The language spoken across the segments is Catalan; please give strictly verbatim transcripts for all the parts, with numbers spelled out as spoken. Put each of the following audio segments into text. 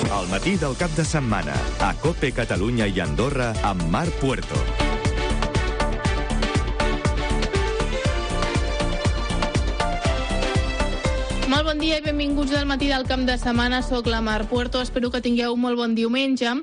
Al matí del cap de setmana, a COPE Catalunya i Andorra, amb Marc Puerto. Molt bon dia i benvinguts al matí del camp de setmana. Soc la Marc Puerto, espero que tingueu un molt bon diumenge.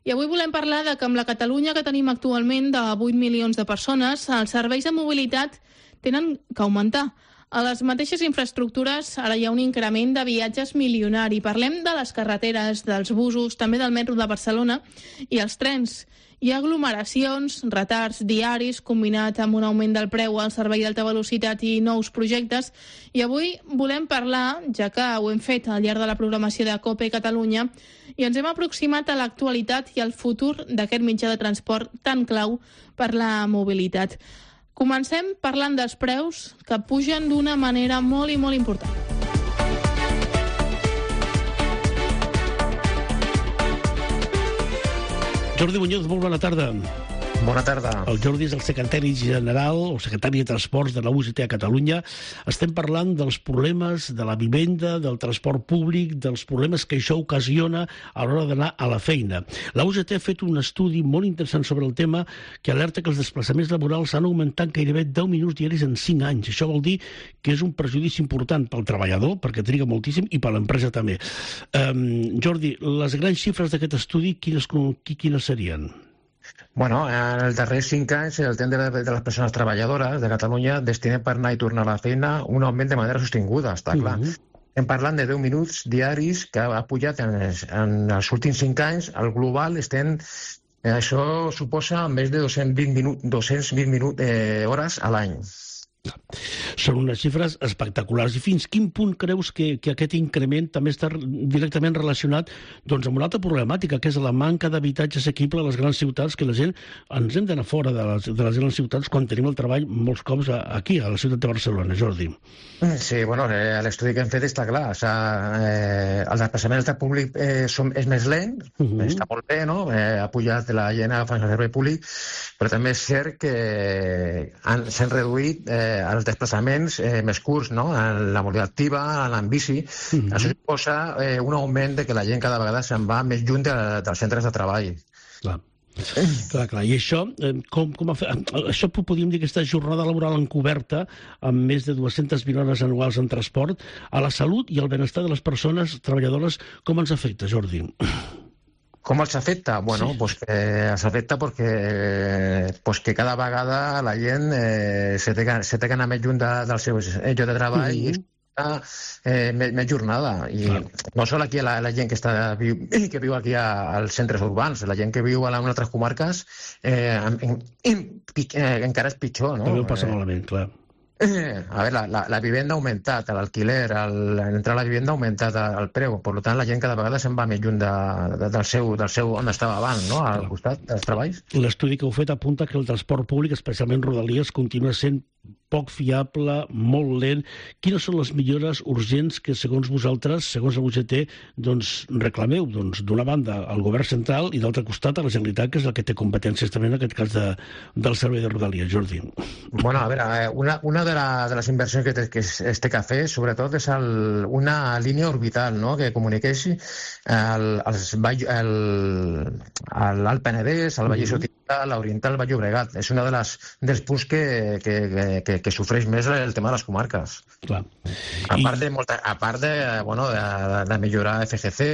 I avui volem parlar de que amb la Catalunya que tenim actualment de vuit milions de persones, els serveis de mobilitat tenen que augmentar. A les mateixes infraestructures ara hi ha un increment de viatges milionari. Parlem de les carreteres, dels busos, també del metro de Barcelona i els trens. Hi ha aglomeracions, retards diaris, combinat amb un augment del preu al servei d'alta velocitat i nous projectes. I avui volem parlar, ja que ho hem fet al llarg de la programació de COPE Catalunya, i ens hem aproximat a l'actualitat i al futur d'aquest mitjà de transport tan clau per la mobilitat. Comencem parlant dels preus, que pugen d'una manera molt i molt important. Jordi Muñoz, molt bona tarda. Bona tarda. El Jordi és el secretari general o secretari de Transports de la U G T a Catalunya. Estem parlant dels problemes de la vivenda, del transport públic, dels problemes que això ocasiona a l'hora d'anar a la feina. La U G T ha fet un estudi molt interessant sobre el tema que alerta que els desplaçaments laborals han augmentat gairebé deu minuts diaris en cinc anys. Això vol dir que és un perjudici important pel treballador, perquè triga moltíssim, i per l'empresa també. Um, Jordi, les grans xifres d'aquest estudi, quines, quines serien? Bueno, en els darrers cinc anys el temps de les persones treballadores de Catalunya destinen per anar i tornar a la feina un augment de manera sostinguda, està clar. Uh-huh. Estem parlant de deu minuts diaris que ha pujat en els, en els últims cinc anys. Al global estem... Això suposa més de dos-cents vint, minut, dos-cents vint minut, eh, hores a l'any. Són unes xifres espectaculars. I fins quin punt creus que, que aquest increment també està directament relacionat doncs, amb una altra problemàtica, que és la manca d'habitatge assequible a les grans ciutats, que la gent ens hem d'anar fora de les, de les grans ciutats quan tenim el treball molts cops aquí, a la ciutat de Barcelona, Jordi? Sí, bueno, eh, l'estudi que hem fet està clar. O sigui, eh, el desplaçament del públic eh, som, és més lent, uh-huh. Està molt bé, no? Eh, ha pujat la gent agafant el servei públic, però també és cert que han, s'han reduït eh, els desplaçaments eh, més curts, no? En la mobilitat activa, en bici. Mm-hmm. Això suposa eh, un augment de que la gent cada vegada se'n va més lluny de, dels centres de treball. Clar. Clar, clar. I això, eh, com, com ha fet, això podríem dir que aquesta jornada laboral encoberta, amb més de dues-centes vint hores anuals en transport, a la salut i al benestar de les persones treballadores, com ens afecta, Jordi? Com els afecta? Bueno, sí. pues que els afecta perquè pues que cada vegada la gent eh, se, té, se té que anar més lluny de, del seu lloc de treball mm-hmm. i eh, més, més jornada. I clar. No sol aquí la, la gent que, està, que viu aquí a, als centres urbans, la gent que viu a, la, a altres comarques eh, en, en, en, eh, encara és pitjor, no? També ho passa malament, clar. Eh, a veure, la, la, la vivenda ha augmentat, l'alquiler, entrar a la vivenda ha augmentat el preu, per tant la gent cada vegada se'n va més lluny de, de, del, seu, del seu on estava abans, no? Al costat dels treballs. L'estudi que heu fet apunta que el transport públic, especialment Rodalies, continua sent poc fiable, molt lent. Quines són les millores urgents que, segons vosaltres, segons la U G T, doncs, reclameu? Doncs, d'una banda, al govern central i d'altre costat a la Generalitat, que és el que té competències també en aquest cas de, del servei de Rodalies. Jordi. Bueno, a veure, una, una de, la, de les inversions que, té, que es, es té que fer, sobretot, és el, una línia orbital, no?, que comuniqueixi l'Alt Penedès, el Vallès Occidental, l'Oriental, el Vall Llobregat. És una de les, dels punts que, que, que, que sofreix més el tema de les comarques. Clar. A part de, molta, a part de, bueno, de, de millorar F G C,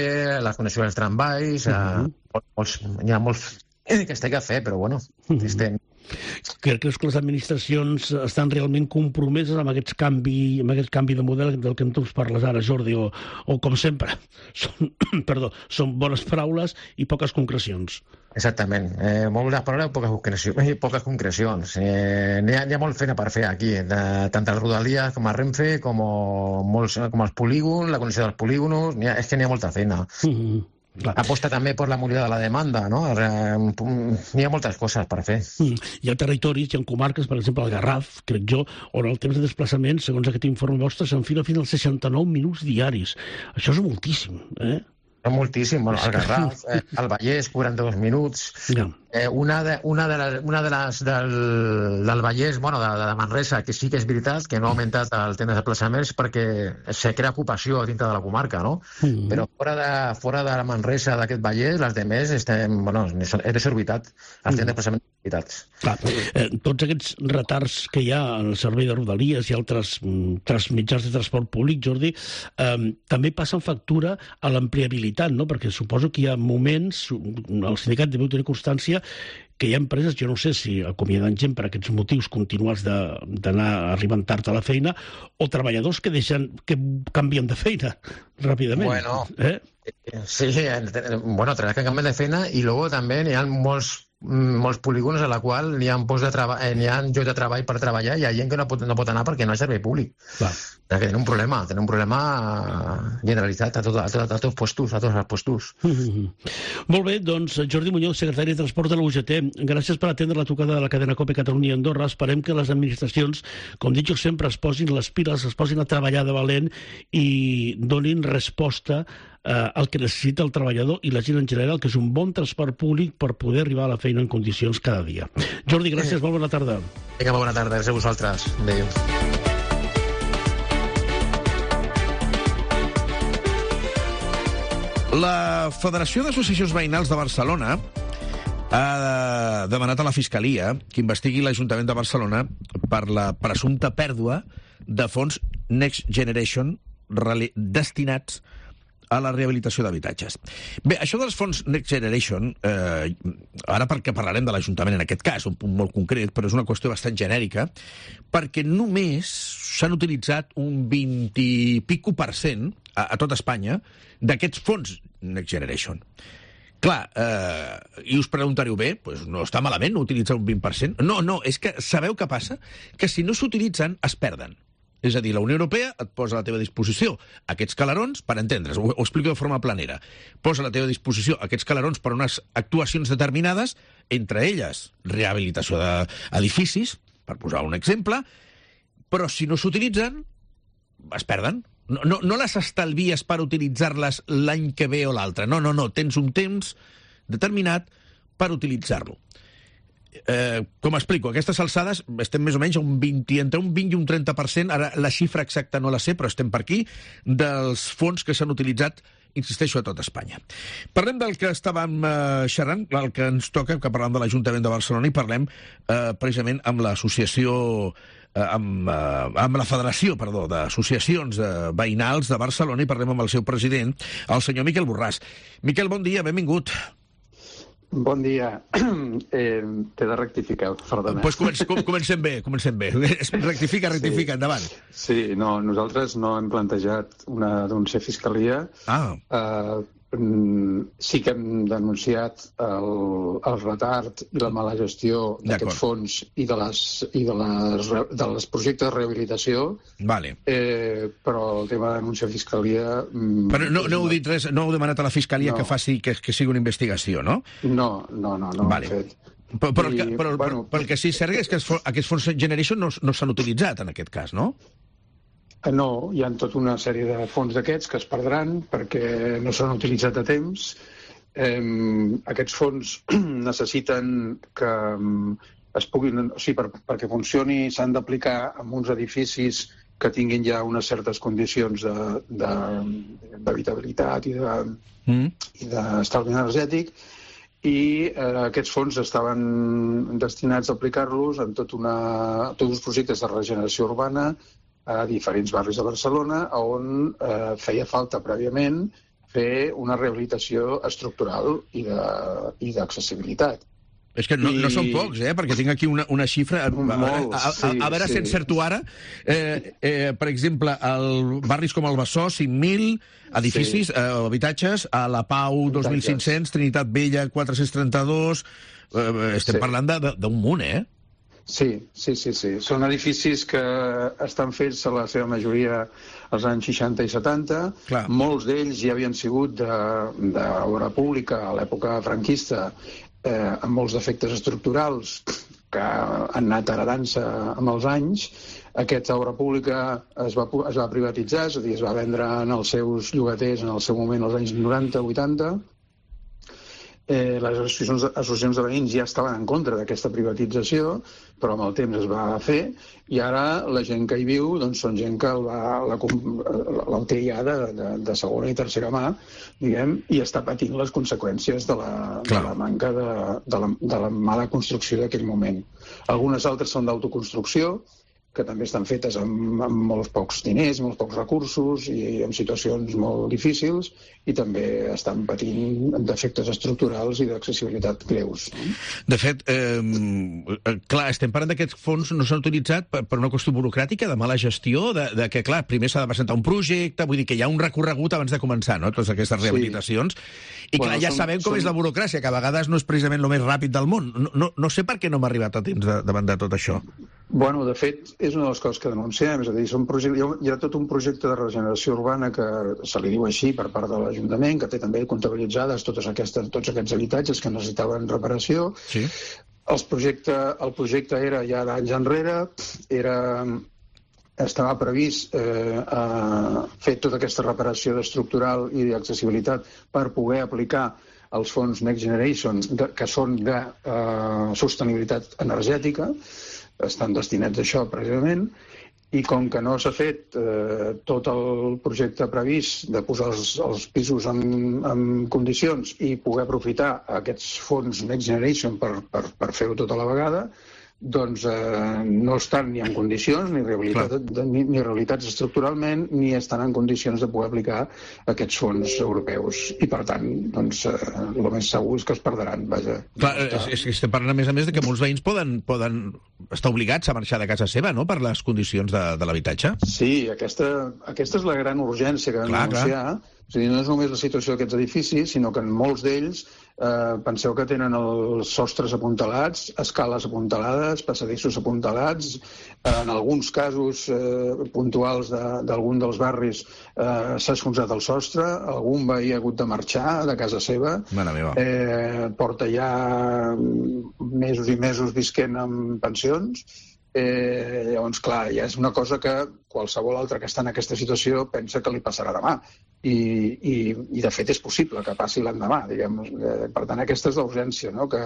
la connexió dels tramvais, uh-huh. eh, molts, hi ha molts que es té que fer, però bueno, uh-huh. estem... Creus que les administracions estan realment compromeses amb aquest canvi, amb aquest canvi de model del que tu ens parles ara, Jordi, o, o com sempre, són, perdó, són bones paraules i poques concrecions? Exactament. Eh, moltes paraules i poques concrecions. Poques concrecions. Eh, n'hi ha, n'hi ha molt feina per fer aquí, de, tant a Rodalies com a Renfe, com, molts, com els polígons, la connexió dels polígonos, n'hi ha, és que n'hi ha molta feina. Mm-hmm. Clar. Aposta també per la mobilitat de la demanda, no? N'hi ha moltes coses per fer. Mm. Hi ha territoris, hi ha comarques, per exemple, el Garraf, crec jo, on el temps de desplaçament, segons aquest informe vostre, s'enfila fins als seixanta-nou minuts diaris. Això és moltíssim, eh? És moltíssim. Bueno, el Garraf, eh, el Vallès, quaranta-dos minuts... Ja. Eh, una de, una de, les, una de les del, del Vallès, bueno, de, de Manresa, que sí que és veritat que no ha augmentat el temps de desplaçaments perquè se crea ocupació dintre de la comarca, no? Mm-hmm. Però fora de, fora de la Manresa d'aquest Vallès, les demés estem, bueno, és desorbitat, els temps de desplaçaments desorbitats. Clar, eh, tots aquests retards que hi ha en el servei de Rodalies i altres mm, mitjans de transport públic, Jordi, eh, també passen factura a l'ampliabilitat, no? Perquè suposo que hi ha moments, el sindicat deu tenir constància que hi ha empreses, jo no sé si acomiaden gent per aquests motius continuats d'anar arribant tard a la feina, o treballadors que deixen que canvien de feina ràpidament. Bueno, eh? sí, bueno, treballar que canvien de feina i luego també hi ha molts molts polígons a la qual n'hi ha, post de treball, eh, n'hi ha llocs de treball per treballar i hi ha gent que no pot, no pot anar perquè no hi ha servei públic. Clar. Que tenen un problema, tenen un problema generalitzat a, tot, a, tot, a tots els puestos, a tots els puestos. Mm-hmm. Molt bé, doncs, Jordi Muñoz, secretari de Transport de la U G T, gràcies per atendre la trucada de la cadena COPE Catalunya i Andorra. Esperem que les administracions, com dic jo sempre, es posin les piles, es posin a treballar de valent i donin resposta eh, al que necessita el treballador i la gent en general, que és un bon transport públic per poder arribar a la feina en condicions cada dia. Jordi, gràcies, molt bona tarda. Vinga, bona tarda, gràcies a vosaltres. Adéu. La Federació d'Associacions Veïnals de Barcelona ha demanat a la Fiscalia que investigui l'Ajuntament de Barcelona per la presumpta pèrdua de fons Next Generation destinats a la rehabilitació d'habitatges. Bé, això dels fons Next Generation, eh, ara perquè parlarem de l'Ajuntament en aquest cas, un punt molt concret, però és una qüestió bastant genèrica, perquè només s'han utilitzat un vint i pico per cent a, a tot Espanya d'aquests fons Next Generation. Clar, eh, i us preguntareu, bé, doncs no està malament no utilitzar un vint per cent? No, no, és que sabeu què passa? Que si no s'utilitzen, es perden. És a dir, la Unió Europea et posa a la teva disposició aquests calarons, per entendre's, ho, ho explico de forma planera, posa a la teva disposició aquests calarons per unes actuacions determinades, entre elles rehabilitació d'edificis, per posar un exemple, però si no s'utilitzen, es perden. No, no, no les estalvies per utilitzar-les l'any que ve o l'altre. No, no, no, tens un temps determinat per utilitzar-lo. Eh, com explico, a aquestes alçades estem més o menys a un vint, entre un vint i un trenta per cent, ara la xifra exacta no la sé, però estem per aquí, dels fons que s'han utilitzat, insisteixo, a tot Espanya. Parlem del que estàvem eh, xerrant, el que ens toca, que parlem de l'Ajuntament de Barcelona, i parlem eh, precisament amb l'associació, eh, amb, eh, amb la Federació, perdó, d'associacions eh, veïnals de Barcelona, i parlem amb el seu president, el senyor Miquel Borràs. Miquel, bon dia, benvingut. Bon dia. Eh, T'he de rectificar, perdona. Doncs comencem, comencem bé, comencem bé. Rectifica, rectifica, sí. Endavant. Sí, no, nosaltres no hem plantejat una denúncia a Fiscalia. Ah. Eh, sí que hem denunciat el, el retard i la mala gestió d'aquests fons i de les, i de les, de les projectes de rehabilitació. Vale. Eh, però el tema de denúncia a Fiscalia... Però no, no heu dit res, no heu demanat a la Fiscalia no. que faci que, que sigui una investigació, no? No, no, no, no vale. ho hem fet. Però, però, I, però, però, bueno, però el que sí és cert és que aquests fons Generation no, no s'han utilitzat en aquest cas, no? No, hi ha tota una sèrie de fons d'aquests que es perdran perquè no s'han utilitzat a temps. Eh, aquests fons necessiten que es puguin, o sigui, per, perquè funcioni s'han d'aplicar en uns edificis que tinguin ja unes certes condicions d'habitabilitat i de, mm. i d'estalvi energètic, i eh, aquests fons estaven destinats a aplicar-los en tot una, tots uns projectes de regeneració urbana a diferents barris de Barcelona, on eh, feia falta prèviament fer una rehabilitació estructural i d'accessibilitat. És que no, I... no són pocs, eh? Perquè tinc aquí una, una xifra... Molts, a, a, a, a, a veure sí, si encerto ara. Eh, eh, per exemple, al barris com el Besòs, cinc mil edificis, sí. eh, habitatges, a la Pau, dos mil cinc-cents, Trinitat Vella, quatre-cents trenta-dos... Eh, estem sí. parlant d'un munt, eh? Sí, sí, sí, sí. Són edificis que estan fets a la seva majoria als anys seixanta i setanta. Clar. Molts d'ells ja havien sigut d'obra pública a l'època franquista, eh, amb molts defectes estructurals que han anat heredant-se amb els anys. Aquesta obra pública es va, es va privatitzar, és a dir, es va vendre en els seus llogaters en el seu moment als anys noranta vuitanta. Eh, les associacions, associacions de veïns ja estaven en contra d'aquesta privatització, però amb el temps es va fer, i ara la gent que hi viu doncs, són gent que el, va, la, la té ja de, de, de segona i tercera mà, diguem, i està patint les conseqüències de la, de la manca de, de, la, de la mala construcció d'aquell moment. Algunes altres són d'autoconstrucció, que també estan fetes amb, amb molts pocs diners, molts pocs recursos i en situacions molt difícils, i també estan patint defectes estructurals i d'accessibilitat greus. De fet, eh, clar, estem parlant d'aquests fons no s'han utilitzat per, per una qüestió burocràtica, de mala gestió, de, de que, clar, primer s'ha de presentar un projecte, vull dir que hi ha un recorregut abans de començar, no?, totes aquestes rehabilitacions, sí. I clar, bueno, ja són, sabem com són... és la burocràcia, que a vegades no és precisament el més ràpid del món. No, no, no sé per què no m'ha arribat a temps de, davant de tot això. Bueno, de fet, és una de les coses que denunciem, és a dir, són projecte, hi ha tot un projecte de regeneració urbana que se li diu així per part de l'Ajuntament, que té també comptabilitzades totes aquestes, tots aquests habitatges que necessitaven reparació. Sí. Els projecte, el projecte era ja d'anys enrere, era, estava previst eh, a fer tota aquesta reparació estructural i d'accessibilitat per poder aplicar els fons Next Generation, de, que són de eh, sostenibilitat energètica, estan destinats a això precisament, i com que no s'ha fet eh, tot el projecte previst de posar els, els pisos en, en condicions i poder aprofitar aquests fons Next Generation per, per, per fer-ho tota la vegada, doncs eh, no estan ni en condicions, ni, rehabilitat, ni, ni realitats estructuralment, ni estan en condicions de poder aplicar aquests fons europeus. I, per tant, doncs, eh, el més segur és que es perdran, vaja. Clar, és, és que estem parlant, a més a més, de que molts veïns poden, poden estar obligats a marxar de casa seva, no?, per les condicions de, de l'habitatge. Sí, aquesta, aquesta és la gran urgència que vam denunciar. És a dir, no és només la situació d'aquests edificis, sinó que en molts d'ells eh, penseu que tenen els sostres apuntalats, escales apuntalades, passadissos apuntalats, eh, en alguns casos eh, puntuals d'algun de, dels barris eh, s'ha esfonsat el sostre, algun veí ha hagut de marxar de casa seva, eh, porta ja mesos i mesos visquent en pensions. Eh, llavors, clar, ja és una cosa que qualsevol altre que està en aquesta situació pensa que li passarà demà. I, i, i de fet és possible que passi l'endemà, diguem. Eh, per tant, aquesta és l'urgència, no?, que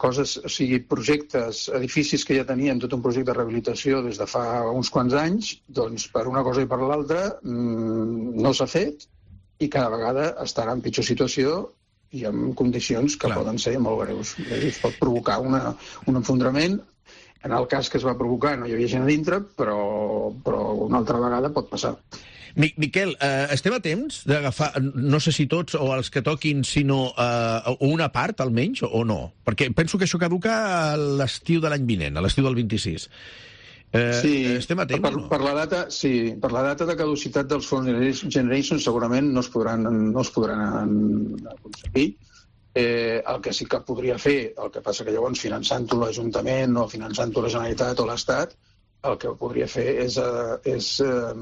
coses, o sigui, projectes, edificis que ja tenien tot un projecte de rehabilitació des de fa uns quants anys, doncs per una cosa i per l'altra mmm, no s'ha fet i cada vegada estarà en pitjor situació i en condicions que Clar. Poden ser molt greus. Es pot provocar una, un enfondrament. En el cas que es va provocar no hi havia gent a dintre, però, però una altra vegada pot passar. Miquel, eh, estem a temps d'agafar, no sé si tots o els que toquin, sinó eh, una part, almenys, o no? Perquè penso que això caduca a l'estiu de l'any vinent, a l'estiu del vint-i-sis. Eh, sí, estem a temps, per, no? Per la data, sí, per la data de caducitat dels fons Generation segurament no es podran, no es podran aconseguir. Eh, el que sí que podria fer, el que passa que llavors finançant-ho l'Ajuntament o finançant-ho la Generalitat o l'Estat, el que podria fer és, eh, és eh,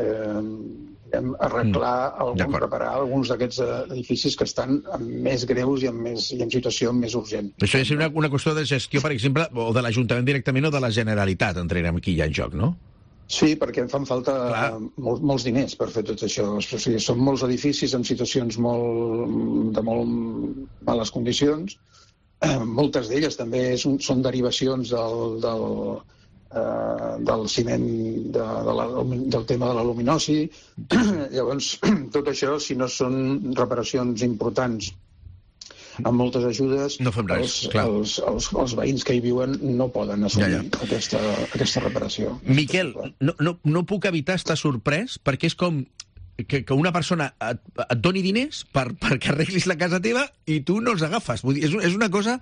eh, arreglar, algun, reparar alguns d'aquests edificis que estan més greus i en, més, i en situació més urgent. Això és una, una qüestió de gestió, per exemple, o de l'Ajuntament directament o de la Generalitat, entrarem aquí ja en joc, no? Sí, perquè em fan falta molts, molts diners per fer tot això. O sigui, són molts edificis en situacions molt, de molt males condicions. Eh, moltes d'elles també són, són derivacions del, del, eh, del ciment, de, de la, del tema de l'aluminosi. Llavors, tot això, si no són reparacions importants amb moltes ajudes, no fem res, els, els, els, els veïns que hi viuen no poden assumir ja, ja. Aquesta, aquesta reparació. Miquel, no, no, no puc evitar estar sorprès perquè és com que, que una persona et, et doni diners per, perquè arreglis la casa teva i tu no els agafes. Vull dir, és, és una cosa...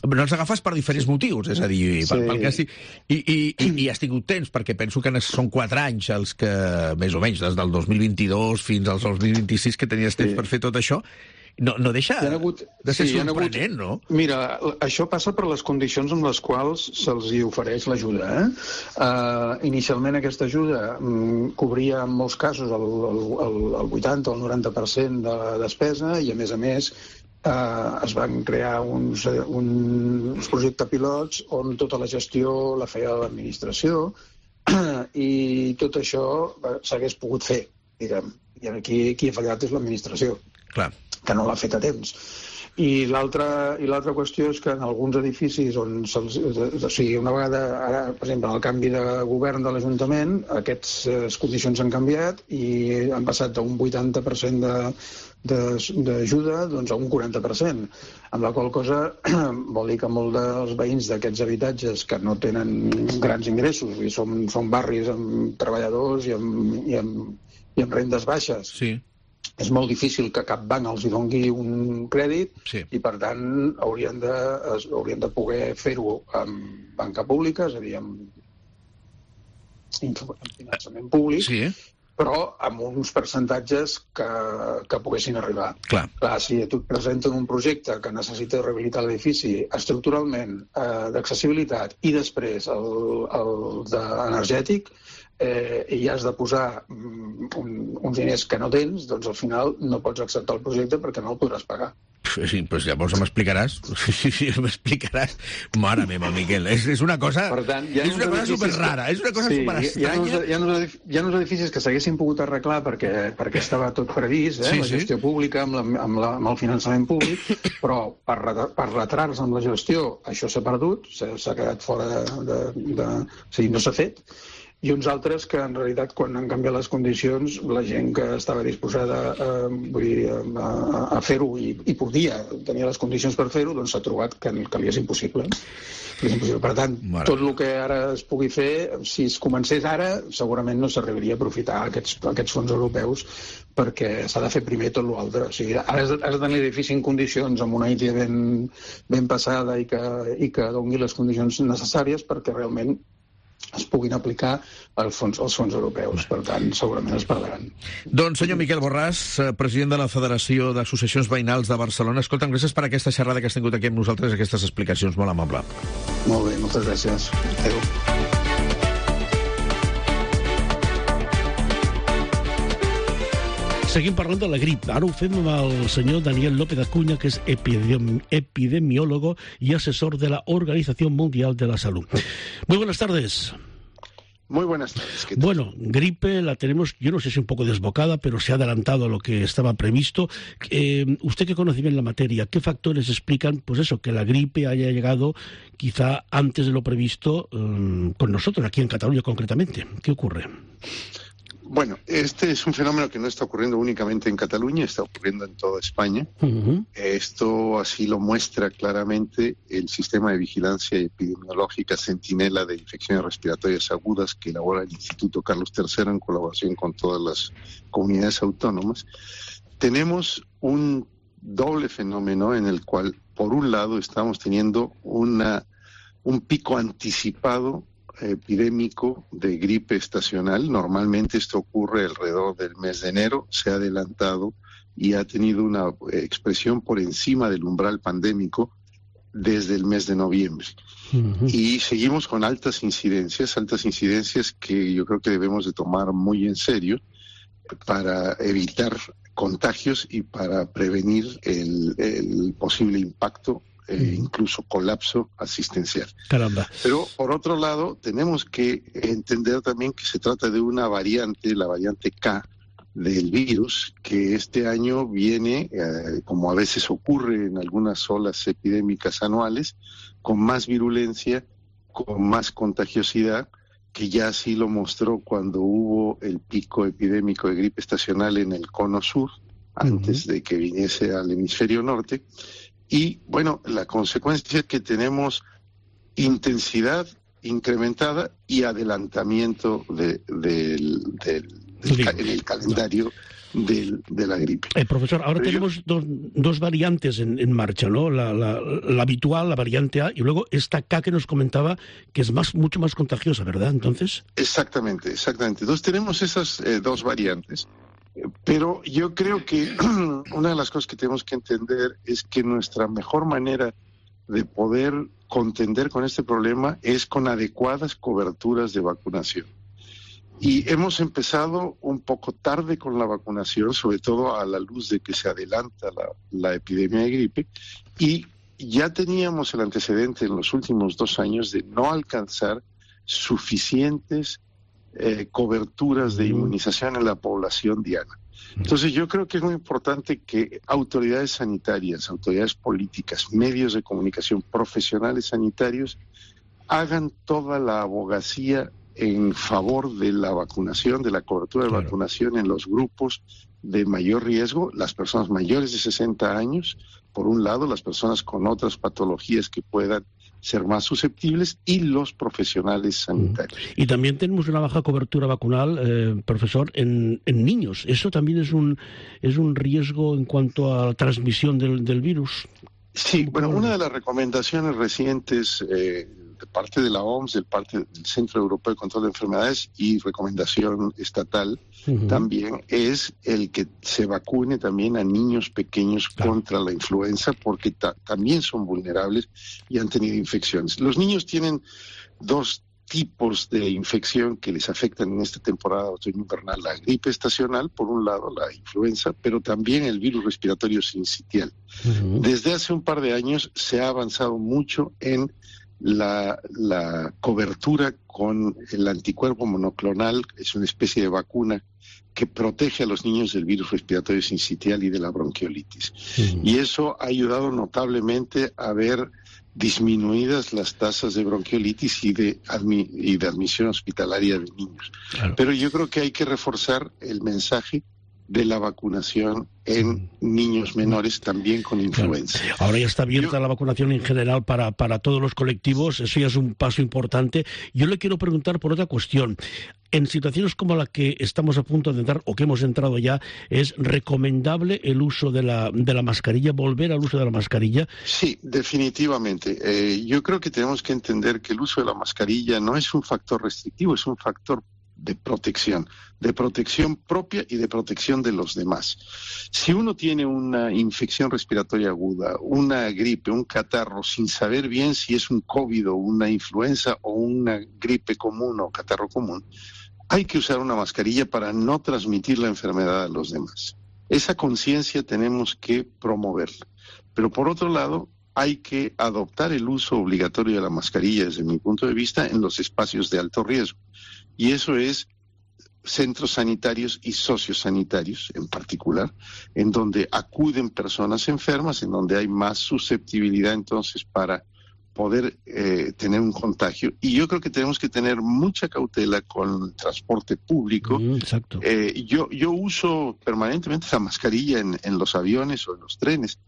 No els agafes per diferents motius, és a dir, sí. pel, pel que estic... I, i, i, i has tingut temps, perquè penso que són quatre anys els que, més o menys, des del dos mil vint-i-dos fins al dos mil vint-i-sis que tenies temps sí. per fer tot això. No, no deixa hagut, de ser sí, sorprenent, no? Mira, això passa per les condicions amb les quals se'ls hi ofereix l'ajuda. Eh? Uh, inicialment aquesta ajuda um, cobria en molts casos el, el, el, el vuitanta o el noranta per cent de la despesa i, a més a més, uh, es van crear uns, uns projectes pilots on tota la gestió la feia l'administració i tot això s'hagués pogut fer, diguem. I aquí qui ha fallat és l'administració. Clar. Que no l'ha fet a temps. I l'altra i l'altra qüestió és que en alguns edificis on se'ls, o sigui, una vegada ara, per exemple, en el canvi de govern de l'Ajuntament, aquestes condicions han canviat i han passat d'un vuitanta per cent de d'ajuda doncs, a un quaranta per cent, amb la qual cosa vol dir que molts dels veïns d'aquests habitatges que no tenen grans ingressos, i són, són barris amb treballadors i amb, i amb, i amb rendes baixes, sí. És molt difícil que cap banc els hi dongui un crèdit, sí. I per tant haurien de, haurien de poder fer-ho amb banca pública, és a dir, amb, amb finançament públic, sí. Però amb uns percentatges que, que poguessin arribar. Clar. Clar, si tu et presenten un projecte que necessita rehabilitar l'edifici estructuralment, eh, d'accessibilitat i després el, el d'energètic, eh, i has de posar un, uns diners que no tens, doncs al final no pots acceptar el projecte perquè no el podràs pagar. Sí, doncs llavors m'explicaràs. Sí, sí, m'explicaràs. Mare meva, Miquel, és, és una cosa, per tant, és una cosa superrara, és una cosa sí, superestranya. Hi ha, hi, ha uns, hi ha uns edificis que s'haguessin pogut arreglar perquè, perquè estava tot previst, eh, sí, la gestió sí. pública, amb, la, amb, la, amb el finançament públic, però per, per retards amb la gestió això s'ha perdut, s'ha quedat fora de... de, de o sigui, no s'ha fet. I uns altres que, en realitat, quan han canviat les condicions, la gent que estava disposada eh, vull dir, a, a fer-ho i, i podia tenir les condicions per fer-ho, doncs s'ha trobat que, que li és impossible. És impossible. Per tant, Mare. tot el que ara es pugui fer, si es comencés ara, segurament no s'arribaria a aprofitar aquests, aquests fons europeus, perquè s'ha de fer primer tot l'altre. O sigui, ara has de, has de tenir l'edifici en condicions, amb una I T ben, ben passada i que, i que doni les condicions necessàries perquè realment es puguin aplicar els fons, els fons europeus. Per tant, segurament es perdran. Doncs, senyor Miquel Borràs, president de la Federació d'Associacions Veïnals de Barcelona, escolta'm, gràcies per aquesta xerrada que has tingut aquí amb nosaltres, aquestes explicacions, molt amable. Molt bé, moltes gràcies. Adéu. Seguim parlant de la grip. Ara ho fem amb el senyor Daniel López Acuña, que es epidemi epidemiólogo y asesor de la Organización Mundial de la Salud. Muy buenas tardes. Muy buenas tardes. ¿Qué tal? Bueno, gripe la tenemos, yo no sé si un poco desbocada, pero se ha adelantado a lo que estaba previsto. Eh, usted que conoce bien la materia, ¿qué factores explican, pues eso, que la gripe haya llegado quizá antes de lo previsto eh, con nosotros, aquí en Cataluña concretamente? ¿Qué ocurre? Bueno, este es un fenómeno que no está ocurriendo únicamente en Cataluña, está ocurriendo en toda España. Uh-huh. Esto así lo muestra claramente el sistema de vigilancia epidemiológica Centinela de infecciones respiratorias agudas que elabora el Instituto Carlos tercero en colaboración con todas las comunidades autónomas. Tenemos un doble fenómeno en el cual, por un lado, estamos teniendo una, un pico anticipado epidémico de gripe estacional. Normalmente esto ocurre alrededor del mes de enero, se ha adelantado y ha tenido una expresión por encima del umbral pandémico desde el mes de noviembre. Uh-huh. Y seguimos con altas incidencias, altas incidencias que yo creo que debemos de tomar muy en serio para evitar contagios y para prevenir el, el posible impacto Eh, incluso colapso asistencial. Caramba. Pero, por otro lado, tenemos que entender también que se trata de una variante, la variante K del virus, que este año viene, eh, como a veces ocurre en algunas olas epidémicas anuales, con más virulencia, con más contagiosidad, que ya así lo mostró cuando hubo el pico epidémico de gripe estacional en el cono sur, antes uh-huh. de que viniese al hemisferio norte. Y, bueno, la consecuencia es que tenemos intensidad incrementada y adelantamiento de, de, de, del, del, en el calendario de, de la gripe. Eh, profesor, ahora Pero tenemos yo... dos, dos variantes en, en marcha, ¿no? La, la, la habitual, la variante A, y luego esta K que nos comentaba, que es más mucho más contagiosa, ¿verdad? Entonces. Exactamente, exactamente. Entonces tenemos esas eh, dos variantes. Pero yo creo que una de las cosas que tenemos que entender es que nuestra mejor manera de poder contender con este problema es con adecuadas coberturas de vacunación. Y hemos empezado un poco tarde con la vacunación, sobre todo a la luz de que se adelanta la, la epidemia de gripe, y ya teníamos el antecedente en los últimos dos años de no alcanzar suficientes Eh, coberturas de inmunización en la población diana. Entonces yo creo que es muy importante que autoridades sanitarias, autoridades políticas, medios de comunicación, profesionales sanitarios, hagan toda la abogacía en favor de la vacunación, de la cobertura de claro. vacunación en los grupos de mayor riesgo, las personas mayores de sesenta años, por un lado, las personas con otras patologías que puedan ser más susceptibles y los profesionales sanitarios. Y también tenemos una baja cobertura vacunal, eh, profesor, en, en niños. ¿Eso también es un, es un riesgo en cuanto a la transmisión del, del virus? Sí, bueno, una de las recomendaciones recientes eh, de parte de la O M S, de parte del Centro Europeo de Control de Enfermedades y recomendación estatal uh-huh. también es el que se vacune también a niños pequeños claro. contra la influenza porque ta- también son vulnerables y han tenido infecciones. Los niños tienen dos tipos de infección que les afectan en esta temporada otoño-invernal, la gripe estacional, por un lado, la influenza, pero también el virus respiratorio sincitial. Uh-huh. Desde hace un par de años se ha avanzado mucho en la, la cobertura con el anticuerpo monoclonal, es una especie de vacuna que protege a los niños del virus respiratorio sincitial y de la bronquiolitis. Uh-huh. Y eso ha ayudado notablemente a ver disminuidas las tasas de bronquiolitis y de, admi- y de admisión hospitalaria de niños. Claro. Pero yo creo que hay que reforzar el mensaje de la vacunación en niños menores también con influenza. Claro. Ahora ya está abierta Yo... la vacunación en general para, para todos los colectivos, eso ya es un paso importante. Yo le quiero preguntar por otra cuestión. En situaciones como la que estamos a punto de entrar, o que hemos entrado ya, ¿es recomendable el uso de la, de la mascarilla, volver al uso de la mascarilla? Sí, definitivamente. Eh, yo creo que tenemos que entender que el uso de la mascarilla no es un factor restrictivo, es un factor de protección, de protección propia y de protección de los demás. Si uno tiene una infección respiratoria aguda, una gripe, un catarro, sin saber bien si es un COVID o una influenza o una gripe común o catarro común, hay que usar una mascarilla para no transmitir la enfermedad a los demás. Esa conciencia tenemos que promoverla. Pero por otro lado, hay que adoptar el uso obligatorio de la mascarilla, desde mi punto de vista, en los espacios de alto riesgo. Y eso es centros sanitarios y sociosanitarios en particular, en donde acuden personas enfermas, en donde hay más susceptibilidad entonces para poder eh, tener un contagio. Y yo creo que tenemos que tener mucha cautela con el transporte público. Mm, exacto. Eh, yo, yo uso permanentemente la mascarilla en, en los aviones o en los trenes,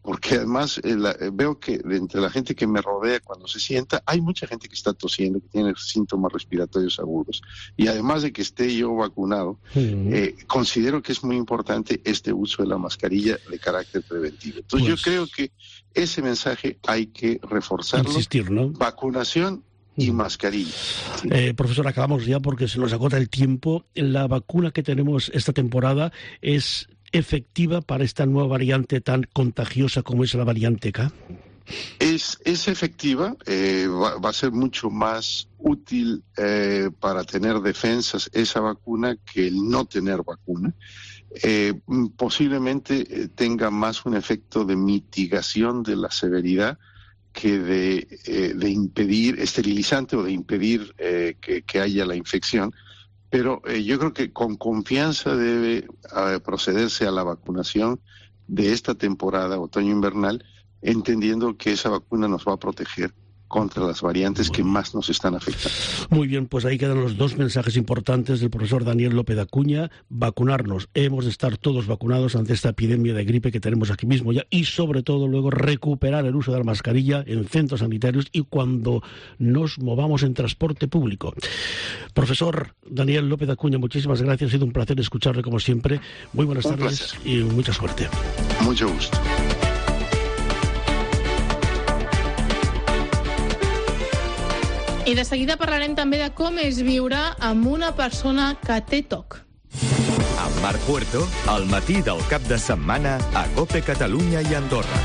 porque además eh, la, eh, veo que de entre la gente que me rodea cuando se sienta, hay mucha gente que está tosiendo, que tiene síntomas respiratorios agudos. Y además de que esté yo vacunado, mm. eh, considero que es muy importante este uso de la mascarilla de carácter preventivo. Entonces pues, yo creo que ese mensaje hay que reforzarlo. Insistir, ¿no? Vacunación y mascarilla. Sí. Eh, profesor, acabamos ya porque se nos agota el tiempo. La vacuna que tenemos esta temporada es efectiva para esta nueva variante tan contagiosa como es la variante K? Es, es efectiva, eh, va, va a ser mucho más útil eh, para tener defensas esa vacuna que el no tener vacuna. Eh, posiblemente tenga más un efecto de mitigación de la severidad que de, eh, de impedir, esterilizante o de impedir eh, que, que haya la infección. Pero eh, yo creo que con confianza debe eh, procederse a la vacunación de esta temporada otoño-invernal, entendiendo que esa vacuna nos va a proteger contra las variantes que más nos están afectando. Muy bien, pues ahí quedan los dos mensajes importantes del profesor Daniel López Acuña. Vacunarnos, hemos de estar todos vacunados ante esta epidemia de gripe que tenemos aquí mismo ya, y sobre todo luego recuperar el uso de la mascarilla en centros sanitarios y cuando nos movamos en transporte público. Profesor Daniel López Acuña, muchísimas gracias, ha sido un placer escucharle como siempre. Muy buenas un tardes placer. Y mucha suerte. Mucho gusto. I de seguida parlarem també de com és viure amb una persona que té T O C. Amb Marc Puerto, al matí del cap de setmana a COPE Catalunya i Andorra.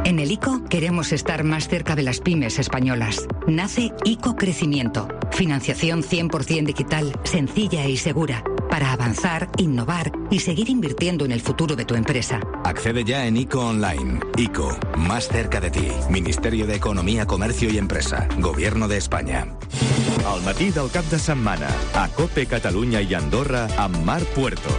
En el I C O queremos estar más cerca de las pymes españolas. Nace I C O Crecimiento. Financiación cien por ciento digital, sencilla y segura. para avanzar, innovar y seguir invirtiendo en el futuro de tu empresa. Accede ya en ICO Online. ICO, más cerca de ti. Ministerio de Economía, Comercio y Empresa. Gobierno de España. Al matí del cap de setmana, a COPE Catalunya i Andorra, amb Marc Puerto.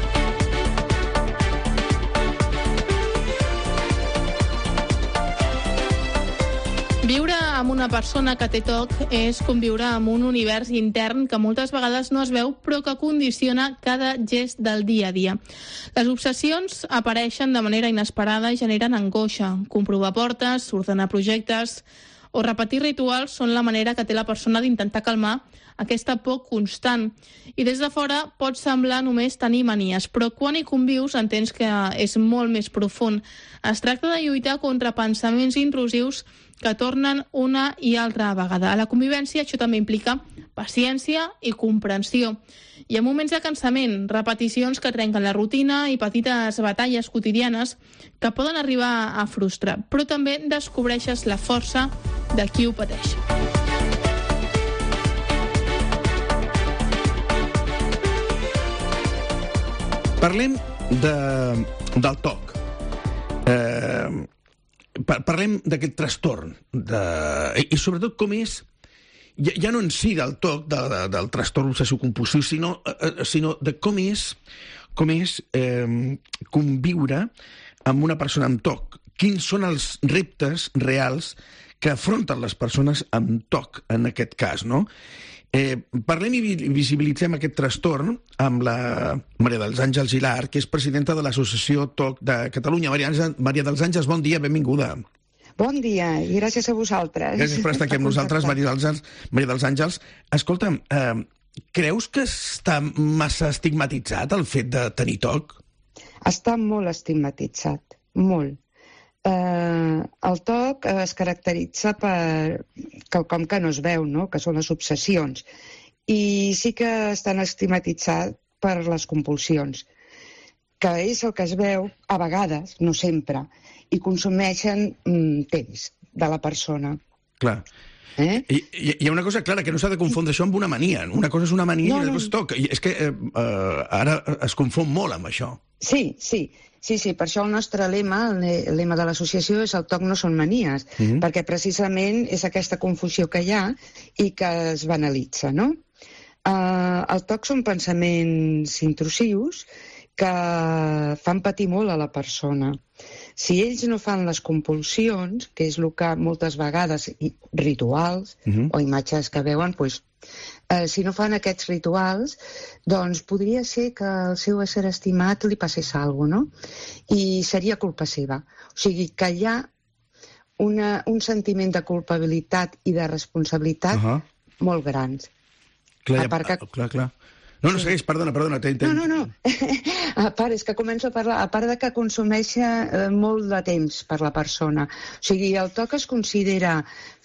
Viure amb una persona que té T O C és conviure amb un univers intern que moltes vegades no es veu, però que condiciona cada gest del dia a dia. Les obsessions apareixen de manera inesperada i generen angoixa. Comprovar portes, ordenar projectes o repetir rituals són la manera que té la persona d'intentar calmar aquesta por constant. I des de fora pot semblar només tenir manies, però quan hi convius entens que és molt més profund. Es tracta de lluitar contra pensaments intrusius que tornen una i altra vegada. A la convivència això també implica paciència i comprensió. I en moments de cansament, repeticions que trenquen la rutina i petites batalles quotidianes que poden arribar a frustrar, però també descobreixes la força de qui ho pateix. Parlem de, del T O C. Eh, parlem d'aquest trastorn de, i sobretot com és ja, ja no en si del T O C de, de, del trastorn obsessiu-compulsiu sinó, eh, sinó de com és com és eh, conviure amb una persona amb T O C. Quins són els reptes reals que afronten les persones amb T O C en aquest cas, no? Eh, parlem i visibilitzem aquest trastorn amb la Maria dels Àngels Gilar, que és presidenta de l'Associació T O C de Catalunya. Maria, Maria dels Àngels, bon dia, benvinguda. Bon dia, i gràcies a vosaltres. Gràcies per estar aquí amb nosaltres, Maria dels Àngels. Maria dels Àngels, escolta'm, eh, creus que està massa estigmatitzat el fet de tenir T O C? Està molt estigmatitzat, molt. Eh, el T O C es caracteritza per quelcom que no es veu, no? Que són les obsessions. I sí que estan estigmatitzats per les compulsions, que és el que es veu a vegades, no sempre, i consumeixen mm, temps de la persona. Clar. Eh? I, hi ha una cosa clara, que no s'ha de confondre això amb una mania. Una cosa és una mania no, i l'altra és T O C. I és que eh, eh, ara es confon molt amb això. Sí, sí. Sí, sí, per això el nostre lema, el lema de l'associació és el T O C no són manies, mm-hmm. perquè precisament és aquesta confusió que hi ha i que es banalitza, no? Uh, el T O C són pensaments intrusius que fan patir molt a la persona. Si ells no fan les compulsions, que és el que moltes vegades, rituals mm-hmm. o imatges que veuen, doncs, eh, si no fan aquests rituals, doncs podria ser que al seu ésser estimat li passés alguna cosa, no? I seria culpa seva. O sigui que hi ha una, un sentiment de culpabilitat i de responsabilitat uh-huh. molt grans. Clar, a part que... clar, clar. No, no, segueix, perdona, perdona. No, no, no. A part, és que començo a parlar, a part de que consumeix eh, molt de temps per la persona. O sigui, el T O C es considera,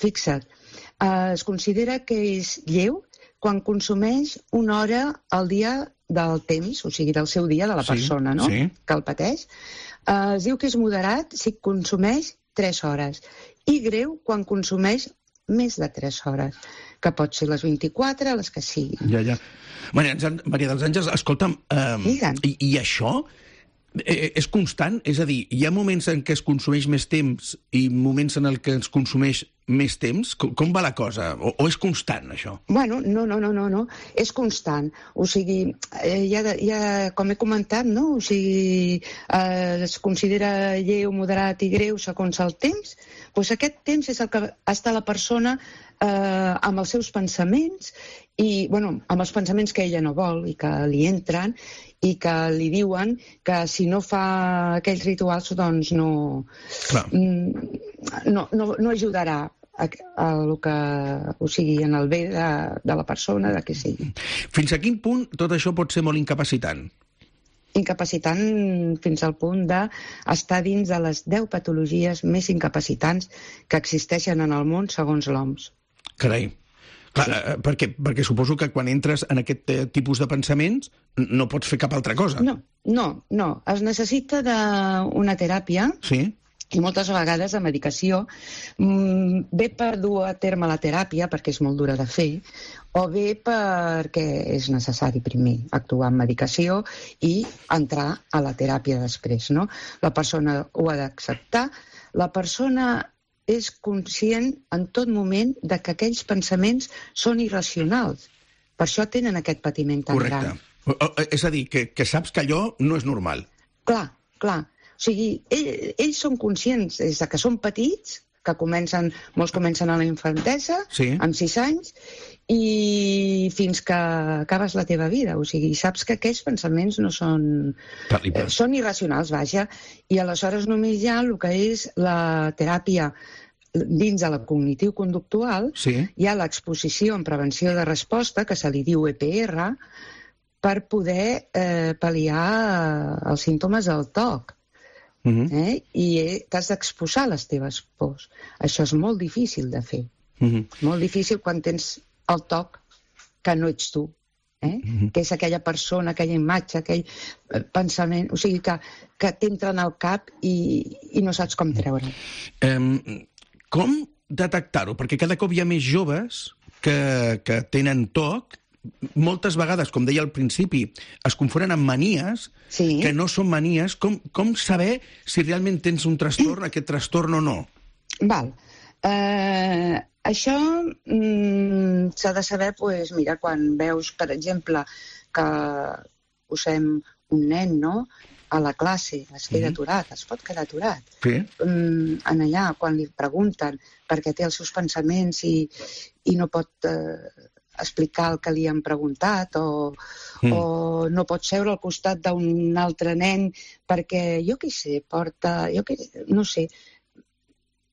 fixa't, eh, es considera que és lleu quan consumeix una hora al dia del temps, o sigui, del seu dia, de la sí, persona, no? Sí. Que el pateix. Eh, es diu que és moderat si consumeix tres hores. I greu quan consumeix més de tres hores, que pot ser les vint-i-quatre, les que sigui. Ja, ja. Maria, Maria dels Àngels, escolta'm, eh, i, i això eh, és constant? És a dir, hi ha moments en què es consumeix més temps i moments en què es consumeix més temps? Com, com va la cosa? O, o és constant, això? Bueno, no, no, no, no, no. És constant. O sigui, eh, ja, ja, com he comentat, no? O sigui, eh, es considera lleu, moderat i greu segons el temps. Doncs aquest temps és el que està la persona eh, amb els seus pensaments i, bueno, amb els pensaments que ella no vol i que li entren i que li diuen que si no fa aquells rituals, doncs no, no, no, no ajudarà a, a lo que, o sigui, en el bé de, de la persona, de què sigui. Fins a quin punt tot això pot ser molt incapacitant? Incapacitant fins al punt d'estar dins de les deu patologies més incapacitants que existeixen en el món segons l'O M S. Carai. Clar, sí. perquè, perquè suposo que quan entres en aquest tipus de pensaments no pots fer cap altra cosa. No, no, no. Es necessita d'una teràpia sí. i moltes vegades la medicació mm, ve per dur a terme la teràpia, perquè és molt dura de fer, o bé perquè és necessari primer actuar amb medicació i entrar a la teràpia després, no? La persona ho ha d'acceptar, la persona és conscient en tot moment de que aquells pensaments són irracionals. Per això tenen aquest patiment tan gran. Correcte. És a dir, que, que saps que allò no és normal. Clar, clar. O sigui, ell, ells són conscients des de que són petits, que comencen, molts comencen a la infantesa, sí. amb sis anys, i fins que acabes la teva vida. O sigui, saps que aquells pensaments no són... Eh, són irracionals, vaja, i aleshores només hi ha el que és la teràpia dins de la cognitiu-conductual, sí. hi ha l'exposició en prevenció de resposta, que se li diu E P R, per poder eh, pal·liar els símptomes del T O C. Uh-huh. eh? I t'has d'exposar les teves pors. Això és molt difícil de fer. Uh-huh. Molt difícil quan tens el T O C que no ets tu, eh? Uh-huh. Que és aquella persona, aquella imatge, aquell pensament, o sigui, que, que t'entra en el cap i, i no saps com treure'l. Um, com detectar-ho? Perquè cada cop hi ha més joves que, que tenen T O C. Moltes vegades, com deia al principi, es confonen amb manies, sí. que no són manies. Com, com saber si realment tens un trastorn, aquest trastorn o no? Val. Uh, això mm, s'ha de saber, pues, mira, quan veus, per exemple, que posem un nen, no?, a la classe, es queda mm. aturat, es pot quedar aturat. Sí. Um, en allà, quan li pregunten perquè té els seus pensaments i, i no pot... Uh, explicar el que li han preguntat o, mm. o no pot seure al costat d'un altre nen perquè, jo què sé, porta... Jo què, no sé,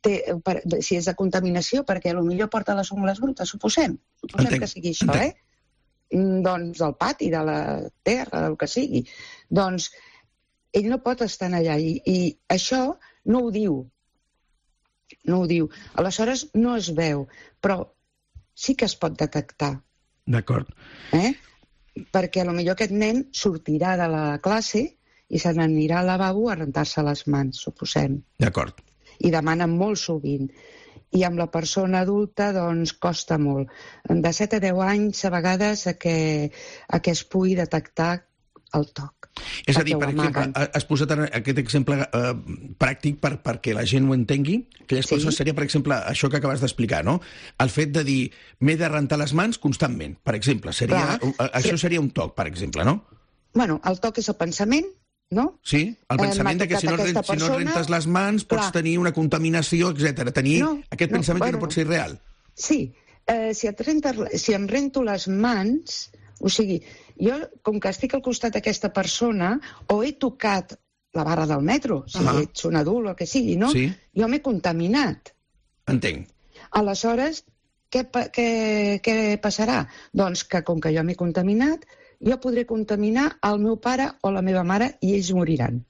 té, per, si és de contaminació, perquè potser porta les ungles brutes, suposem. Suposem entenc, que sigui això, entenc. eh? Doncs del pati, de la terra, del que sigui. Doncs ell no pot estar allà i, i això no ho diu. No ho diu. Aleshores no es veu, però sí que es pot detectar. D'acord. Eh? Perquè potser aquest nen sortirà de la classe i se n'anirà al lavabo a rentar-se les mans, suposem. D'acord. I demanen molt sovint. I amb la persona adulta, doncs, costa molt. De set a deu anys, a vegades, a que, a que es pugui detectar el T O C. És a dir, per exemple, has posat aquest exemple eh, pràctic per, perquè la gent ho entengui. Aquelles sí. coses seria, per exemple, això que acabes d'explicar, no? El fet de dir, m'he de rentar les mans constantment, per exemple. Seria, Clar. Això seria un T O C, per exemple, no? Bueno, el T O C és el pensament, no? Sí, el pensament eh, de que si no, persona, si no rentes les mans pots clar. tenir una contaminació, etcètera. Tenir no, aquest no, pensament bueno, que no pot ser real. Sí, eh, si, et renta, si em rento les mans... O sigui, jo, com que estic al costat d'aquesta persona, o he tocat la barra del metro, si uh -huh. ets un adult o el que sigui, no? Sí. Jo m'he contaminat. Entenc. Aleshores, què, què, què passarà? Doncs que, com que jo m'he contaminat, jo podré contaminar el meu pare o la meva mare i ells moriran.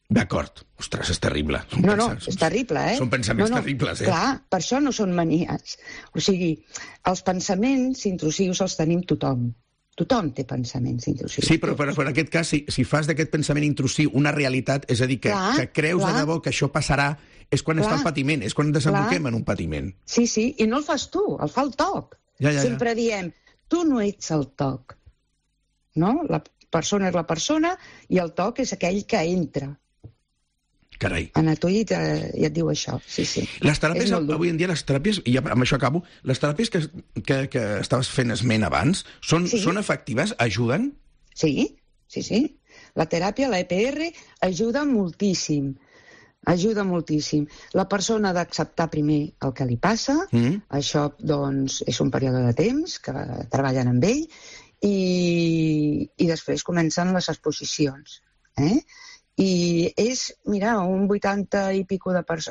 D'acord. Ostres, és terrible. Són no, no, és terrible, eh? Són pensaments no, no, terribles, eh? Clar, per això no són manies. O sigui, els pensaments intrusius els tenim tothom. Tothom té pensaments intrusius. Sí, però, però, però en aquest cas, si, si fas d'aquest pensament intrusiu una realitat, és a dir, que, clar, que creus clar. de debò que això passarà, és quan clar. està el patiment, és quan desemboquem en un patiment. Sí, sí, i no el fas tu, el fa el T O C. Ja, ja, Sempre ja. diem, tu no ets el T O C. No? La persona és la persona i el T O C és aquell que entra. Carai. En tu ja, ja et diu això, sí, sí. Les teràpies, avui en dia, les teràpies, i amb això acabo, les teràpies que, que, que estaves fent esment abans, són, sí. són efectives? Ajuden? Sí, sí, sí. La teràpia, la E P R, ajuda moltíssim. Ajuda moltíssim. La persona ha d'acceptar primer el que li passa, mm. això, doncs, és un període de temps que treballen amb ell, i, i després comencen les exposicions, eh? I és, mira, un vuitanta i pico de per,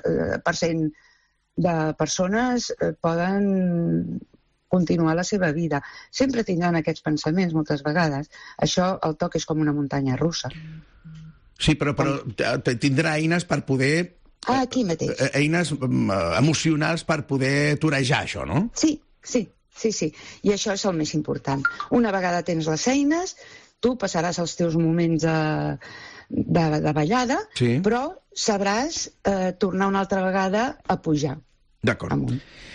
per cent de persones poden continuar la seva vida. Sempre tindran aquests pensaments, moltes vegades. Això, el T O C és com una muntanya russa. Sí, però, però tindrà eines per poder... Ah, aquí mateix. Eines emocionals per poder torejar això, no? Sí, sí, sí, sí. I això és el més important. Una vegada tens les eines, tu passaràs els teus moments de... De, de ballada, sí. però sabràs eh, tornar una altra vegada a pujar. D'acord.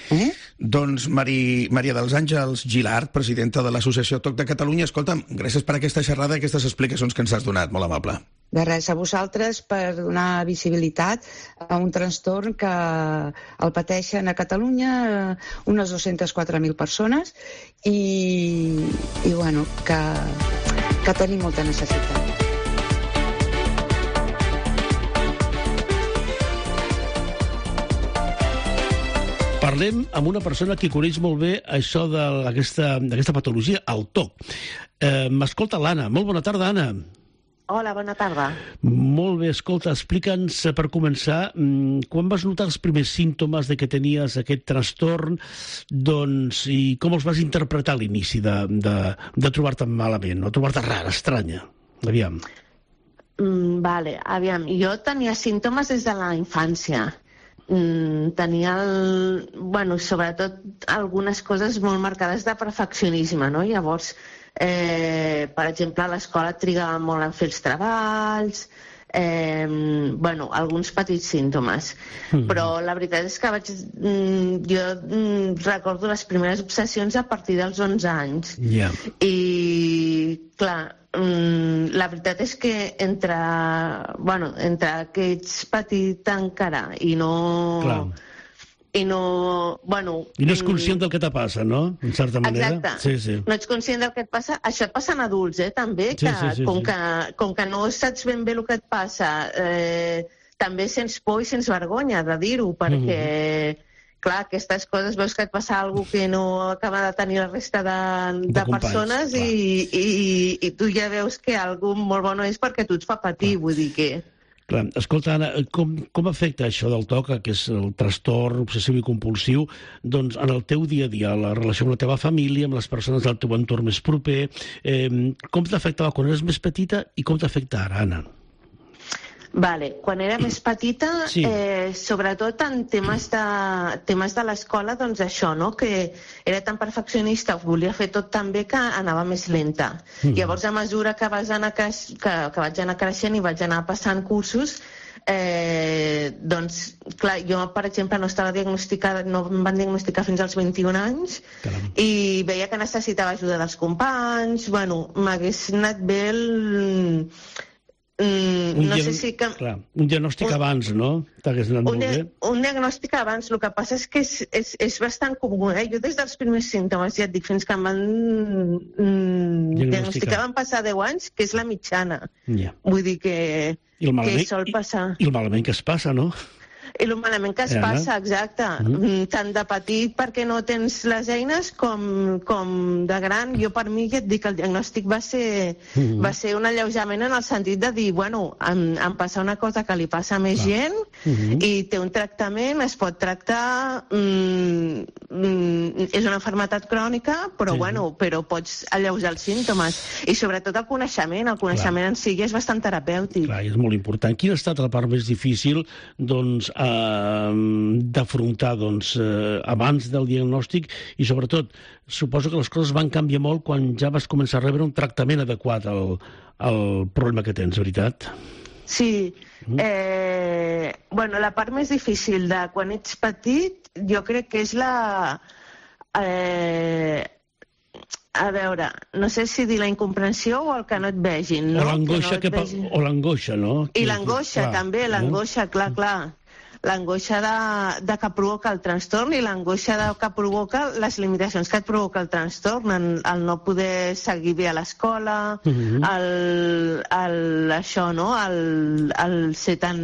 Eh? Doncs Mari, Maria dels Àngels Gilart, presidenta de l'Associació TOC de Catalunya, escolta'm, gràcies per aquesta xerrada i aquestes explicacions que ens has donat, molt amable. De res, a vosaltres per donar visibilitat a un trastorn que el pateixen a Catalunya unes dues-centes quatre mil persones i, i bueno, que, que tenim molta necessitat. Parlem amb una persona que coneix molt bé això d'aquesta patologia, el T O C. Eh, M'escolta l'Anna. Molt bona tarda, Anna. Hola, bona tarda. Molt bé, escolta, explica'ns per començar, quan vas notar els primers símptomes de que tenies aquest trastorn, doncs, i com els vas interpretar a l'inici de, de, de trobar-te malament, o trobar-te rara, estranya? Aviam. Mm, vale, aviam. Jo tenia símptomes des de la infància. Mm, tenia, el, bueno, sobretot algunes coses molt marcades de perfeccionisme, no? Llavors, eh, per exemple, a l'escola trigava molt en fer els treballs, eh, bueno, alguns petits símptomes. Mm. Però la veritat és que vaig, mm, jo mm, recordo les primeres obsessions a partir dels onze anys. Yeah. I, clar, la veritat és que entre, bueno, entre que ets petit encara i no... Clar. I no... Bueno... I no ets conscient del que te passa, no? En certa manera. Exacte. Sí, sí. No ets conscient del que et passa. Això et passa en adults, eh, també, que, sí, sí, sí, com, sí. Que com que no saps ben bé el que et passa, eh, també sents por i sents vergonya de dir-ho, perquè... Mm-hmm. Clar, aquestes coses veus que et passa alguna cosa que no acaba de tenir la resta de, de, de companys, persones i, i, i tu ja veus que alguna molt bo no és perquè tu et fa patir, clar. Vull dir que... Clar, escolta, Anna, com, com afecta això del T O C, que és el trastorn obsessiu i compulsiu, doncs en el teu dia a dia, la relació amb la teva família, amb les persones del teu entorn més proper, eh, com t'afectava quan eres més petita i com t'afecta ara, Anna? Vale. Quan era més petita, sí. eh, sobretot en temes de, temes de l'escola, doncs això, no? Que era tan perfeccionista, volia fer tot tan bé que anava més lenta. Mm. Llavors, a mesura que, vas anar creix, que, que vaig anar creixent i vaig anar passant cursos, eh, doncs, clar, jo, per exemple, no estava diagnosticada, no em van diagnosticar fins als vint-i-un anys, caram, i veia que necessitava ajuda dels companys, bueno, m'hagués anat bé el... Mm, no sé si que... Clar, un diagnòstic un, abans, no? T'hagués anat molt bé. Un diagnòstic abans, el que passa és que és, és, és bastant comú, eh? Jo des dels primers símptomes, ja et dic, fins que em van mm, diagnosticar van passar deu anys, que és la mitjana. Yeah. Vull dir que, malament, que sol passar. I, I el malament que es passa, no? I el malament que es passa, exacte. Mm. Tant de petit perquè no tens les eines com, com de gran. Jo per mi ja et dic, el diagnòstic va ser, mm. va ser un alleujament en el sentit de dir, bueno, em, em passa una cosa que li passa a més Clar. gent mm-hmm. i té un tractament, es pot tractar, mm, mm, és una malaltia crònica, però sí. bueno, però pots alleujar els símptomes. I sobretot el coneixement, el coneixement Clar. en si és bastant terapèutic. Clar, és molt important. Quina ha estat la part més difícil, doncs, d'afrontar doncs, eh, abans del diagnòstic i sobretot suposo que les coses van canviar molt quan ja vas començar a rebre un tractament adequat al, al problema que tens, veritat? Sí. Mm. Eh, bueno, la part més difícil de quan ets petit jo crec que és la... Eh, a veure, no sé si dir la incomprensió o el que no et vegin, no? O l'angoixa, que no que vegin... o l'angoixa, no? I l'angoixa, també, l'angoixa, clar, clar. L'angoixa de, de que provoca el trastorn i l'angoixa de que provoca les limitacions que et provoca el trastorn, el, el no poder seguir bé a l'escola, uh-huh. el, el, això, no? El, el ser tan...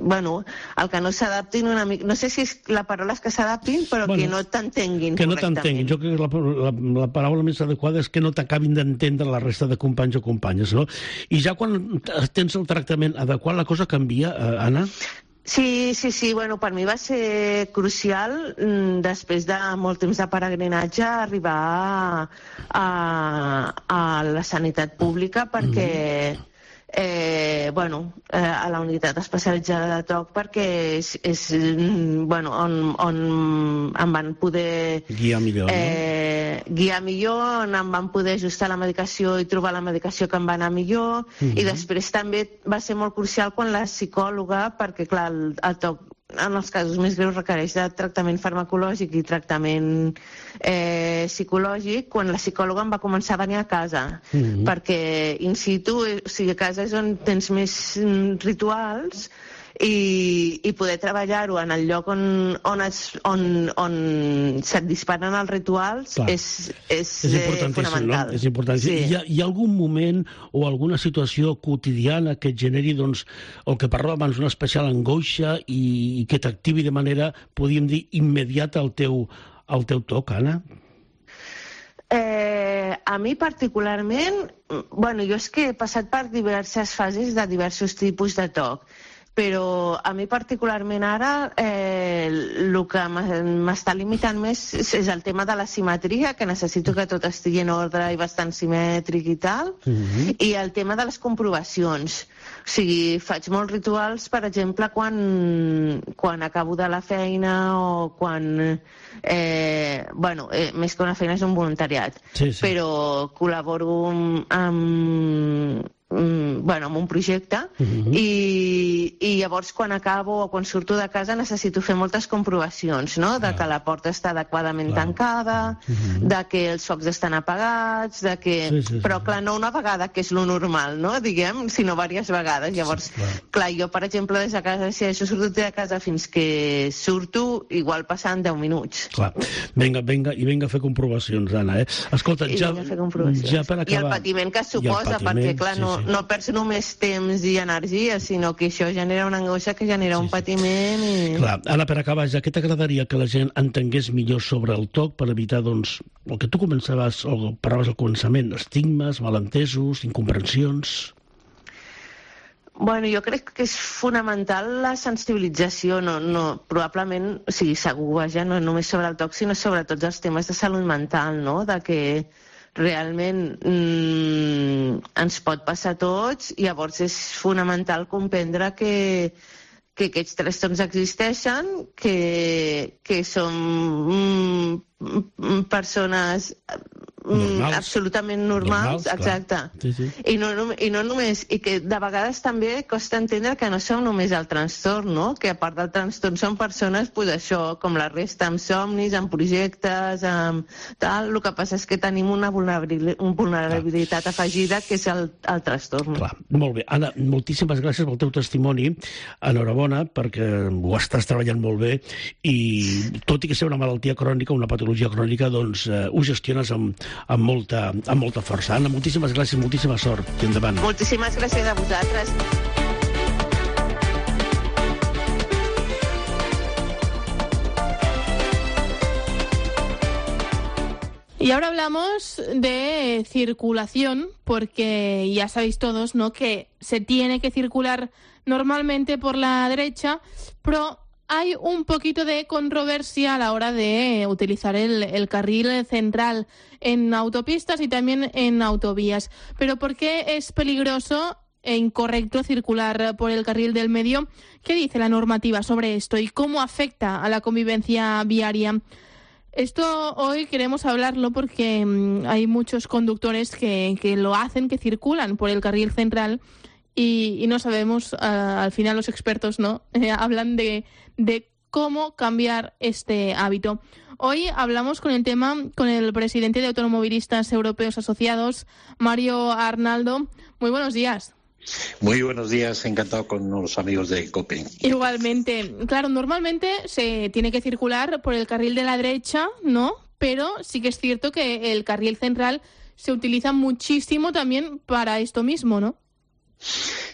Bueno, el que no s'adaptin una mica... No sé si és, la paraula és que s'adaptin, però bueno, que no t'entenguin que no t'entenguin. Jo crec que la, la, la paraula més adequada és que no t'acabin d'entendre la resta de companys o companyes, no? I ja quan tens el tractament adequat, la cosa canvia, eh, Anna? Sí, sí, sí, bueno, per mi va ser crucial després de molt temps de peregrinatge arribar a, a, a la sanitat pública perquè mm-hmm. eh, bueno, eh, a la unitat especialitzada de T O C perquè és, és bueno, on, on em van poder guiar millor, eh, no? guiar millor, on em van poder ajustar la medicació i trobar la medicació que em va anar millor, mm-hmm. i després també va ser molt crucial quan la psicòloga, perquè clar, el, el T O C en els casos més greus requereix de tractament farmacològic i tractament eh, psicològic, quan la psicòloga em va començar a venir a casa, mm-hmm. perquè in situ, o sigui, a casa és on tens més rituals i, i poder treballar-ho en el lloc on, on, es, on, on se't disparen els rituals Clar. és, és, és eh, fonamental. No? És importantíssim. Sí. Hi, ha, hi ha algun moment o alguna situació quotidiana que et generi, doncs, el que parlàvem abans, una especial angoixa i, i que t'activi de manera, podríem dir, immediata al teu, al teu toc, Anna? Eh, a mi particularment, bueno, jo és que he passat per diverses fases de diversos tipus de toc, però a mi particularment ara eh, el que m'està limitant més és el tema de la simetria, que necessito que tot estigui en ordre i bastant simètric i tal, mm-hmm. i el tema de les comprovacions. O sigui, faig molts rituals, per exemple, quan, quan acabo de la feina o quan... Eh, bueno, eh, més que una feina és un voluntariat, sí, sí. però col·laboro amb... amb bueno, amb un projecte uh-huh. i, i llavors quan acabo o quan surto de casa necessito fer moltes comprovacions, no? De que la porta està adequadament clar. tancada, uh-huh. de que els focs estan apagats, de que... Sí, sí, sí. Però clar, no una vegada, que és lo normal, no? Diguem, sinó diverses vegades. Llavors, sí, clar. clar, jo, per exemple, des de casa, si això surto de casa fins que surto, igual passen deu minuts. Clar, vinga, vinga, i vinga a fer comprovacions, Anna, eh? Escolta, ja, ja per acabar... I el patiment que suposa, patiment, perquè clar, no, sí, sí. no perds només temps i energia, sinó que això genera una angoixa que genera sí, un patiment i... Clar, Anna, per acabar, ja, què t'agradaria que la gent entengués millor sobre el toc per evitar, doncs, el que tu començaves, o parlaves al començament, estigmes, malentesos, incomprensions... Bueno, jo crec que és fonamental la sensibilització, no, no, probablement, o sigui, segur, vaja, no només sobre el toc, sinó sobre tots els temes de salut mental, no?, de que realment mmm, ens pot passar a tots, i llavors és fonamental comprendre que, que aquests trastorns existeixen, que, que som mm, persones normals. absolutament normals, normals exacte. Sí, sí. I, no, I no només, i que de vegades també costa entendre que no som només el trastorn, no? Que a part del trastorn són persones, pues això, com la resta, amb somnis, amb projectes, amb tal. El que passa és que tenim una vulnerabilitat, una vulnerabilitat Clar. afegida, que és el, el trastorn. Clar. Molt bé. Anna, moltíssimes gràcies pel teu testimoni. Enhorabona, perquè ho estàs treballant molt bé i tot i que sigui una malaltia crònica, una patologia crònica, doncs eh, ho gestiones amb amb molta, amb molta força. Anna, moltíssimes gràcies, moltíssima sort. I endavant. Moltíssimes gràcies a vosaltres. Y ahora hablamos de circulación, porque ya sabéis todos, ¿no?, que se tiene que circular normalmente por la derecha, pero hay un poquito de controversia a la hora de utilizar el, el carril central en autopistas y también en autovías. ¿Pero por qué es peligroso e incorrecto circular por el carril del medio? ¿Qué dice la normativa sobre esto y cómo afecta a la convivencia viaria? Esto hoy queremos hablarlo porque mmm, hay muchos conductores que, que lo hacen, que circulan por el carril central y, y no sabemos, uh, al final los expertos no eh, hablan de, de cómo cambiar este hábito. Hoy hablamos con el tema con el presidente de Automovilistas Europeos Asociados, Mario Arnaldo. Muy buenos días. Muy buenos días, encantado con los amigos de COPE. Igualmente. Claro, normalmente se tiene que circular por el carril de la derecha, ¿no? Pero sí que es cierto que el carril central se utiliza muchísimo también para esto mismo, ¿no?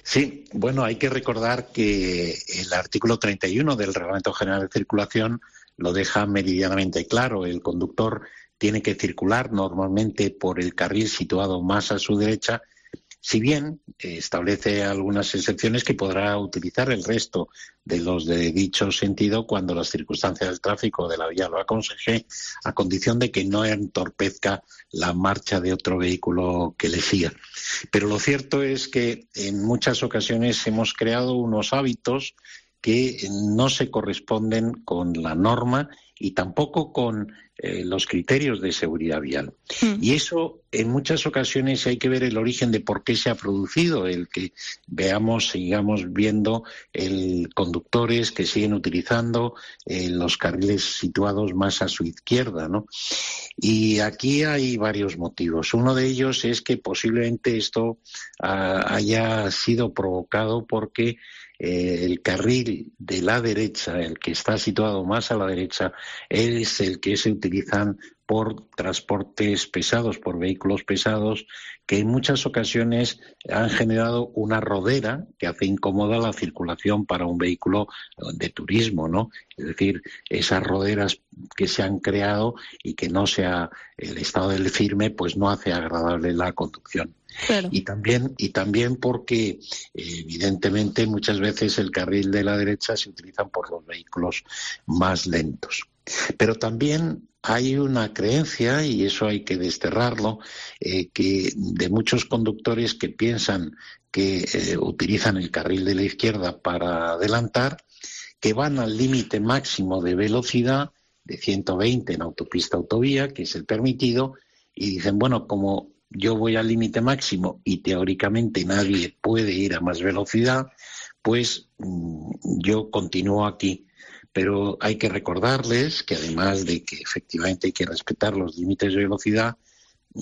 Sí, bueno, hay que recordar que el artículo treinta y uno del Reglamento General de Circulación lo deja meridianamente claro. El conductor tiene que circular normalmente por el carril situado más a su derecha, si bien eh, establece algunas excepciones que podrá utilizar el resto de los de dicho sentido cuando las circunstancias del tráfico de la vía lo aconseje, a condición de que no entorpezca la marcha de otro vehículo que le siga. Pero lo cierto es que en muchas ocasiones hemos creado unos hábitos que no se corresponden con la norma y tampoco con eh, los criterios de seguridad vial. Mm. Y eso, en muchas ocasiones, hay que ver el origen de por qué se ha producido, el que veamos, sigamos viendo el conductores que siguen utilizando eh, los carriles situados más a su izquierda, ¿no? Y aquí hay varios motivos. Uno de ellos es que posiblemente esto uh, haya sido provocado porque Eh, el carril de la derecha, el que está situado más a la derecha, es el que se utilizan por transportes pesados, por vehículos pesados, que en muchas ocasiones han generado una rodera que hace incómoda la circulación para un vehículo de turismo, ¿no? Es decir, esas roderas que se han creado y que no sea el estado del firme, pues no hace agradable la conducción. Claro. Y también y también porque evidentemente muchas veces el carril de la derecha se utiliza por los vehículos más lentos. Pero también hay una creencia, y eso hay que desterrarlo, eh, que de muchos conductores que piensan que eh, utilizan el carril de la izquierda para adelantar, que van al límite máximo de velocidad de ciento veinte en autopista autovía, que es el permitido, y dicen, bueno, como yo voy al límite máximo y teóricamente nadie puede ir a más velocidad, pues mmm, yo continúo aquí. Pero hay que recordarles que además de que efectivamente hay que respetar los límites de velocidad,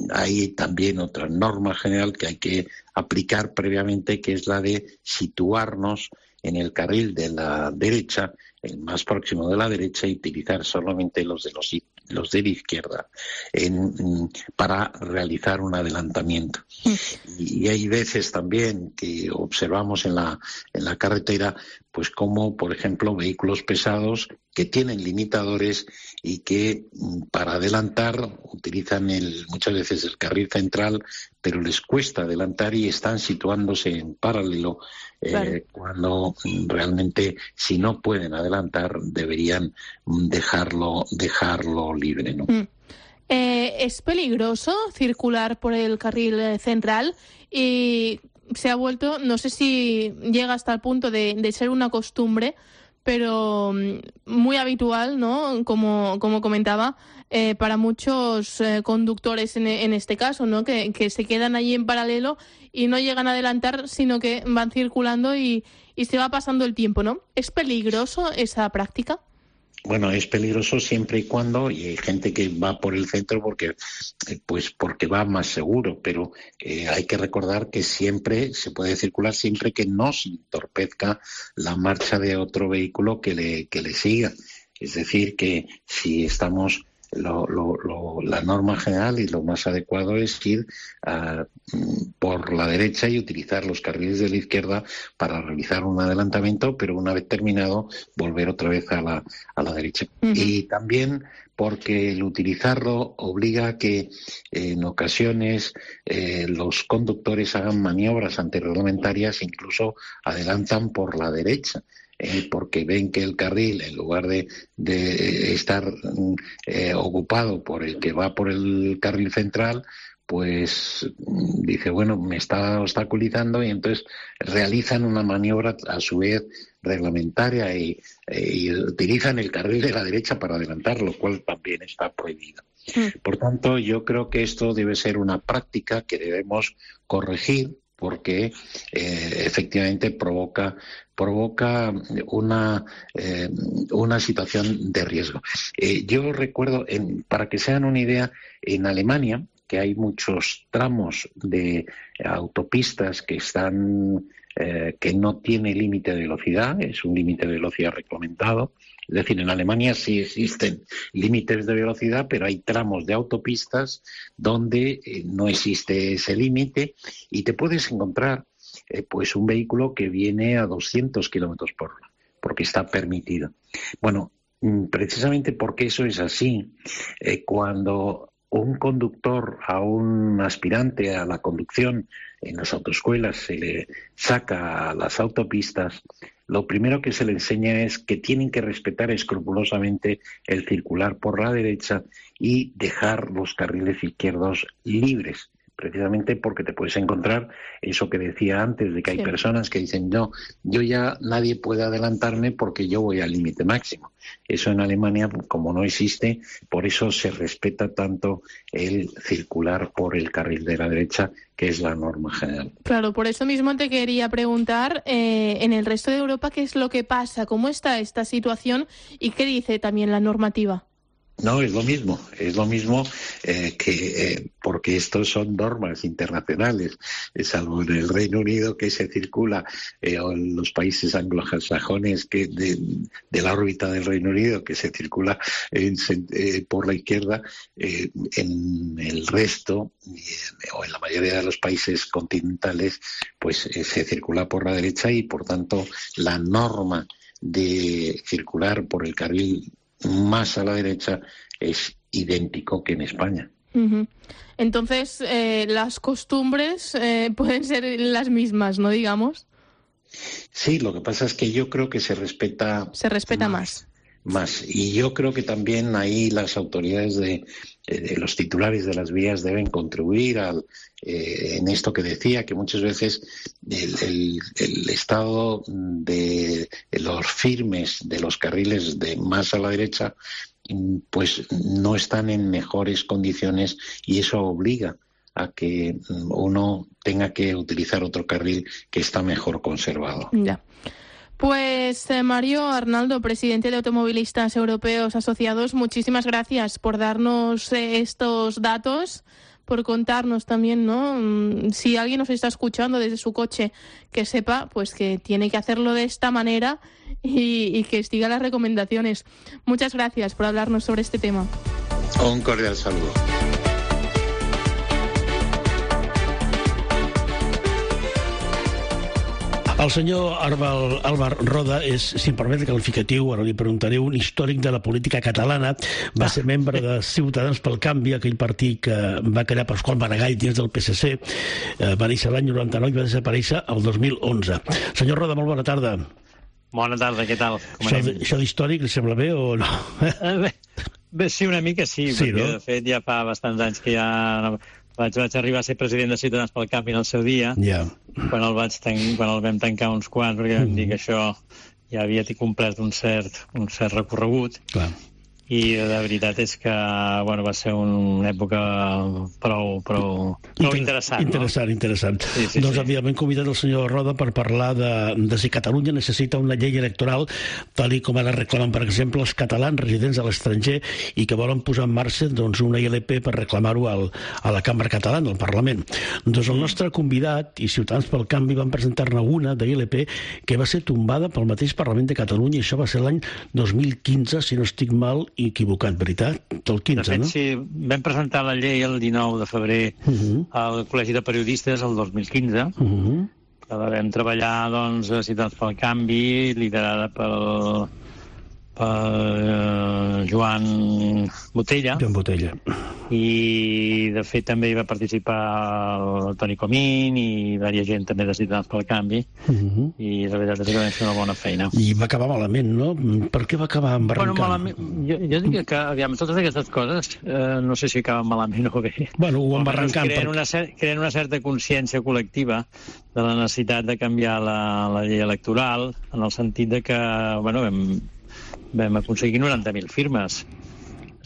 hay también otra norma general que hay que aplicar previamente, que es la de situarnos en el carril de la derecha, el más próximo de la derecha, y utilizar solamente los de los, los de la izquierda en, para realizar un adelantamiento. Y, y hay veces también que observamos en la, en la carretera, pues como, por ejemplo, vehículos pesados que tienen limitadores y que para adelantar utilizan el, muchas veces el carril central, pero les cuesta adelantar y están situándose en paralelo, eh, claro. Cuando realmente, si no pueden adelantar, deberían dejarlo, dejarlo libre, ¿no? Mm. Eh, ¿Es peligroso circular por el carril central? Y se ha vuelto, no sé si llega hasta el punto de, de ser una costumbre, pero muy habitual, ¿no? Como, como comentaba, eh, para muchos eh, conductores en, en este caso, ¿no? Que, que se quedan allí en paralelo y no llegan a adelantar, sino que van circulando y, y se va pasando el tiempo, ¿no? ¿Es peligroso esa práctica? Bueno, es peligroso siempre y cuando, y hay gente que va por el centro porque, pues porque va más seguro, pero eh, hay que recordar que siempre se puede circular siempre que no se entorpezca la marcha de otro vehículo que le, que le siga. Es decir, que si estamos, lo, lo, lo, la norma general y lo más adecuado es ir uh, por la derecha y utilizar los carriles de la izquierda para realizar un adelantamiento, pero una vez terminado volver otra vez a la, a la derecha. Uh-huh. Y también porque el utilizarlo obliga a que eh, en ocasiones eh, los conductores hagan maniobras antirreglamentarias, incluso adelantan por la derecha. Eh, porque ven que el carril, en lugar de, de estar eh, ocupado por el que va por el carril central, pues dice, bueno, me está obstaculizando, y entonces realizan una maniobra a su vez reglamentaria y, eh, y utilizan el carril de la derecha para adelantar, lo cual también está prohibido. Mm. Por tanto, yo creo que esto debe ser una práctica que debemos corregir, porque eh, efectivamente provoca provoca una eh, una situación de riesgo. Eh, yo recuerdo, en, para que se hagan una idea, en Alemania, que hay muchos tramos de autopistas que están eh, que no tiene límite de velocidad, es un límite de velocidad reglamentado. Es decir, en Alemania sí existen límites de velocidad, pero hay tramos de autopistas donde eh, no existe ese límite y te puedes encontrar eh, pues un vehículo que viene a doscientos kilómetros por hora, porque está permitido. Bueno, precisamente porque eso es así, eh, cuando un conductor, a un aspirante a la conducción en las autoescuelas se le saca a las autopistas, lo primero que se le enseña es que tienen que respetar escrupulosamente el circular por la derecha y dejar los carriles izquierdos libres, precisamente porque te puedes encontrar eso que decía antes, de que hay sí. personas que dicen, no, yo ya nadie puede adelantarme porque yo voy al límite máximo. Eso en Alemania, como no existe, por eso se respeta tanto el circular por el carril de la derecha, que es la norma general. Claro, por eso mismo te quería preguntar, eh, en el resto de Europa, ¿qué es lo que pasa? ¿Cómo está esta situación? ¿Y qué dice también la normativa? No, es lo mismo, es lo mismo eh, que eh, porque estos son normas internacionales, salvo en el Reino Unido que se circula, eh, o en los países anglosajones que de, de la órbita del Reino Unido que se circula en, eh, por la izquierda, eh, en el resto, eh, o en la mayoría de los países continentales, pues eh, se circula por la derecha y por tanto la norma de circular por el carril más a la derecha es idéntico que en España. Uh-huh. Entonces, eh, las costumbres eh, pueden ser las mismas, ¿no? Digamos. Sí, lo que pasa es que yo creo que se respeta... Se respeta más. Más. Y yo creo que también ahí las autoridades de, de los titulares de las vías deben contribuir al, eh, en esto que decía, que muchas veces el, el, el estado de, de los firmes de los carriles de más a la derecha pues no están en mejores condiciones y eso obliga a que uno tenga que utilizar otro carril que está mejor conservado. Ya. Pues eh, Mario Arnaldo, presidente de Automovilistas Europeos Asociados, muchísimas gracias por darnos eh, estos datos, por contarnos también, ¿no? Si alguien nos está escuchando desde su coche, que sepa pues que tiene que hacerlo de esta manera y, y que siga las recomendaciones. Muchas gracias por hablarnos sobre este tema. Un cordial saludo. El senyor Arbal, Álvar Roda és, si em permet el qualificatiu, ara li preguntaré, un històric de la política catalana. Va ser membre de Ciutadans pel Canvi, aquell partit que va crear Pasqual Maragall dins del P S C. Va néixer l'any noranta-nou i va desaparèixer el dos mil onze. Senyor Roda, molt bona tarda. Bona tarda, què tal? Com això, això d'històric li sembla bé o no? Bé, bé sí, una mica sí, sí perquè no? De fet ja fa bastants anys que ja... Vaig, vaig arribar a ser president de Ciutadans pel Canvi en el seu dia, yeah. quan, el vaig ten... quan el vam tancar uns quants, perquè vam mm. dir que això ja havia complert un cert, un cert recorregut. Clar. I de veritat és que bueno, va ser una època prou, prou, prou Inter interessant. Interessant, no? interessant. Sí, sí, doncs sí. Havíem convidat el senyor Roda per parlar de, de si Catalunya necessita una llei electoral, tal i com ara reclamen, per exemple, els catalans residents a l'estranger i que volen posar en marxa doncs, una I L P per reclamar-ho a la Cambra Catalana, al Parlament. Doncs el nostre convidat i Ciutadans pel Canvi van presentar-ne una de I L P que va ser tombada pel mateix Parlament de Catalunya i això va ser l'any dos mil quinze, si no estic mal i equivocat, veritat? El quinze, de fet, no? sí, vam presentar la llei el dinou de febrer uh-huh. al Col·legi de Periodistes el dos mil quinze, uh-huh. que la vam treballar doncs, a Ciutadans pel Canvi, liderada pel, pel Joan Botella. Joan Botella. I, de fet, també hi va participar el Toni Comín i diversa gent també de Ciutadans pel Canvi. Uh-huh. I la veritat és que vam fer una bona feina. I va acabar malament, no? Per què va acabar embarrancant? Bueno, malament, jo, jo diria que, aviam, totes aquestes coses, eh, no sé si acaben malament o bé. Bueno, ho embarrancant. Creen, per... una cer creen una certa consciència col·lectiva de la necessitat de canviar la, la llei electoral, en el sentit de que, bueno, vam, vam aconseguir noranta mil firmes,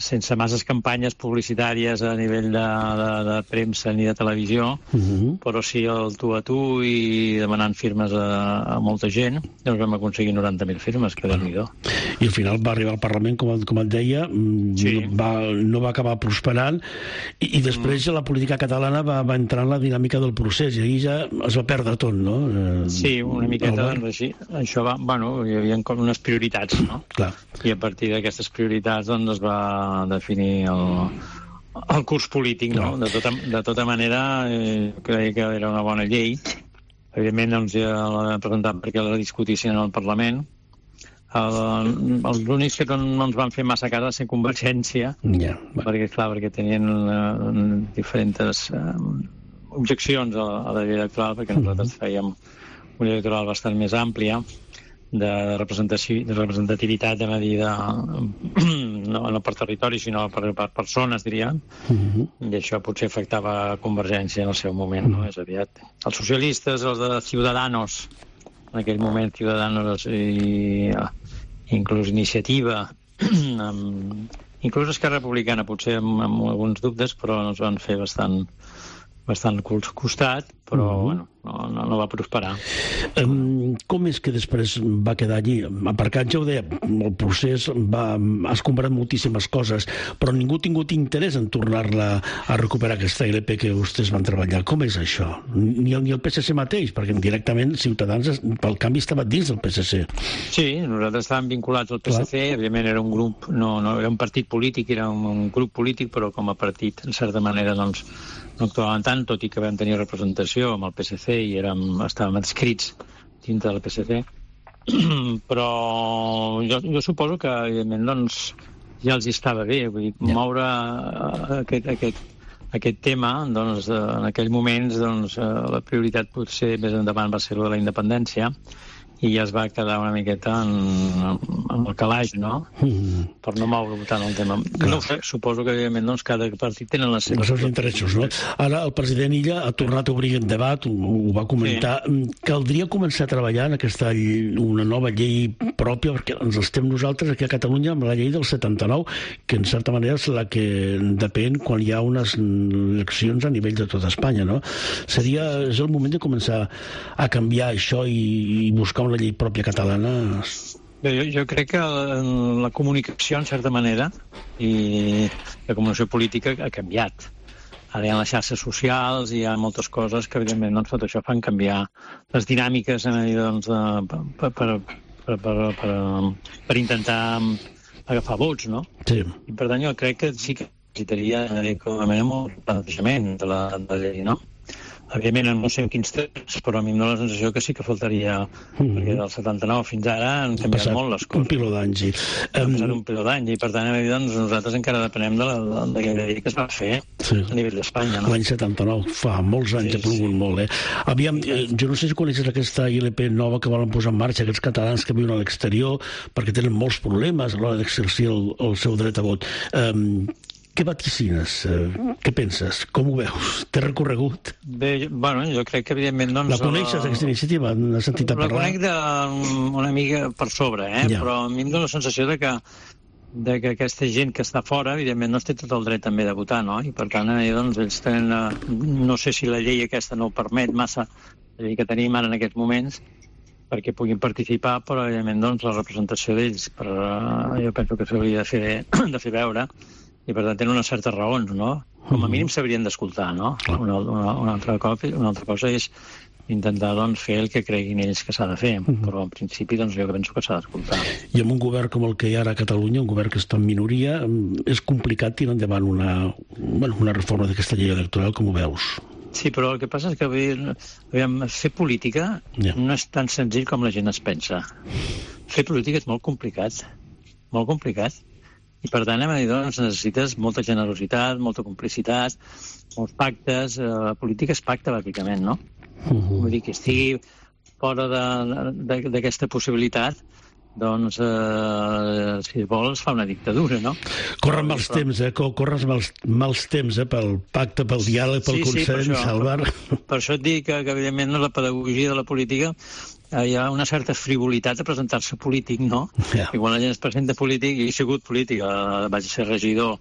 sense masses campanyes publicitàries a nivell de, de, de premsa ni de televisió, uh-huh. però sí el tu a tu i demanant firmes a, a molta gent, doncs vam aconseguir noranta mil firmes, que bueno. déu-n'hi-do. I al final va arribar al Parlament, com, com et deia, sí. no, va, no va acabar prosperant, i, i després mm. la política catalana va, va entrar en la dinàmica del procés, i ahir ja es va perdre tot, no? Eh, sí, una miqueta, doncs així. Això va, bueno, hi havia com unes prioritats, no? Clar. I a partir d'aquestes prioritats, doncs, es va definir el, el curs polític, no? De tota, de tota manera, eh, creia que era una bona llei. Evidentment, doncs, ja la vam presentar perquè la discutissin en el Parlament. El, els únics que no ens van fer massa cas va ser Convergència, yeah, bueno. perquè, clar, perquè tenien uh, diferents uh, objeccions a, a la llei electoral, perquè nosaltres fèiem una llei electoral bastant més àmplia, de representació, de representativitat de medida no, no per territori, sinó per, per persones, diríem, uh-huh. i això potser afectava Convergència en el seu moment, no? És aviat. Els socialistes, els de Ciudadanos, en aquell moment Ciudadanos i inclús Iniciativa, amb, inclús Esquerra Republicana, potser amb, amb alguns dubtes, però ens van fer bastant... bastant costat, però mm-hmm. bueno, no, no, no va prosperar. Um, com és que després va quedar allí? Aparcat, ja ho deia, el procés va, has comprat moltíssimes coses, però ningú ha tingut interès en tornar-la a recuperar, aquesta L P que vostès van treballar. Com és això? Ni el, ni el P S C mateix, perquè directament Ciutadans, pel canvi, estava dins del P S C. Sí, nosaltres estàvem vinculats al P S C, clar. Evidentment era un grup, no, no era un partit polític, era un, un grup polític, però com a partit, en certa manera, doncs, no actuàvem tant, tot i que vam tenir representació amb el P S C i érem, estàvem adscrits dintre del P S C. Però jo, jo suposo que, evidentment, doncs, ja els estava bé. Vull dir, ja. moure aquest, aquest, aquest tema, doncs, en aquells moments, doncs, la prioritat potser més endavant va ser la de la independència, i ja es va quedar una miqueta en, en el calaix, no? Mm. Per no moure tant el tema. Clar. No ho sé, suposo que, evidentment, doncs, cada partit tenen les seves... Els seus interessos, no? Ara el president Illa ha tornat a obrir el debat, ho, ho va comentar. Sí. Caldria començar a treballar en aquesta una nova llei pròpia, perquè ens estem nosaltres aquí a Catalunya amb la llei del setanta-nou, que en certa manera és la que depèn quan hi ha unes eleccions a nivell de tota Espanya, no? Seria, és el moment de començar a canviar això i, i buscar una llei pròpia catalana. Bé, jo, jo crec que la, la comunicació, en certa manera, i la comunicació política ha canviat. Ara hi ha les xarxes socials i hi ha moltes coses que, evidentment, doncs, tot això fan canviar les dinàmiques doncs, de, per, per, per, per, per, per intentar agafar vots, no? Sí. I, per tant, jo crec que sí que necessitaria, com a mínim, un plantejament de la, de la llei, no? Evidentment, no sé en quins temps, però a mi em dóna la sensació que sí que faltaria, mm-hmm. perquè del setanta-nou fins ara han canviat passat molt les coses. Un piló d'anys. Ha passat un piló d'anys, i per tant, doncs, nosaltres encara depenem de la, de la llei que es va fer sí. a nivell d'Espanya. No? L'any setanta-nou, fa molts anys, sí, ha plogut sí. molt, eh? Aviam, eh, jo no sé si coneixes aquesta I L P nova que volen posar en marxa aquests catalans que viuen a l'exterior, perquè tenen molts problemes a l'hora d'exercir el, el seu dret a vot. Um, Què vaticines? Què penses? Com ho veus? Té recorregut? Bé, bueno, jo crec que, evidentment... Doncs, la coneixes, aquesta iniciativa? N'has sentit a parlar? La conec d'una mica per sobre, eh? Ja. Però a mi em dóna la sensació de que, de que aquesta gent que està fora, evidentment, no té tot el dret també de votar, no? I, per tant, eh, doncs, ells tenen... No sé si la llei aquesta no ho permet massa, la llei que tenim ara en aquests moments, perquè puguin participar, però, evidentment, doncs, la representació d'ells, per, jo penso que s'hauria de fer, de fer veure, i per tant tenen unes certes raons, no? Com a mínim s'haurien d'escoltar, no? Una, una, una, altra cosa, una altra cosa és intentar doncs, fer el que creguin ells que s'ha de fer, uh-huh. però en principi doncs, jo penso que s'ha d'escoltar. I amb un govern com el que hi ha ara a Catalunya, un govern que està en minoria, és complicat tirar endavant una, bueno, una reforma d'aquesta llei electoral, com ho veus? Sí, però el que passa és que aviam, fer política yeah. no és tan senzill com la gent es pensa. Fer política és molt complicat, molt complicat. I, per tant, doncs, necessites molta generositat, molta complicitat, molts pactes. La política és pacte, bàsicament, no? Uh-huh. Vull dir que estigui fora d'aquesta possibilitat, doncs, eh, si vols, fa una dictadura, no? Corren mals però... temps, eh? Corren mals, mals temps, eh? Pel pacte, pel diàleg, pel sí, consens, sí, Salvar. Per, per això et dic que, que, evidentment, la pedagogia de la política hi ha una certa frivolitat a presentar-se polític, no? Yeah. I quan la gent es presenta polític, i he sigut polític, vaig ser regidor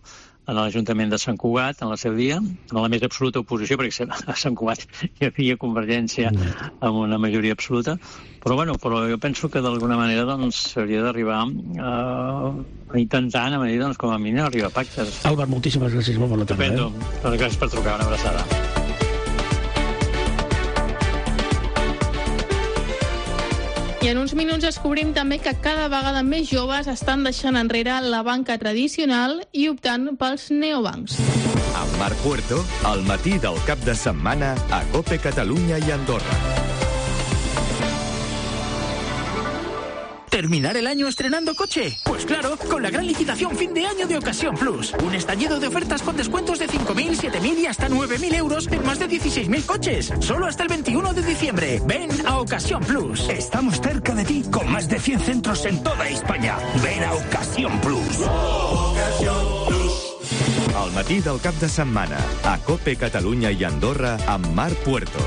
en l'Ajuntament de Sant Cugat, en el seu dia, en la més absoluta oposició, perquè a Sant Cugat hi havia Convergència amb una majoria absoluta, però, bueno, però jo penso que d'alguna manera doncs, s'hauria d'arribar uh, a intentar, a dir, doncs, com a mínim, arribar a pactes. Albert, moltíssimes gràcies, molt bona tarda. Estupendo. Eh? Gràcies per trucar, una abraçada. I en uns minuts descobrim també que cada vegada més joves estan deixant enrere la banca tradicional i optant pels neobancs. Amb Marc Puerto, al matí del cap de setmana a COPE Catalunya i Andorra. ¿Terminar el año estrenando coche? Pues claro, con la gran licitación fin de año de Ocasión Plus. Un estallido de ofertas con descuentos de cinco mil, siete mil y hasta nueve mil euros en más de dieciséis mil coches. Solo hasta el veintiuno de diciembre. Ven a Ocasión Plus. Estamos cerca de ti con más de cien centros en toda España. Ven a Ocasión Plus. matí del cap de setmana, a COPE Catalunya i Andorra, amb Marc Puerto.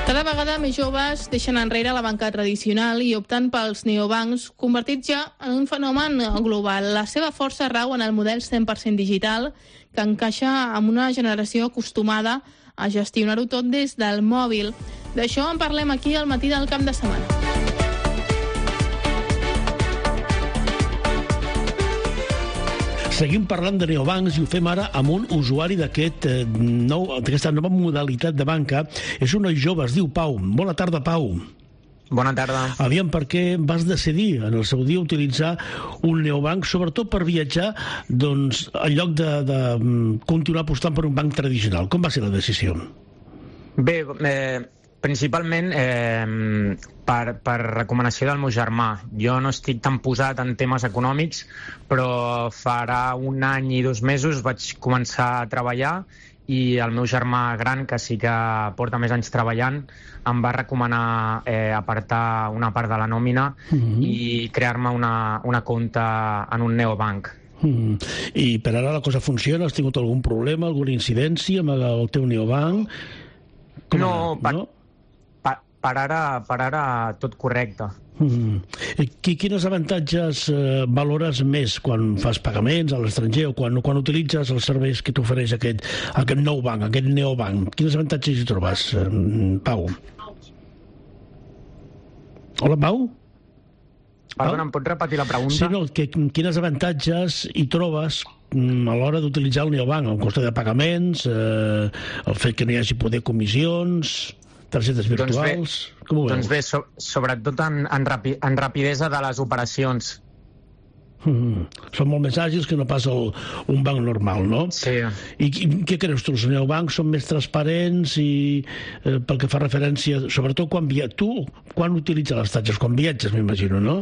Cada vegada més joves deixen enrere la banca tradicional i opten pels neobancs, convertits ja en un fenomen global. La seva força rau en el model cent per cent digital, que encaixa amb una generació acostumada a gestionar-ho tot des del mòbil. D'això en parlem aquí al matí del cap de setmana. Seguim parlant de neobancs i ho fem ara amb un usuari d'aquest eh, nou, d'aquesta nova modalitat de banca. És un noi jove, es diu Pau. Bona tarda, Pau. Bona tarda. Aviam, per què vas decidir en el seu dia utilitzar un neobanc, sobretot per viatjar, doncs, en lloc de, de continuar apostant per un banc tradicional? Com va ser la decisió? Bé, eh, principalment eh, per, per recomanació del meu germà. Jo no estic tan posat en temes econòmics, però farà un any i dos mesos vaig començar a treballar i el meu germà gran, que sí que porta més anys treballant, em va recomanar eh, apartar una part de la nòmina mm-hmm. i crear-me una, una compte en un neobanc. Mm. I per ara la cosa funciona? Has tingut algun problema, alguna incidència amb el teu neobanc? Com no, per, no? Per, per, ara, per ara tot correcte. Mm. Quines avantatges eh, valores més quan fas pagaments a l'estranger o quan, quan utilitzes els serveis que t'ofereix aquest, aquest nou banc, aquest neobanc? Quines avantatges hi trobes, eh, Pau? Hola, Pau? Perdona, em pots repetir la pregunta? Sí, no, que, quines avantatges hi trobes a l'hora d'utilitzar el neobanc? El cost de pagaments, eh, el fet que no hi hagi poder comissions, targetes virtuals... Doncs bé, com ho veus? Doncs bé so, sobretot en, en, rapi, en rapidesa de les operacions. Mm. Són molt més àgils que no pas el, un banc normal, no? Sí. I, i què creus tu? Els neobancs són més transparents i eh, pel que fa referència, sobretot quan viatges... Tu, quan utilitzes les tatxes? Quan viatges, m'imagino, no?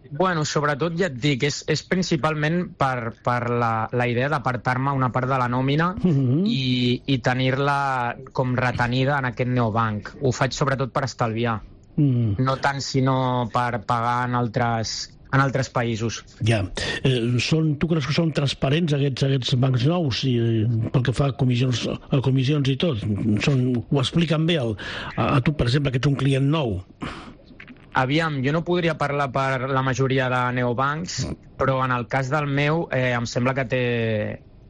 Bueno, sobretot ja et dic, és, és principalment per, per la, la idea d'apartar-me una part de la nòmina mm-hmm. i, i tenir-la com retenida en aquest neobanc. Ho faig sobretot per estalviar, mm. no tant sinó per pagar en altres, en altres països. Ja. Eh, són, tu creus que són transparents aquests, aquests bancs nous i, pel que fa a comissions, a comissions i tot? Són, ho expliquen bé el, a, a tu, per exemple, que ets un client nou? Aviam, jo no podria parlar per la majoria de neobancs, però en el cas del meu eh, em sembla que té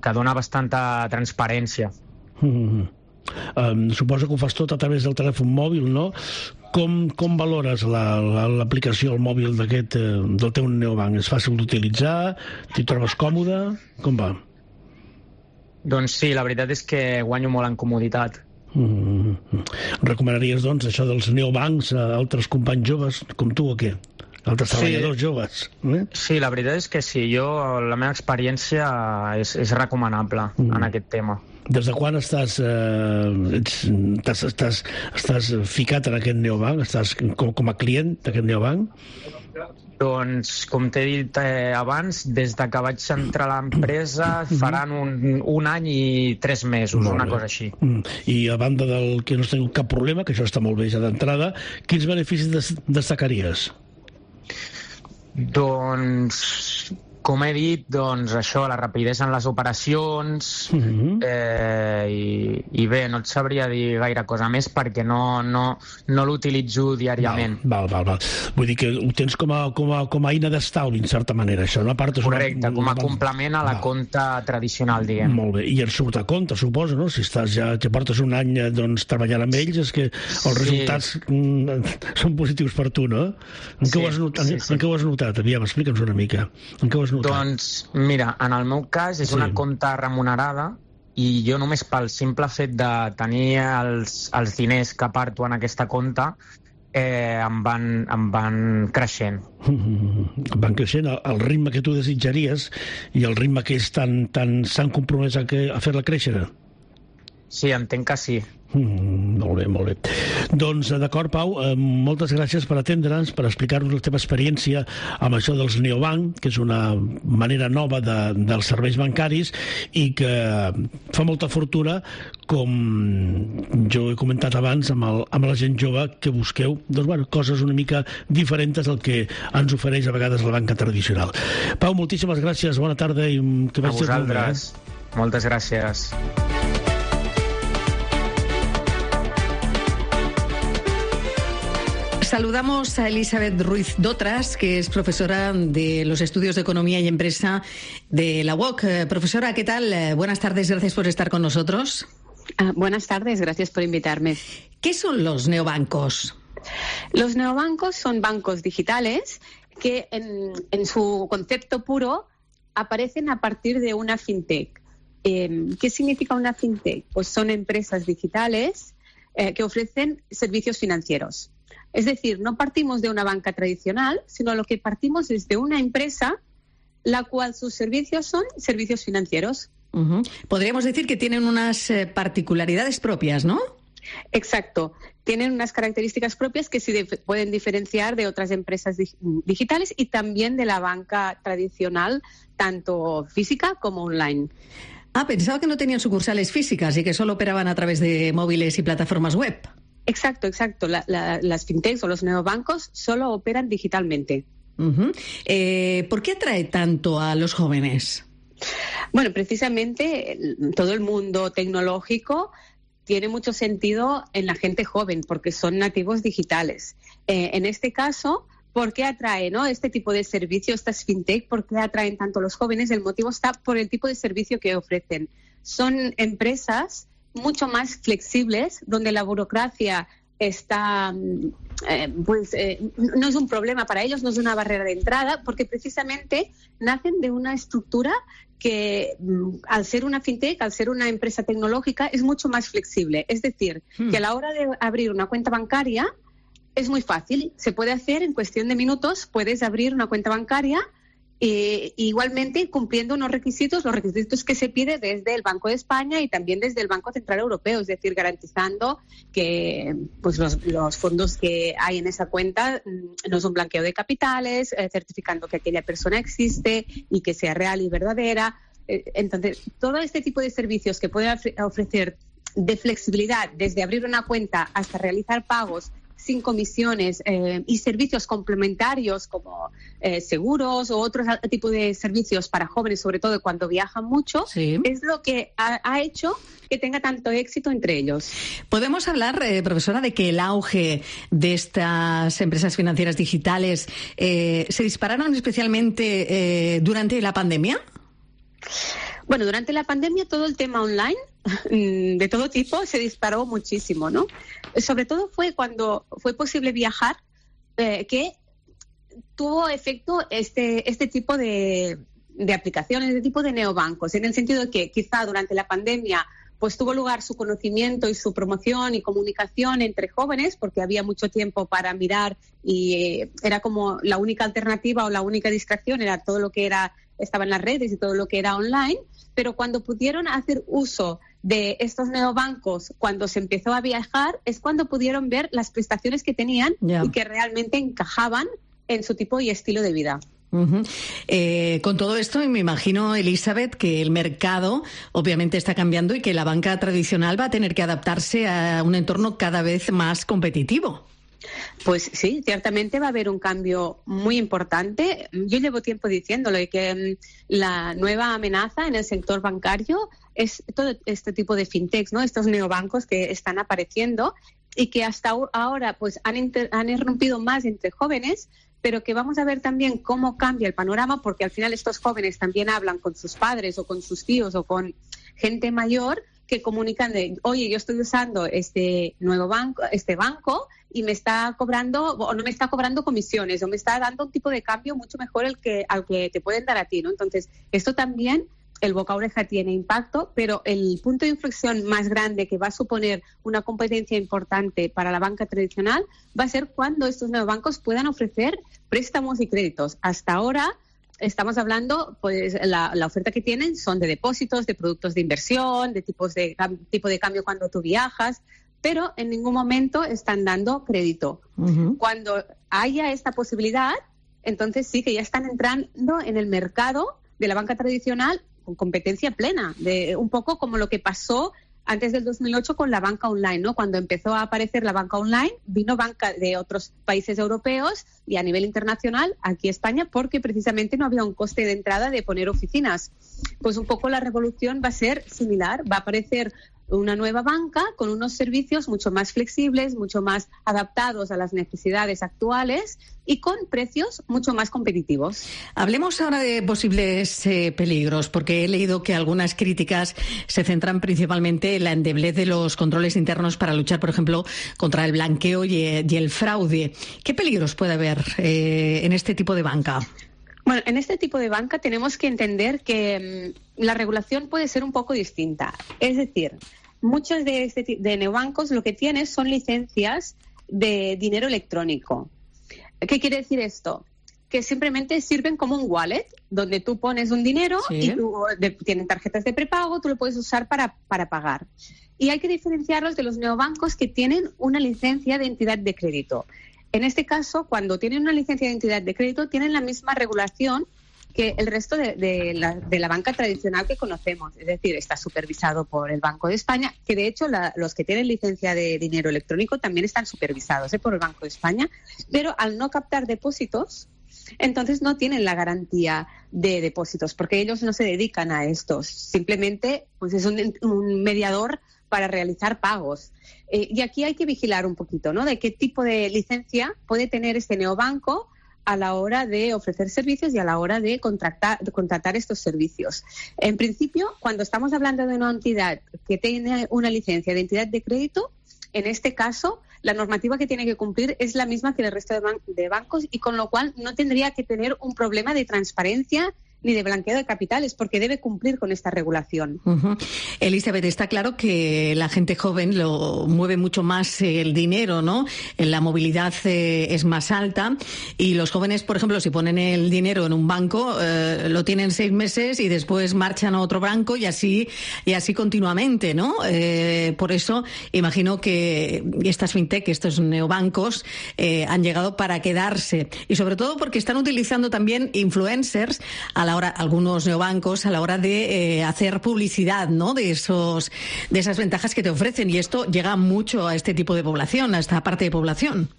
que dona bastanta transparència. Mm-hmm. Um, suposo que ho fas tot a través del telèfon mòbil, no? Com, com valores l'aplicació la, la, al mòbil d'aquest, eh, del teu neobanc? És fàcil d'utilitzar? T'hi trobes còmode? Com va? Doncs sí, la veritat és que guanyo molt en comoditat. Mm-hmm. Recomanaries, doncs, això dels neobancs a altres companys joves com tu o què? Altres treballadors sí. joves? Eh? Sí, la veritat és que sí. Jo, la meva experiència és, és recomanable mm. en aquest tema. Des de quan estàs, eh, ets, estàs, estàs, estàs ficat en aquest neobanc? Estàs com, com a client d'aquest neobanc? Doncs, com t'he dit eh, abans, des de que vaig entrar a l'empresa faran un, un any i tres mesos, molt una bé. Cosa així. I a banda del que no has tingut cap problema, que això està molt bé ja d'entrada, quins beneficis des destacaries? Doncs, com he dit, doncs això, la rapidesa en les operacions, mm-hmm. eh, i, i bé, no et sabria dir gaire cosa més perquè no, no, no l'utilitzo diàriament. Val, val, val. Vull dir que ho tens com a, com a, com a eina d'estalvi, en certa manera, això, no? A part, correcte, una, com a una... complement a la val. Compte tradicional, diguem. Molt bé, i et surt a compte, suposo, no? Si estàs ja, ja portes un any doncs, treballant amb ells, és que els sí. resultats mm, són positius per tu, no? En què, sí, ho, has notat, sí, sí. en què ho has notat? Aviam, explica'ns una mica. En què ho has notat? Doncs, mira, en el meu cas és sí. una compta remunerada i jo només pel simple fet de tenir els, els diners que aparto en aquesta compta eh, em, van, em van creixent. Mm-hmm. Van creixent al ritme que tu desitjaries i el ritme que ells tan, tan, s'han compromès a, que, a fer-la créixer? Sí, entenc que sí. Mm, molt bé, molt bé. Doncs d'acord, Pau, eh, moltes gràcies per atendre'ns, per explicar-nos la teva experiència amb això dels neobanc, que és una manera nova de, dels serveis bancaris i que fa molta fortuna, com jo he comentat abans amb, el, amb la gent jove, que busqueu doncs, bueno, coses una mica diferents del que ens ofereix a vegades la banca tradicional. Pau, moltíssimes gràcies, bona tarda i que vagi molt bé. Eh? Moltes gràcies. Saludamos a Elizabeth Ruiz Dotras, que es profesora de los estudios de Economía y Empresa de la U O C. Eh, profesora, ¿qué tal? Eh, buenas tardes, gracias por estar con nosotros. Uh, buenas tardes, gracias por invitarme. ¿Qué son los neobancos? Los neobancos son bancos digitales que en, en su concepto puro aparecen a partir de una fintech. Eh, ¿Qué significa una fintech? Pues son empresas digitales eh, que ofrecen servicios financieros. Es decir, no partimos de una banca tradicional, sino lo que partimos es de una empresa la cual sus servicios son servicios financieros. Uh-huh. Podríamos decir que tienen unas eh, particularidades propias, ¿no? Exacto. Tienen unas características propias que sí de- pueden diferenciar de otras empresas dig- digitales y también de la banca tradicional, tanto física como online. Ah, pensaba que no tenían sucursales físicas y que solo operaban a través de móviles y plataformas web. Exacto, exacto. La, la, las fintechs o los neobancos solo operan digitalmente. Uh-huh. Eh, ¿Por qué atrae tanto a los jóvenes? Bueno, precisamente el- todo el mundo tecnológico tiene mucho sentido en la gente joven porque son nativos digitales. Eh, en este caso, ¿por qué atrae, ¿no? este tipo de servicio, estas fintech? ¿Por qué atraen tanto a los jóvenes? El motivo está por el tipo de servicio que ofrecen. Son empresas mucho más flexibles, donde la burocracia está, eh, pues, eh, no es un problema para ellos, no es una barrera de entrada, porque precisamente nacen de una estructura que, al ser una fintech, al ser una empresa tecnológica, es mucho más flexible. Es decir, hmm. que a la hora de abrir una cuenta bancaria es muy fácil, se puede hacer en cuestión de minutos, puedes abrir una cuenta bancaria Eh, igualmente cumpliendo unos requisitos, los requisitos que se pide desde el Banco de España y también desde el Banco Central Europeo, es decir, garantizando que pues los, los fondos que hay en esa cuenta no es un blanqueo de capitales, eh, certificando que aquella persona existe y que sea real y verdadera. Eh, entonces, todo este tipo de servicios que puede ofrecer de flexibilidad, desde abrir una cuenta hasta realizar pagos sin comisiones eh, y servicios complementarios como eh, seguros o otros tipos de servicios para jóvenes, sobre todo cuando viajan mucho, sí. es lo que ha, ha hecho que tenga tanto éxito entre ellos. ¿Podemos hablar, eh, profesora, de que el auge de estas empresas financieras digitales eh, se dispararon especialmente eh, durante la pandemia? Bueno, durante la pandemia todo el tema online de todo tipo se disparó muchísimo, ¿no? Sobre todo fue cuando fue posible viajar eh, que tuvo efecto este, este tipo de, de aplicaciones, este tipo de neobancos, en el sentido de que quizá durante la pandemia pues tuvo lugar su conocimiento y su promoción y comunicación entre jóvenes porque había mucho tiempo para mirar y eh, era como la única alternativa o la única distracción era todo lo que era estaba en las redes y todo lo que era online, pero cuando pudieron hacer uso de estos neobancos, cuando se empezó a viajar, es cuando pudieron ver las prestaciones que tenían yeah. y que realmente encajaban en su tipo y estilo de vida. Uh-huh. Eh, con todo esto, me imagino, Elizabeth, que el mercado obviamente está cambiando y que la banca tradicional va a tener que adaptarse a un entorno cada vez más competitivo. Pues sí, ciertamente va a haber un cambio muy importante. Yo llevo tiempo diciéndolo, que la nueva amenaza en el sector bancario es todo este tipo de fintechs, ¿no? Estos neobancos que están apareciendo y que hasta ahora pues han, inter- han irrumpido más entre jóvenes, pero que vamos a ver también cómo cambia el panorama, porque al final estos jóvenes también hablan con sus padres o con sus tíos o con gente mayor que comunican de, oye, yo estoy usando este nuevo banco, este banco y me está cobrando o no me está cobrando comisiones o me está dando un tipo de cambio mucho mejor el que al que te pueden dar a ti, ¿no? Entonces, esto también, el boca a oreja tiene impacto, pero el punto de inflexión más grande que va a suponer una competencia importante para la banca tradicional va a ser cuando estos nuevos bancos puedan ofrecer préstamos y créditos. Hasta ahora estamos hablando, pues la, la oferta que tienen son de depósitos, de productos de inversión, de tipos de tipo de cambio cuando tú viajas, pero en ningún momento están dando crédito. Uh-huh. Cuando haya esta posibilidad, entonces sí que ya están entrando en el mercado de la banca tradicional con competencia plena, de un poco como lo que pasó antes del dos mil ocho con la banca online, ¿no? Cuando empezó a aparecer la banca online, vino banca de otros países europeos y a nivel internacional aquí a España, porque precisamente no había un coste de entrada de poner oficinas. Pues un poco la revolución va a ser similar, va a aparecer una nueva banca con unos servicios mucho más flexibles, mucho más adaptados a las necesidades actuales y con precios mucho más competitivos. Hablemos ahora de posibles eh, peligros, porque he leído que algunas críticas se centran principalmente en la endeblez de los controles internos para luchar, por ejemplo, contra el blanqueo y, y el fraude. ¿Qué peligros puede haber eh, en este tipo de banca? Bueno, en este tipo de banca tenemos que entender que mmm, la regulación puede ser un poco distinta. Es decir, muchos de, este, de neobancos lo que tienen son licencias de dinero electrónico. ¿Qué quiere decir esto? Que simplemente sirven como un wallet, donde tú pones un dinero sí. y tú, de, tienen tarjetas de prepago, tú lo puedes usar para, para pagar. Y hay que diferenciarlos de los neobancos que tienen una licencia de entidad de crédito. En este caso, cuando tienen una licencia de entidad de crédito, tienen la misma regulación que el resto de, de, la, de la banca tradicional que conocemos. Es decir, está supervisado por el Banco de España, que de hecho la, los que tienen licencia de dinero electrónico también están supervisados ¿eh? por el Banco de España, pero al no captar depósitos, entonces no tienen la garantía de depósitos, porque ellos no se dedican a estos. Simplemente pues es un, un mediador para realizar pagos. Eh, y aquí hay que vigilar un poquito, ¿no?, de qué tipo de licencia puede tener este neobanco a la hora de ofrecer servicios y a la hora de contratar, de contratar estos servicios. En principio, cuando estamos hablando de una entidad que tiene una licencia de entidad de crédito, en este caso, la normativa que tiene que cumplir es la misma que el resto de, ban- de bancos y con lo cual no tendría que tener un problema de transparencia ni de blanqueo de capitales, porque debe cumplir con esta regulación. Uh-huh. Elizabeth, está claro que la gente joven lo mueve mucho más el dinero, ¿no? La movilidad eh, es más alta y los jóvenes, por ejemplo, si ponen el dinero en un banco, eh, lo tienen seis meses y después marchan a otro banco y así y así continuamente, ¿no? Eh, por eso imagino que estas fintech, estos neobancos, eh, han llegado para quedarse y sobre todo porque están utilizando también influencers a la hora, algunos neobancos a la hora de eh, hacer publicidad, ¿no?, de esos, de esas ventajas que te ofrecen, y esto llega mucho a este tipo de población, a esta parte de población.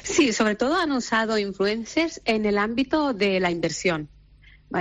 Sí, sobre todo han usado influencers en el ámbito de la inversión.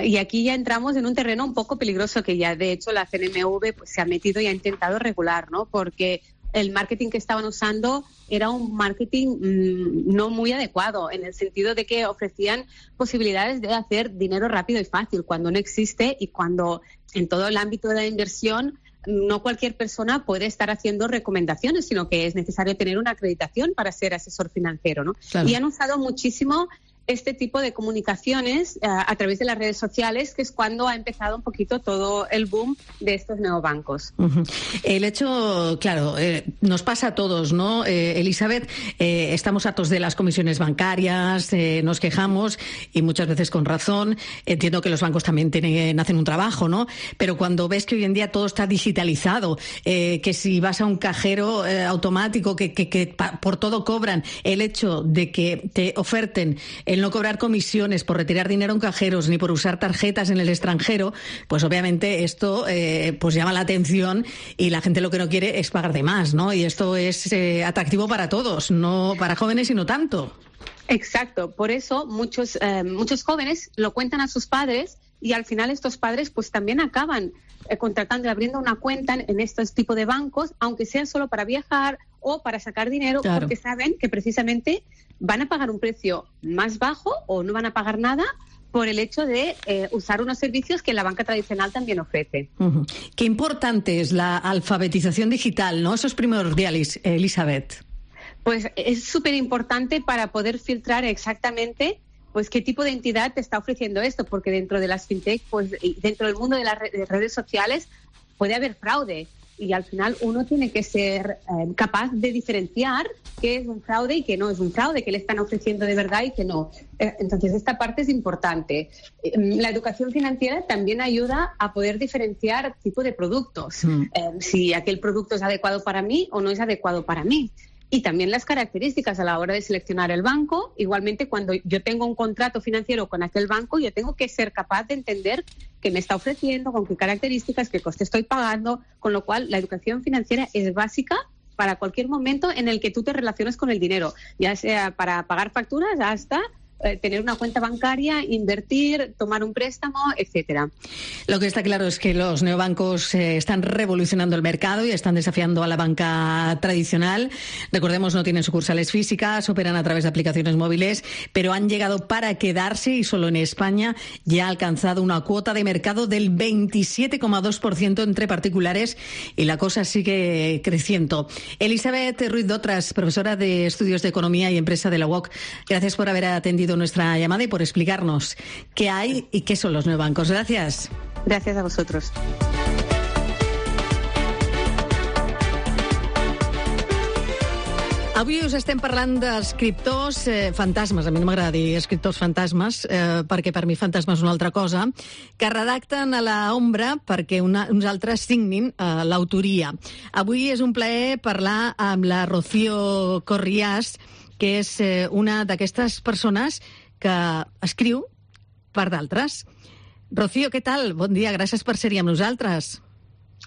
Y aquí ya entramos en un terreno un poco peligroso que ya de hecho la C N M V pues, se ha metido y ha intentado regular, ¿no?, porque el marketing que estaban usando era un marketing mmm, no muy adecuado, en el sentido de que ofrecían posibilidades de hacer dinero rápido y fácil, cuando no existe y cuando en todo el ámbito de la inversión no cualquier persona puede estar haciendo recomendaciones, sino que es necesario tener una acreditación para ser asesor financiero, ¿no? Claro. Y han usado muchísimo este tipo de comunicaciones uh, a través de las redes sociales, que es cuando ha empezado un poquito todo el boom de estos neobancos. Uh-huh. El hecho, claro, eh, nos pasa a todos, ¿no, eh, Elizabeth? Eh, estamos hartos de las comisiones bancarias, eh, nos quejamos y muchas veces con razón. Entiendo que los bancos también tienen, hacen un trabajo, ¿no? Pero cuando ves que hoy en día todo está digitalizado, eh, que si vas a un cajero eh, automático, que, que, que pa, por todo cobran, el hecho de que te oferten el no cobrar comisiones por retirar dinero en cajeros ni por usar tarjetas en el extranjero, pues obviamente esto eh, pues llama la atención y la gente lo que no quiere es pagar de más, ¿no? Y esto es eh, atractivo para todos, no para jóvenes y no tanto. Exacto, por eso muchos eh, muchos jóvenes lo cuentan a sus padres y al final estos padres pues también acaban eh, contratando y abriendo una cuenta en, en estos tipos de bancos, aunque sea solo para viajar o para sacar dinero, claro, porque saben que precisamente van a pagar un precio más bajo o no van a pagar nada por el hecho de eh, usar unos servicios que la banca tradicional también ofrece. Uh-huh. Qué importante es la alfabetización digital, ¿no? Eso es primordial, Elizabeth. Pues es súper importante para poder filtrar exactamente pues qué tipo de entidad te está ofreciendo esto, porque dentro de las fintech, pues dentro del mundo de las redes sociales puede haber fraude. y al final uno tiene que ser eh, capaz de diferenciar qué es un fraude y qué no es un fraude, qué le están ofreciendo de verdad y qué no. Eh, entonces, esta parte es importante. Eh, la educación financiera también ayuda a poder diferenciar tipo de productos, mm. eh, si aquel producto es adecuado para mí o no es adecuado para mí. Y también las características a la hora de seleccionar el banco. Igualmente, cuando yo tengo un contrato financiero con aquel banco, yo tengo que ser capaz de entender qué me está ofreciendo, con qué características, qué coste estoy pagando, con lo cual la educación financiera es básica para cualquier momento en el que tú te relaciones con el dinero, ya sea para pagar facturas hasta eh, tener una cuenta bancaria, invertir, tomar un préstamo, etcétera. Lo que está claro es que los neobancos eh, están revolucionando el mercado y están desafiando a la banca tradicional. Recordemos, no tienen sucursales físicas, operan a través de aplicaciones móviles, pero han llegado para quedarse y solo en España ya ha alcanzado una cuota de mercado del veintisiete coma dos por ciento entre particulares y la cosa sigue creciendo. Elizabeth Ruiz Dotras, profesora de Estudios de Economía y Empresa de la U O C, gracias por haber atendido nuestra llamada y por explicarnos qué hay y qué son los neobancos. Gracias. Gracias a vosotros. Avui us estem parlant d'escriptors eh, fantasmes, a mi no m'agrada dir escriptors fantasmes, eh, perquè per mi fantasma és una altra cosa, que redacten a la ombra perquè una, uns altres signin eh, l'autoria. Avui és un plaer parlar amb la Rocío Corriàs, que és eh, una d'aquestes persones que escriu per d'altres. Rocío, què tal? Bon dia, gràcies per ser-hi amb nosaltres.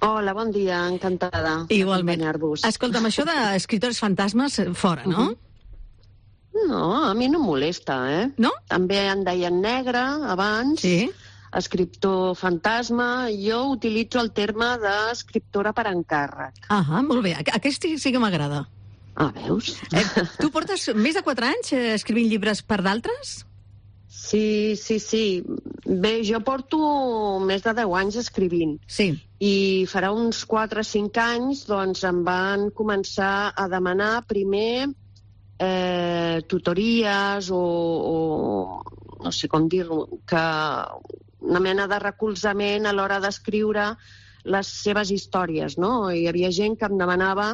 Hola, bon dia, encantada d'acompanyar-vos. Escolta'm, això d'escriptors fantasmes, fora, no? Uh-huh. No, a mi no em molesta, eh? No? També en deien negre abans, sí. Escriptor fantasma. Jo utilitzo el terme d'escriptora per encàrrec. Ah, molt bé, aquest sí que m'agrada. Ah, veus? Eh, tu portes més de quatre anys eh, escrivint llibres per d'altres? Sí, sí, sí. Bé, jo porto més de deu anys escrivint. Sí. I farà uns quatre o cinc anys doncs, em van començar a demanar primer eh, tutories o, o no sé com dir-ho, que una mena de recolzament a l'hora d'escriure les seves històries, no? Hi havia gent que em demanava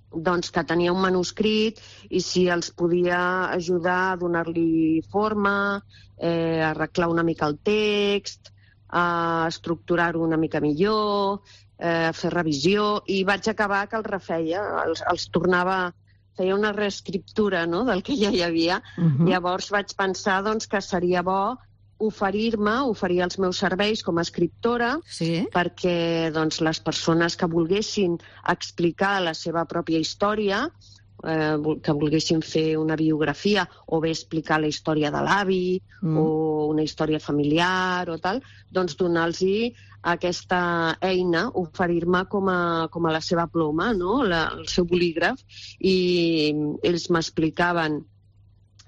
doncs, que tenia un manuscrit i si els podia ajudar a donar-li forma, eh, a arreglar una mica el text, a estructurar-ho una mica millor, eh, a fer revisió, i vaig acabar que els refeia, els, els tornava, feia una reescriptura, no?, del que ja hi havia. Uh-huh. Llavors vaig pensar doncs, que seria bo oferir-me, oferir els meus serveis com a escriptora, sí. perquè doncs, les persones que volguessin explicar la seva pròpia història, eh, que volguessin fer una biografia o bé explicar la història de l'avi mm. o una història familiar o tal, doncs donar-los aquesta eina, oferir-me com a, com a la seva ploma, no? la, el seu bolígraf, i ells m'explicaven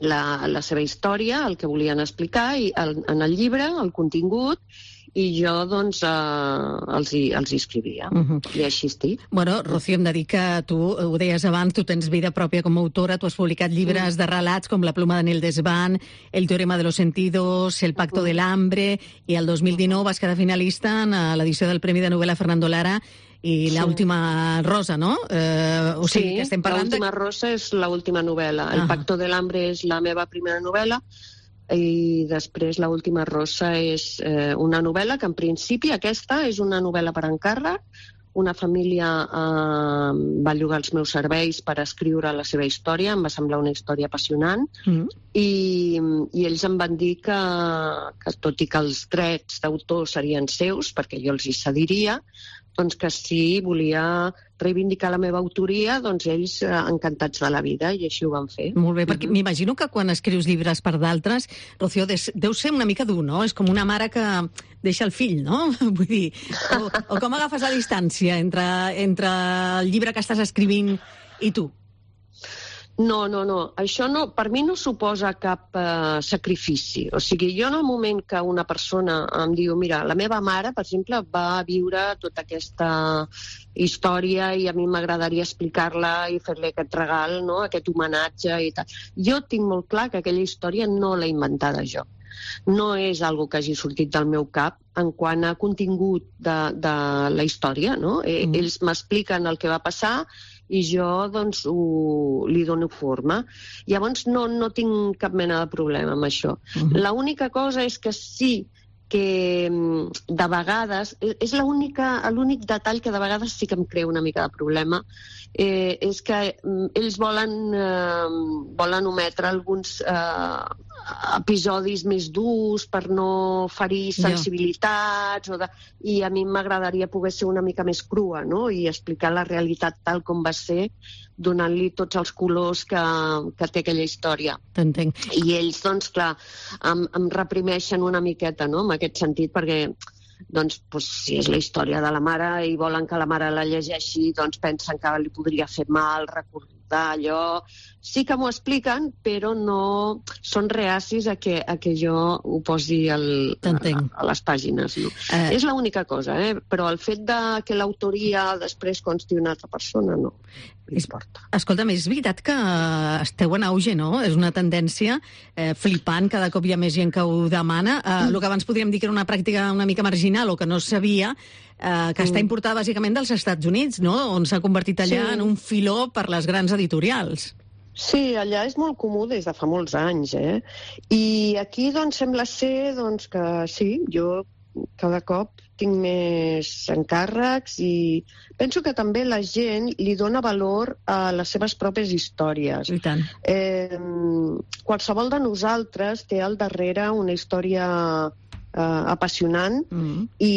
La, la seva història, el que volien explicar i el, en el llibre, el contingut, i jo doncs eh, els, hi, els hi escrivia. Uh-huh. I així estic. Bueno, Rocío, hem de dir que tu, ho deies abans, tu tens vida pròpia com a autora, tu has publicat llibres uh-huh. de relats com La pluma de Nel Desván, El teorema de los sentidos, El pacto uh-huh. del hambre, i el dos mil dinou vas quedar finalista en l'edició del Premi de novel·la Fernando Lara i l'última rosa, no? Eh, o sigui, sí, que estem parlant l'última de... rosa és l'última novel·la. El ah. pacto del hambre és la meva primera novel·la i després l'última rosa és eh, una novel·la que en principi aquesta és una novel·la per encàrrec. Una família eh, va llogar els meus serveis per escriure la seva història, em va semblar una història apassionant, mm. i, i ells em van dir que, que tot i que els drets d'autor serien seus, perquè jo els hi cediria, doncs que si volia reivindicar la meva autoria, doncs ells eh, encantats de la vida, i així ho van fer. Molt bé, perquè m'imagino que quan escrius llibres per d'altres, Rocío, deu ser una mica dur, no? És com una mare que deixa el fill, no? Vull dir, o, o com agafes la distància entre, entre el llibre que estàs escrivint i tu? No, no, no. Això no, per mi no suposa cap eh, sacrifici. O sigui, jo en el moment que una persona em diu, mira, la meva mare, per exemple, va viure tota aquesta història i a mi m'agradaria explicar-la i fer-li aquest regal, no?, aquest homenatge i tal. Jo tinc molt clar que aquella història no l'he inventada jo. No és algo que hagi sortit del meu cap en quant a contingut de, de la història, no? Mm. Ells m'expliquen el que va passar i jo doncs ho, li dono forma. Llavors no, no tinc cap mena de problema amb això. Mm. L'única cosa és que sí que de vegades, és l'únic detall que de vegades sí que em crea una mica de problema, eh, és que ells volen, eh, volen ometre alguns eh, episodis més durs per no ferir sensibilitats, o de, i a mi m'agradaria poder ser una mica més crua, no? I explicar la realitat tal com va ser, donant-li tots els colors que, que té aquella història. T'entenc. I ells, doncs, clar, em, em reprimeixen una miqueta, no?, en aquest sentit, perquè doncs, doncs, si és la història de la mare i volen que la mare la llegeixi, doncs pensen que li podria fer mal recordar allò. Sí que m'ho expliquen, però no són reacis a que, a que jo ho posi al, a, a les pàgines. No? Eh... És l'única cosa, eh? Però el fet de que l'autoria després consti una altra persona, no. Importa. Escolta'm, és veritat que esteu en auge, no? És una tendència eh, flipant, cada cop hi ha més gent que ho demana. Eh, mm. El que abans podríem dir que era una pràctica una mica marginal o que no sabia, eh, que mm. està importada bàsicament dels Estats Units, no? On s'ha convertit allà sí. en un filó per les grans editorials. Sí, allà és molt comú des de fa molts anys, eh? I aquí, doncs, sembla ser doncs, que sí, jo cada cop tinc més encàrrecs i penso que també la gent li dona valor a les seves pròpies històries. I tant. Eh, qualsevol de nosaltres té al darrere una història eh, apassionant mm. i,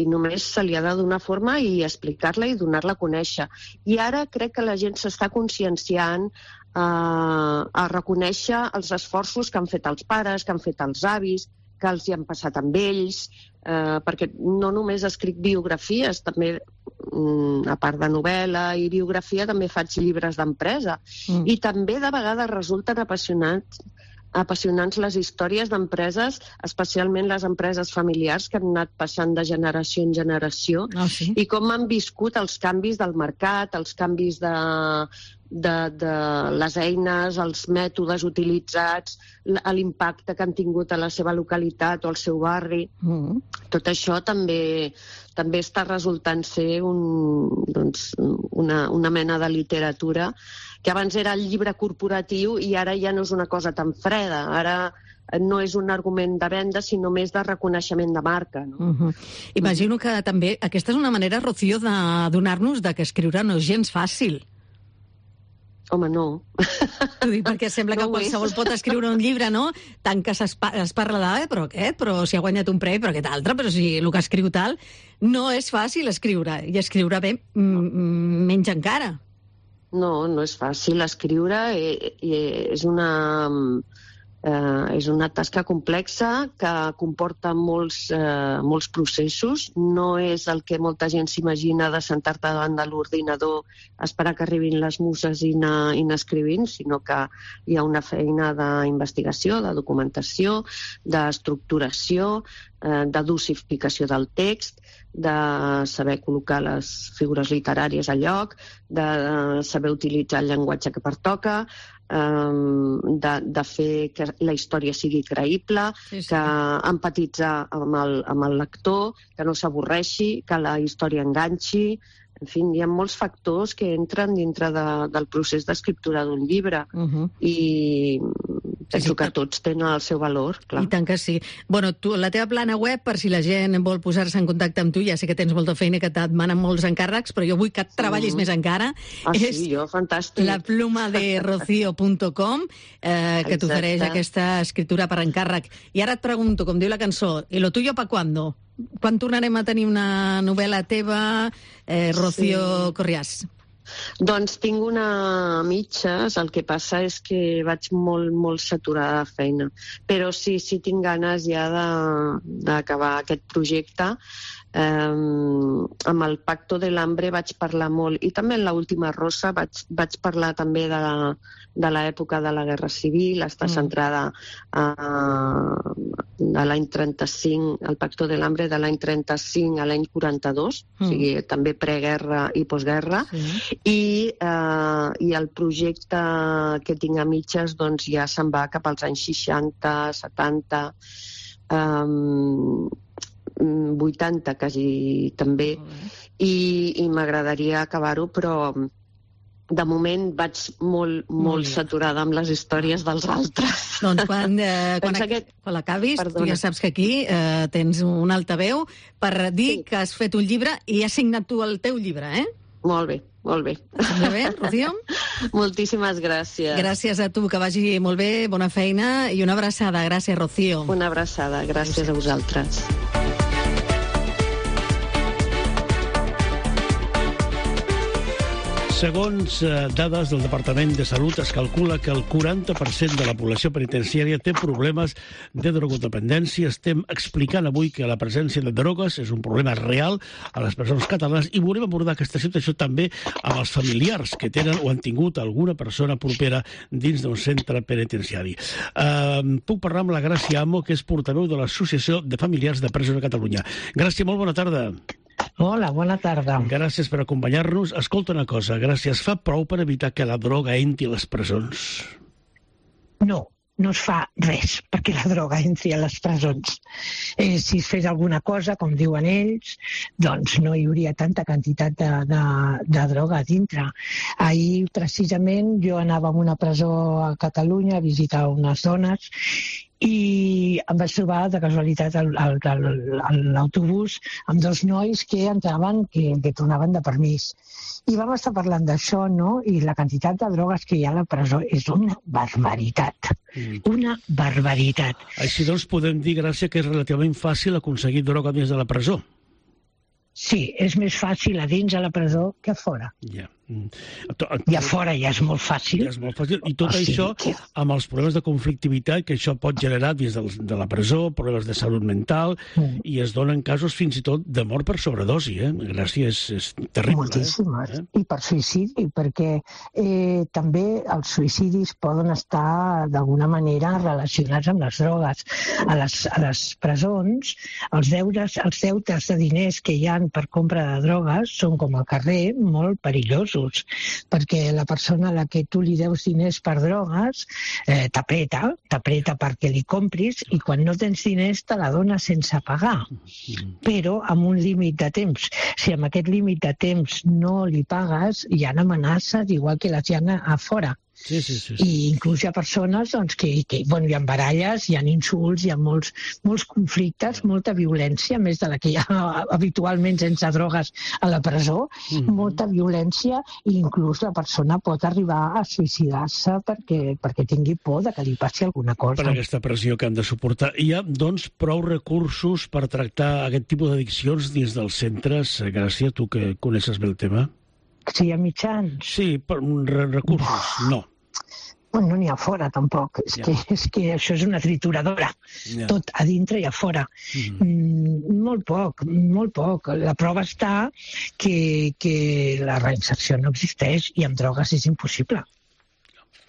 i només se li ha de donar forma i explicar-la i donar-la a conèixer. I ara crec que la gent s'està conscienciant eh, a reconèixer els esforços que han fet els pares, que han fet els avis, que els hi han passat amb ells, eh, perquè no només escric biografies, també, mm, a part de novel·la i biografia, també faig llibres d'empresa. Mm. I també de vegades resulten apassionants, apassionants les històries d'empreses, especialment les empreses familiars que han anat passant de generació en generació, oh, sí? i com han viscut els canvis del mercat, els canvis de... De, de les eines, els mètodes utilitzats, l'impacte que han tingut a la seva localitat o al seu barri. Mm. Tot això també, també està resultant ser un, doncs, una, una mena de literatura que abans era el llibre corporatiu i ara ja no és una cosa tan freda. Ara no és un argument de venda, sinó més de reconeixement de marca. No? Uh-huh. Imagino que també aquesta és una manera, Rocío, de donar-nos de que escriure no és gens fàcil. Home, no. Ho dic perquè sembla que no qualsevol pot escriure un llibre, no? Tant que es parla de, eh, però aquest, però si ha guanyat un premi, però aquest altre, però si el que escriu tal... No és fàcil escriure, i escriure bé menys encara. No, no és fàcil escriure, i, i és una... Eh, és una tasca complexa que comporta molts, eh, molts processos. No és el que molta gent s'imagina de sentar-te davant de l'ordinador, esperar que arribin les muses i anar, i anar escrivint, sinó que hi ha una feina d'investigació, de documentació, d'estructuració, eh, de dosificació del text, de saber col·locar les figures literàries a lloc, de saber utilitzar el llenguatge que pertoca, De, de fer que la història sigui creïble, sí, sí. que empatitzar amb el, amb el lector, que no s'avorreixi, que la història enganxi. En fi, hi ha molts factors que entren dintre de, del procés d'escriptura d'un llibre. Uh-huh. I penso sí, sí, que tots tenen el seu valor, clar. I tant que sí. Bueno, tu, la teva plana web, per si la gent vol posar-se en contacte amb tu, ja sé que tens molta feina, que et demanen molts encàrrecs, però jo vull que et treballis mm. més encara. Ah, és sí, jo, fantàstic. La pluma de rocío punt com, eh, que t'ofereix aquesta escriptura per encàrrec. I ara et pregunto, com diu la cançó, ¿y lo tuyo pa cuándo? Quan tornarem a tenir una novel·la teva, eh, Rocío sí. Corriàs? Doncs tinc una mitges, el que passa és que vaig molt, molt saturada de feina. Però sí, sí tinc ganes ja d'acabar aquest projecte. Um, amb el Pacto del Hambre vaig parlar molt, i també en l'última Rosa vaig, vaig parlar també de, de l'època de la Guerra Civil, està mm. centrada uh, de l'any trenta-cinc, el Pacto del Hambre de l'any trenta-cinc a l'any quaranta-dos, mm. o sigui, també preguerra i postguerra, sí. I, uh, i el projecte que tinc a mitges doncs, ja se'n va cap als anys seixanta, setanta, um, vuitanta quasi també, i, i m'agradaria acabar-ho, però de moment vaig molt, molt saturada amb les històries dels altres. Doncs quan, eh, quan, ac que... quan l'acabis, tu ja saps que aquí eh, tens un altaveu per dir sí. que has fet un llibre i has signat tu el teu llibre, eh? Molt bé, molt bé. Molt bé, Rocío? Moltíssimes gràcies. Gràcies a tu, que vagi molt bé, bona feina i una abraçada. Gràcies, Rocío. Una abraçada, gràcies a vosaltres. Segons eh, dades del Departament de Salut, es calcula que el quaranta per cent de la població penitenciària té problemes de drogodependència. Estem explicant avui que la presència de drogues és un problema real a les persones catalanes i volem abordar aquesta situació també amb els familiars que tenen o han tingut alguna persona propera dins d'un centre penitenciari. Eh, puc parlar amb la Gràcia Amo, que és portaveu de l'Associació de Familiars de Presos de Catalunya. Gràcia, molt bona tarda. Hola, bona tarda. Gràcies per acompanyar-nos. Escolta una cosa, gràcies. Fa prou per evitar que la droga entri a les presons? No, no es fa res perquè la droga entri a les presons. Eh, si es fes alguna cosa, com diuen ells, doncs no hi hauria tanta quantitat de, de, de droga a dintre. Ahir, precisament, jo anava a una presó a Catalunya a visitar unes dones i em vaig trobar de casualitat a l'autobús amb dos nois que entraven, que, que tornaven de permís. I vam estar parlant d'això, no? I la quantitat de drogues que hi ha a la presó és una barbaritat. Mm. Una barbaritat. Així doncs podem dir, Gràcia, que és relativament fàcil aconseguir droga dins de la presó. Sí, és més fàcil a dins de la presó que a fora. Ja. I a fora ja és molt fàcil. Ja és molt fàcil. I tot això amb els problemes de conflictivitat que això pot generar dins de la presó, problemes de salut mental, mm. i es donen casos fins i tot de mort per sobredosi. Eh? Gràcia, és, és terrible. Moltíssimes. Eh? I per suïcidi, perquè eh, també els suïcidis poden estar d'alguna manera relacionats amb les drogues. A les, a les presons, els deures, els deutes de diners que hi ha per compra de drogues són com al carrer molt perillosos, perquè la persona a la que tu li deus diners per drogues eh, t'apreta, t'apreta perquè li compris i quan no tens diners te la dona sense pagar, però amb un límit de temps. Si amb aquest límit de temps no li pagues, hi ha amenaces igual que les hi ha a fora. Sí, sí, sí, sí. I inclús hi ha persones doncs, que, que bueno, hi ha baralles, hi ha insults, hi ha molts, molts conflictes, molta violència, més de la que hi ha habitualment sense drogues a la presó, mm-hmm. molta violència, i inclús la persona pot arribar a suïcidar-se perquè, perquè tingui por de que li passi alguna cosa. Per aquesta pressió que han de suportar. Hi ha, doncs, prou recursos per tractar aquest tipus d'addiccions dins dels centres? Gràcia, tu que coneixes bé el tema. Si hi ha mitjans? Sí, per recursos, no. Bueno, no n'hi ha fora, tampoc. És, ja. que, és que això és una trituradora. Ja. Tot a dintre i a fora. Mm. Mm, molt poc, molt poc. La prova està que, que la reinserció no existeix i amb drogues és impossible.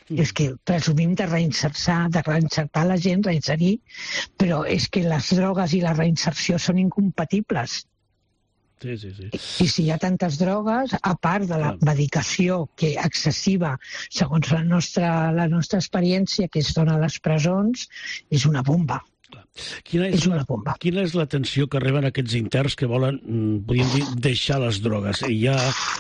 Mm. És que presumim de reinsertar, de reinsertar la gent, reinserir, però és que les drogues i la reinserció són incompatibles. Sí, sí, sí. I si hi ha tantes drogues, a part de la medicació que excessiva, segons la nostra, la nostra experiència que es dona a les presons, és una bomba. Quina és, és una bomba. Quina és l'atenció que reben aquests interns que volen, podríem dir, deixar les drogues? Hi ha,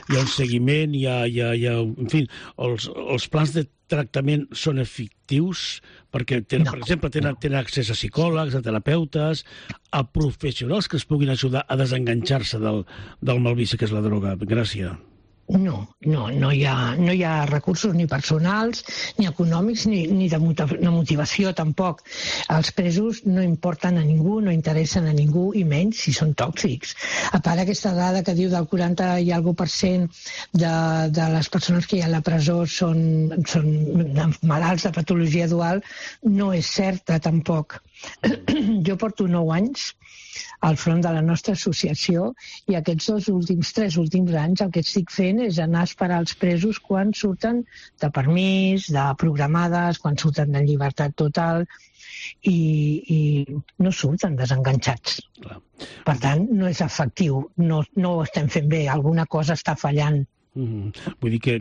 hi ha un seguiment, hi ha, hi ha, hi ha en fi, els, els plans de tractament són efectius? Perquè, tenen, no, per exemple, tenen, tenen accés a psicòlegs, a terapeutes, a professionals que es puguin ajudar a desenganxar-se del, del malvici que és la droga. Gràcia. No, no, no hi ha, no hi ha recursos ni personals, ni econòmics, ni, ni de motivació tampoc. Els presos no importen a ningú, no interessen a ningú, i menys si són tòxics. A part, aquesta dada que diu del quaranta i alguna per cent de, de les persones que hi ha a la presó són, són malalts de patologia dual, no és certa tampoc. Jo porto nou anys al front de la nostra associació, i aquests dos últims, tres últims anys el que estic fent és anar a esperar els presos quan surten de permís, de programades, quan surten de llibertat total, i, i no surten desenganxats. Clar. Per tant, no és efectiu, no, no ho estem fent bé, alguna cosa està fallant. Mm-hmm. Vull dir que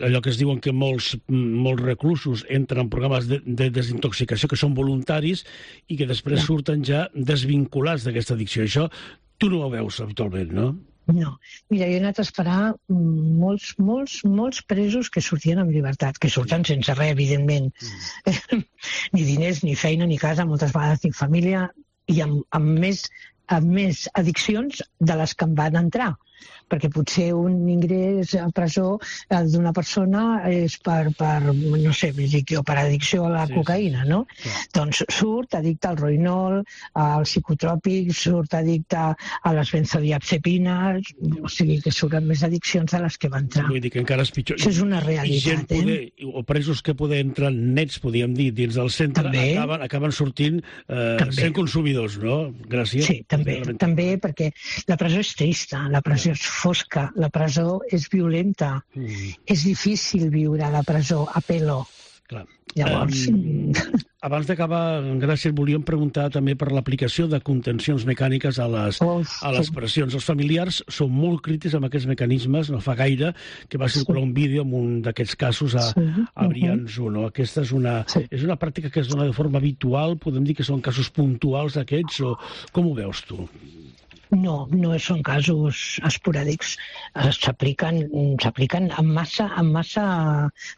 allò que es diuen que molts, molts reclusos entren en programes de, de desintoxicació que són voluntaris i que després surten ja desvinculats d'aquesta addicció. Això tu no ho veus habitualment, no? No. Mira, jo he anat a esperar molts, molts, molts presos que sortien amb llibertat, que surten sense res, evidentment. Mm. Ni diners, ni feina, ni casa, moltes vegades ni família, i amb, amb, més, amb més addiccions de les que em van entrar. Perquè potser un ingrés a presó d'una persona és per, per no sé, o per addicció a la sí, cocaïna, no? Sí. Doncs surt addicte al roïnol, als psicotròpics, surt addicte a les benzodiazepines, o sigui que surten més addiccions de les que va entrar. Vull dir que encara és pitjor. Això és una realitat, poder, eh? O presos que poder entrar nets, podríem dir, dins del centre, acaben, acaben sortint eh, sent consumidors, no? Gràcies. Sí, també, també, perquè la presó és trista, la presó és fosca, la presó és violenta, mm. és difícil viure a la presó a pelo. Clar. Llavors... Um, abans d'acabar, gràcies, volíem preguntar també per l'aplicació de contencions mecàniques a les, oh, a les pressions. Els familiars són molt crítics amb aquests mecanismes. No fa gaire que va circular un vídeo amb un d'aquests casos a, sí. a Brians u. No? Aquesta és una, sí. és una pràctica que es dona de forma habitual? Podem dir que són casos puntuals aquests? O com ho veus tu? No, no són casos esporàdics. S'apliquen s'apliquen amb massa, amb massa,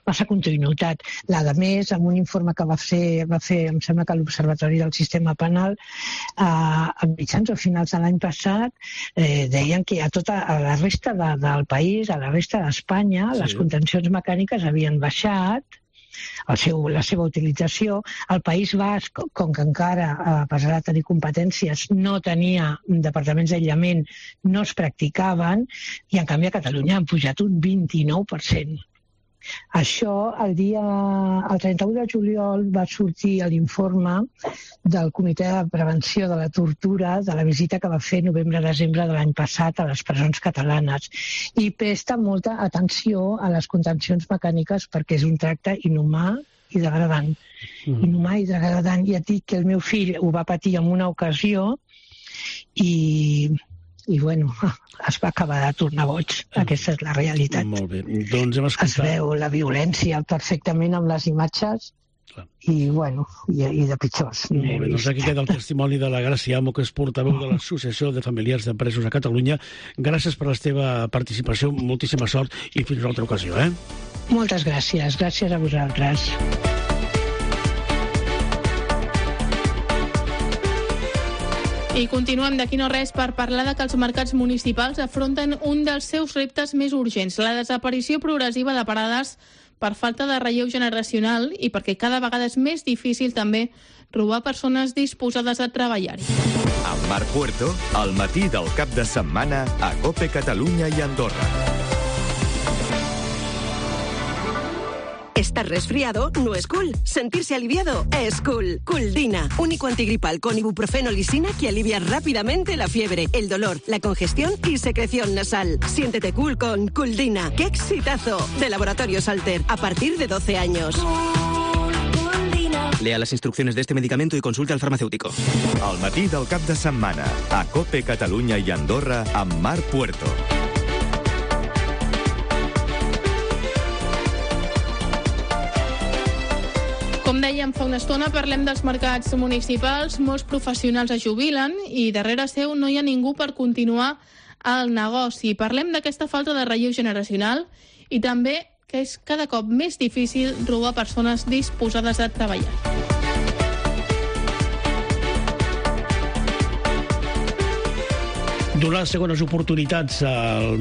massa continuïtat. La de més, amb un informe que va fer, va fer em sembla que l'Observatori del Sistema Penal, eh, a mitjans o finals de l'any passat, eh, deien que a tota a la resta de, del país, a la resta d'Espanya, sí. les contencions mecàniques havien baixat, el seu, la seva utilització. El País Basc, com que encara, a pesar de tenir competències, no tenia departaments d'aïllament, no es practicaven, i en canvi a Catalunya han pujat un vint-i-nou per cent. Això, el dia el trenta-u de juliol va sortir l'informe del Comitè de Prevenció de la Tortura de la visita que va fer novembre-desembre de l'any passat a les presons catalanes, i presta molta atenció a les contencions mecàniques perquè és un tracte inhumà i degradant. Mm. Inhumà i degradant. I et dic que el meu fill ho va patir en una ocasió i... i bueno, es va acabar de tornar boig. Aquesta és la realitat. Molt bé. Doncs hem escoltat... Es veu la violència perfectament amb les imatges. Clar. I, bueno, i, i de pitjors. Molt bé, doncs aquí queda el testimoni de la Gràcia Amo, que és portaveu de l'Associació de Familiars de Presos a Catalunya. Gràcies per la teva participació, moltíssima sort i fins una altra ocasió, eh? Moltes gràcies, gràcies a vosaltres. I continuem d'aquí no res per parlar de que els mercats municipals afronten un dels seus reptes més urgents, la desaparició progressiva de parades per falta de relleu generacional i perquè cada vegada és més difícil també trobar persones disposades a treballar-hi. Amb Marc Puerto, al matí del cap de setmana a COPE Catalunya i Andorra. Estar resfriado no es cool. Sentirse aliviado es cool. Cooldina, único antigripal con ibuprofeno lisina que alivia rápidamente la fiebre, el dolor, la congestión y secreción nasal. Siéntete cool con Cooldina. ¡Qué exitazo! De Laboratorios Alter, a partir de doce años. Lea las instrucciones de este medicamento y consulte al farmacéutico. Al matí del cap de setmana, a COPE Catalunya i Andorra, amb Marc Puerto. Com dèiem fa una estona, parlem dels mercats municipals. Molts professionals es jubilen i darrere seu no hi ha ningú per continuar el negoci. Parlem d'aquesta falta de relleu generacional i també que és cada cop més difícil trobar persones disposades a treballar. Donar segones oportunitats a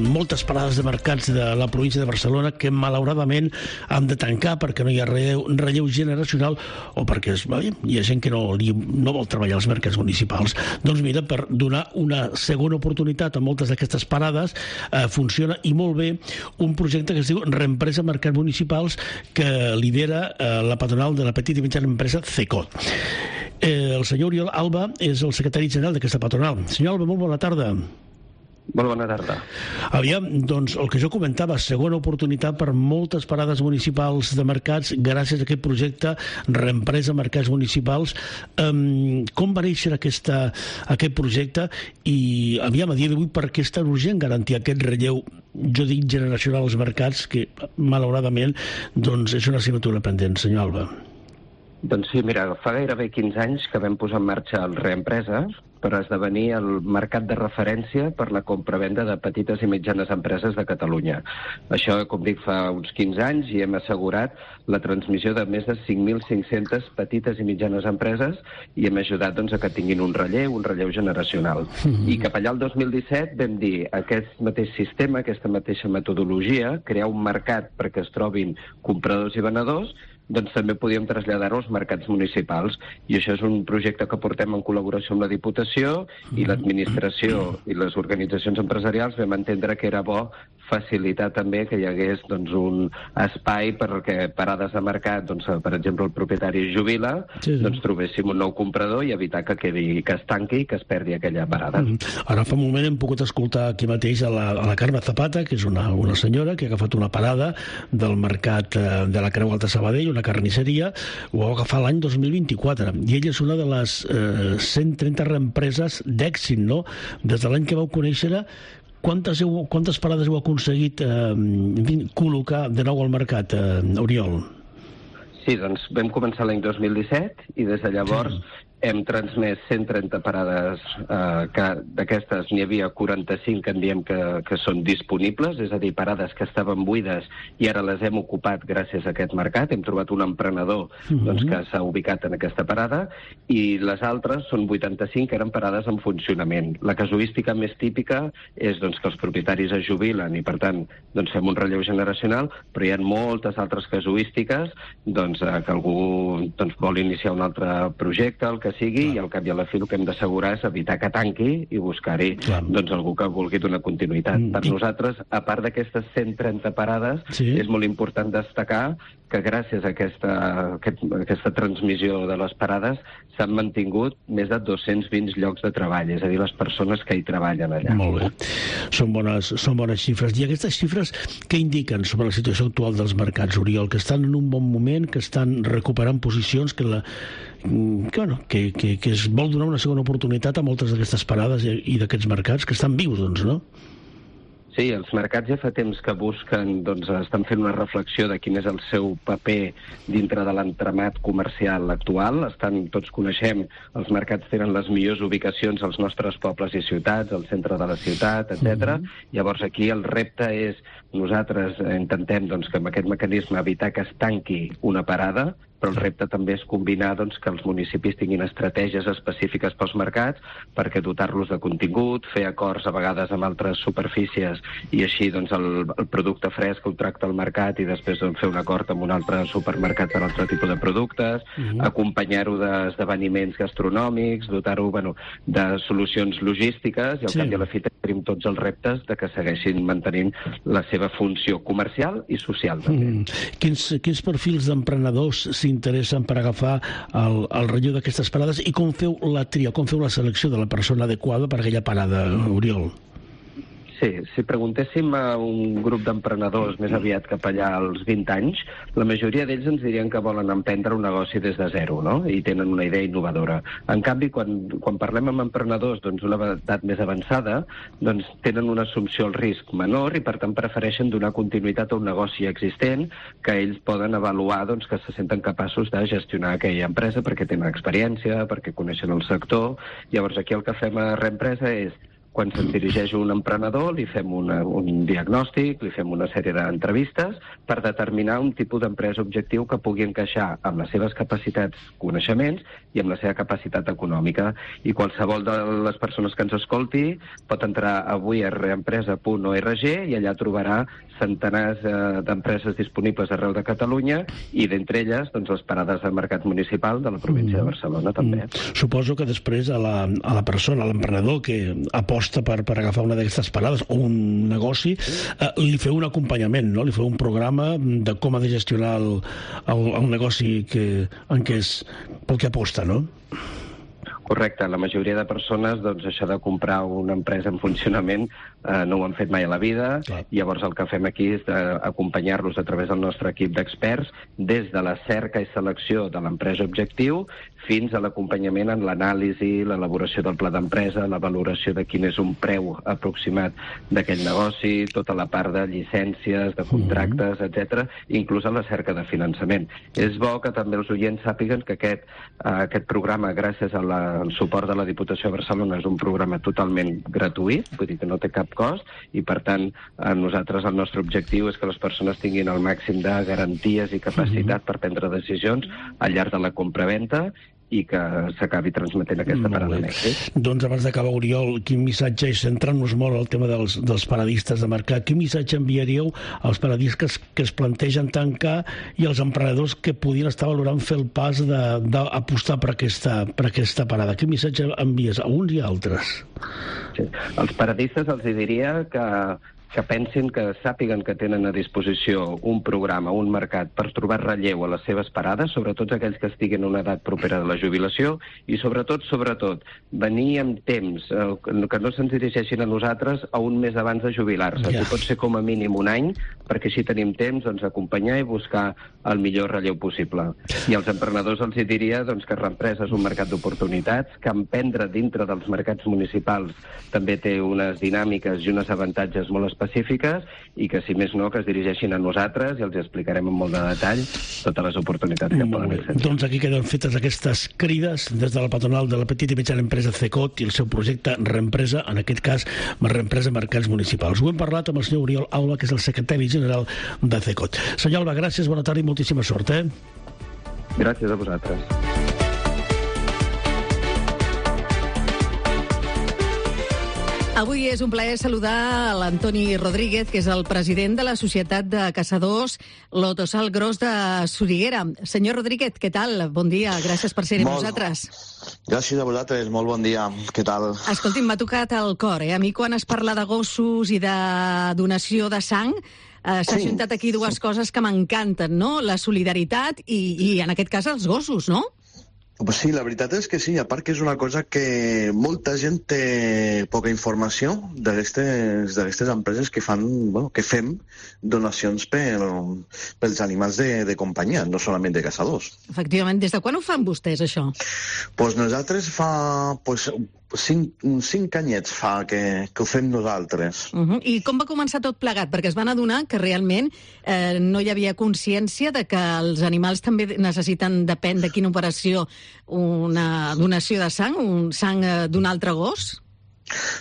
moltes parades de mercats de la província de Barcelona que malauradament han de tancar perquè no hi ha relleu, relleu generacional o perquè es, bé, hi ha gent que no, no vol treballar als mercats municipals. Doncs mira, per donar una segona oportunitat a moltes d'aquestes parades eh, funciona i molt bé un projecte que es diu Reempresa Mercats Municipals, que lidera eh, la patronal de la petita i mitjana empresa CECOT. Eh, el senyor Oriol Alba és el secretari general d'aquesta patronal. Senyor Alba, molt bona tarda. Molt bona tarda. Aviam, doncs, el que jo comentava, segona oportunitat per moltes parades municipals de mercats gràcies a aquest projecte Reempresa Mercats Municipals. Um, com va néixer aquesta, aquest projecte i, aviam, a dia d'avui, per què és tan urgent garantir aquest relleu, jo dic generacional als mercats, que, malauradament, doncs, és una assignatura pendent, senyor Alba? Doncs sí, mira, fa gairebé quinze anys que vam posar en marxa el Reempresa per esdevenir el mercat de referència per la compra-venda de petites i mitjanes empreses de Catalunya. Això, com dic, fa uns quinze anys i hem assegurat la transmissió de més de cinc mil cinc-centes petites i mitjanes empreses i hem ajudat doncs, a que tinguin un relleu, un relleu generacional. Mm-hmm. I cap allà el dos mil disset vam dir aquest mateix sistema, aquesta mateixa metodologia, crear un mercat perquè es trobin compradors i venedors, doncs també podíem traslladar-ho als mercats municipals. I això és un projecte que portem en col·laboració amb la Diputació i l'administració i les organitzacions empresarials vam entendre que era bo facilitar també que hi hagués doncs, un espai perquè parades de mercat, doncs, per exemple, el propietari es jubila, sí, sí. doncs trobéssim un nou comprador i evitar que quedi, que es tanqui i que es perdi aquella parada. Mm. Ara fa un moment hem pogut escoltar aquí mateix a la, a la Carme Zapata, que és una, una senyora que ha agafat una parada del mercat eh, de la Creu Alta Sabadell, una carnisseria, ho va agafar l'any dos mil vint-i-quatre, i ella és una de les eh, cent trenta reempreses d'èxit, no? Des de l'any que vau conèixer-la, quantes, heu, quantes parades heu aconseguit eh, en fi, col·locar de nou al mercat, eh, Oriol? Sí, doncs vam començar l'any dos mil disset i des de llavors sí. hem transmès cent trenta parades, eh, que d'aquestes n'hi havia quaranta-cinc que en diem que, que són disponibles, és a dir, parades que estaven buides i ara les hem ocupat gràcies a aquest mercat. Hem trobat un emprenedor mm-hmm. doncs, que s'ha ubicat en aquesta parada i les altres són vuitanta-cinc que eren parades en funcionament. La casuística més típica és doncs, que els propietaris es jubilen i, per tant, doncs, fem un relleu generacional, però hi ha moltes altres casuístiques doncs, eh, que algú doncs, vol iniciar un altre projecte, el que sigui, clar. I al cap i a la fi el que hem d'assegurar és evitar que tanqui i buscar-hi doncs, algú que vulgui donar continuïtat. Mm. Per nosaltres, a part d'aquestes cent trenta parades, sí. és molt important destacar que gràcies a aquesta, aquest, aquesta transmissió de les parades s'han mantingut més de dos-cents vint llocs de treball, és a dir, les persones que hi treballen allà. Molt bé. Són bones, són bones xifres. I aquestes xifres què indiquen sobre la situació actual dels mercats, Oriol? Que estan en un bon moment, que estan recuperant posicions, que, la, que, bueno, que, que, que es vol donar una segona oportunitat a moltes d'aquestes parades i, i d'aquests mercats que estan vius, doncs, no? Sí, els mercats ja fa temps que busquen, doncs estan fent una reflexió de quin és el seu paper dintre de l'entramat comercial actual. Estan, tots coneixem, els mercats tenen les millors ubicacions als nostres pobles i ciutats, al centre de la ciutat, etcètera. Mm-hmm. Llavors aquí el repte és, nosaltres intentem doncs, que amb aquest mecanisme evitar que es tanqui una parada, però el repte també és combinar doncs, que els municipis tinguin estratègies específiques pels mercats perquè dotar-los de contingut, fer acords a vegades amb altres superfícies i així doncs, el, el producte fresc ho tracta al mercat i després doncs, fer un acord amb un altre supermercat per altre tipus de productes, mm-hmm. acompanyar-ho d'esdeveniments gastronòmics, dotar-ho bueno, de solucions logístiques i al sí. cap i a la fi tenim tots els reptes de que segueixin mantenint la seva funció comercial i social. També. Mm. Quins, quins perfils d'emprenedors s'interessen per agafar el, el relleu d'aquestes parades i com feu la tria, com feu la selecció de la persona adequada per aquella parada, Oriol? Sí, si preguntéssim a un grup d'emprenedors més aviat cap allà als vint anys, la majoria d'ells ens dirien que volen emprendre un negoci des de zero, no? I tenen una idea innovadora. En canvi, quan, quan parlem amb emprenedors doncs, d'una edat més avançada, doncs tenen una assumpció al risc menor i per tant prefereixen donar continuïtat a un negoci existent que ells poden avaluar doncs, que se senten capaços de gestionar aquella empresa perquè tenen experiència, perquè coneixen el sector. Llavors aquí el que fem a Reempresa és quan se'n dirigeix un emprenedor, li fem una, un diagnòstic, li fem una sèrie d'entrevistes per determinar un tipus d'empresa objectiu que pugui encaixar amb les seves capacitats, coneixements i amb la seva capacitat econòmica. I qualsevol de les persones que ens escolti pot entrar avui a reempresa punt org i allà trobarà centenars eh, d'empreses disponibles arreu de Catalunya i d'entre elles doncs, les parades de mercat municipal de la província mm. de Barcelona també. Mm. Suposo que després a la, a la persona, a l'emprenedor que aposta aposta per, per agafar una d'aquestes parades o un negoci, eh, li feu un acompanyament, no? Li feu un programa de com ha de gestionar el, el, el negoci que, en què és pel que aposta, no? Correcte, la majoria de persones, doncs, això de comprar una empresa en funcionament eh, no ho han fet mai a la vida. Clar. Llavors el que fem aquí és acompanyar-los a través del nostre equip d'experts des de la cerca i selecció de l'empresa objectiu fins a l'acompanyament en l'anàlisi, l'elaboració del pla d'empresa, la valoració de quin és un preu aproximat d'aquell negoci, tota la part de llicències, de contractes, mm-hmm. etcètera, inclús a la cerca de finançament. És bo que també els oients sàpiguen que aquest, eh, aquest programa, gràcies a la el suport de la Diputació de Barcelona, és un programa totalment gratuït, vull dir que no té cap cost, i per tant a nosaltres el nostre objectiu és que les persones tinguin el màxim de garanties i capacitat per prendre decisions al llarg de la compraventa i que s'acabi transmetent aquesta parada d'èxit. Doncs abans d'acabar, Oriol, quin missatge, i centrant-nos molt al tema dels, dels paradistes de mercat, quin missatge enviaríeu als paradistes que es plantegen tancar i als emprenedors que podien estar valorant fer el pas d'apostar per aquesta, per aquesta parada? Quin missatge envies a uns i a altres? Sí. Els paradistes els diria que que pensin, que sàpiguen que tenen a disposició un programa, un mercat per trobar relleu a les seves parades, sobretot aquells que estiguin en una edat propera de la jubilació, i sobretot, sobretot, venir amb temps, eh, que no se'ns dirigeixin a nosaltres a un mes abans de jubilar-se. Yeah. Si pot ser com a mínim un any, perquè així tenim temps doncs, acompanyar i buscar el millor relleu possible. I als emprenedors els diria doncs, que reempresa és un mercat d'oportunitats, que emprendre dintre dels mercats municipals també té unes dinàmiques i uns avantatges molt específiques, i que, si més no, que es dirigeixin a nosaltres i els explicarem en molt de detall totes les oportunitats que poden ser. Doncs aquí queden fetes aquestes crides des de la patronal de la petita i mitjana empresa CECOT i el seu projecte Reempresa, en aquest cas Reempresa Mercats Municipals. Ho hem parlat amb el senyor Oriol Alba, que és el secretari general de CECOT. Senyor Alba, gràcies, bona tarda i moltíssima sort. Eh? Gràcies a vosaltres. Avui és un plaer saludar l'Antoni Rodríguez, que és el president de la Societat de Caçadors Lotosal Gros de Soriguera. Senyor Rodríguez, què tal? Bon dia, gràcies per ser-hi amb nosaltres. Gràcies a vosaltres, molt bon dia. Què tal? Escolti'm, m'ha tocat el cor, eh? A mi quan es parla de gossos i de donació de sang, eh, s'ha sí. juntat aquí dues coses que m'encanten, no? La solidaritat i, i, en aquest cas, els gossos, no? Pues sí, la veritat és que sí, a part que és una cosa que molta gent té poca informació d'aquestes empreses que fan, bueno, que fem donacions per, pels animals de, de companyia, no solament de caçadors. Efectivament, des de quan ho fan vostès, això? Pues nosaltres fa pues, cinc, cinc anyets fa que, que ho fem nosaltres. Uh -huh. I com va començar tot plegat? Perquè es van adonar que realment eh, no hi havia consciència de que els animals també necessiten, depèn de quina operació, una donació de sang, un sang eh, d'un altre gos?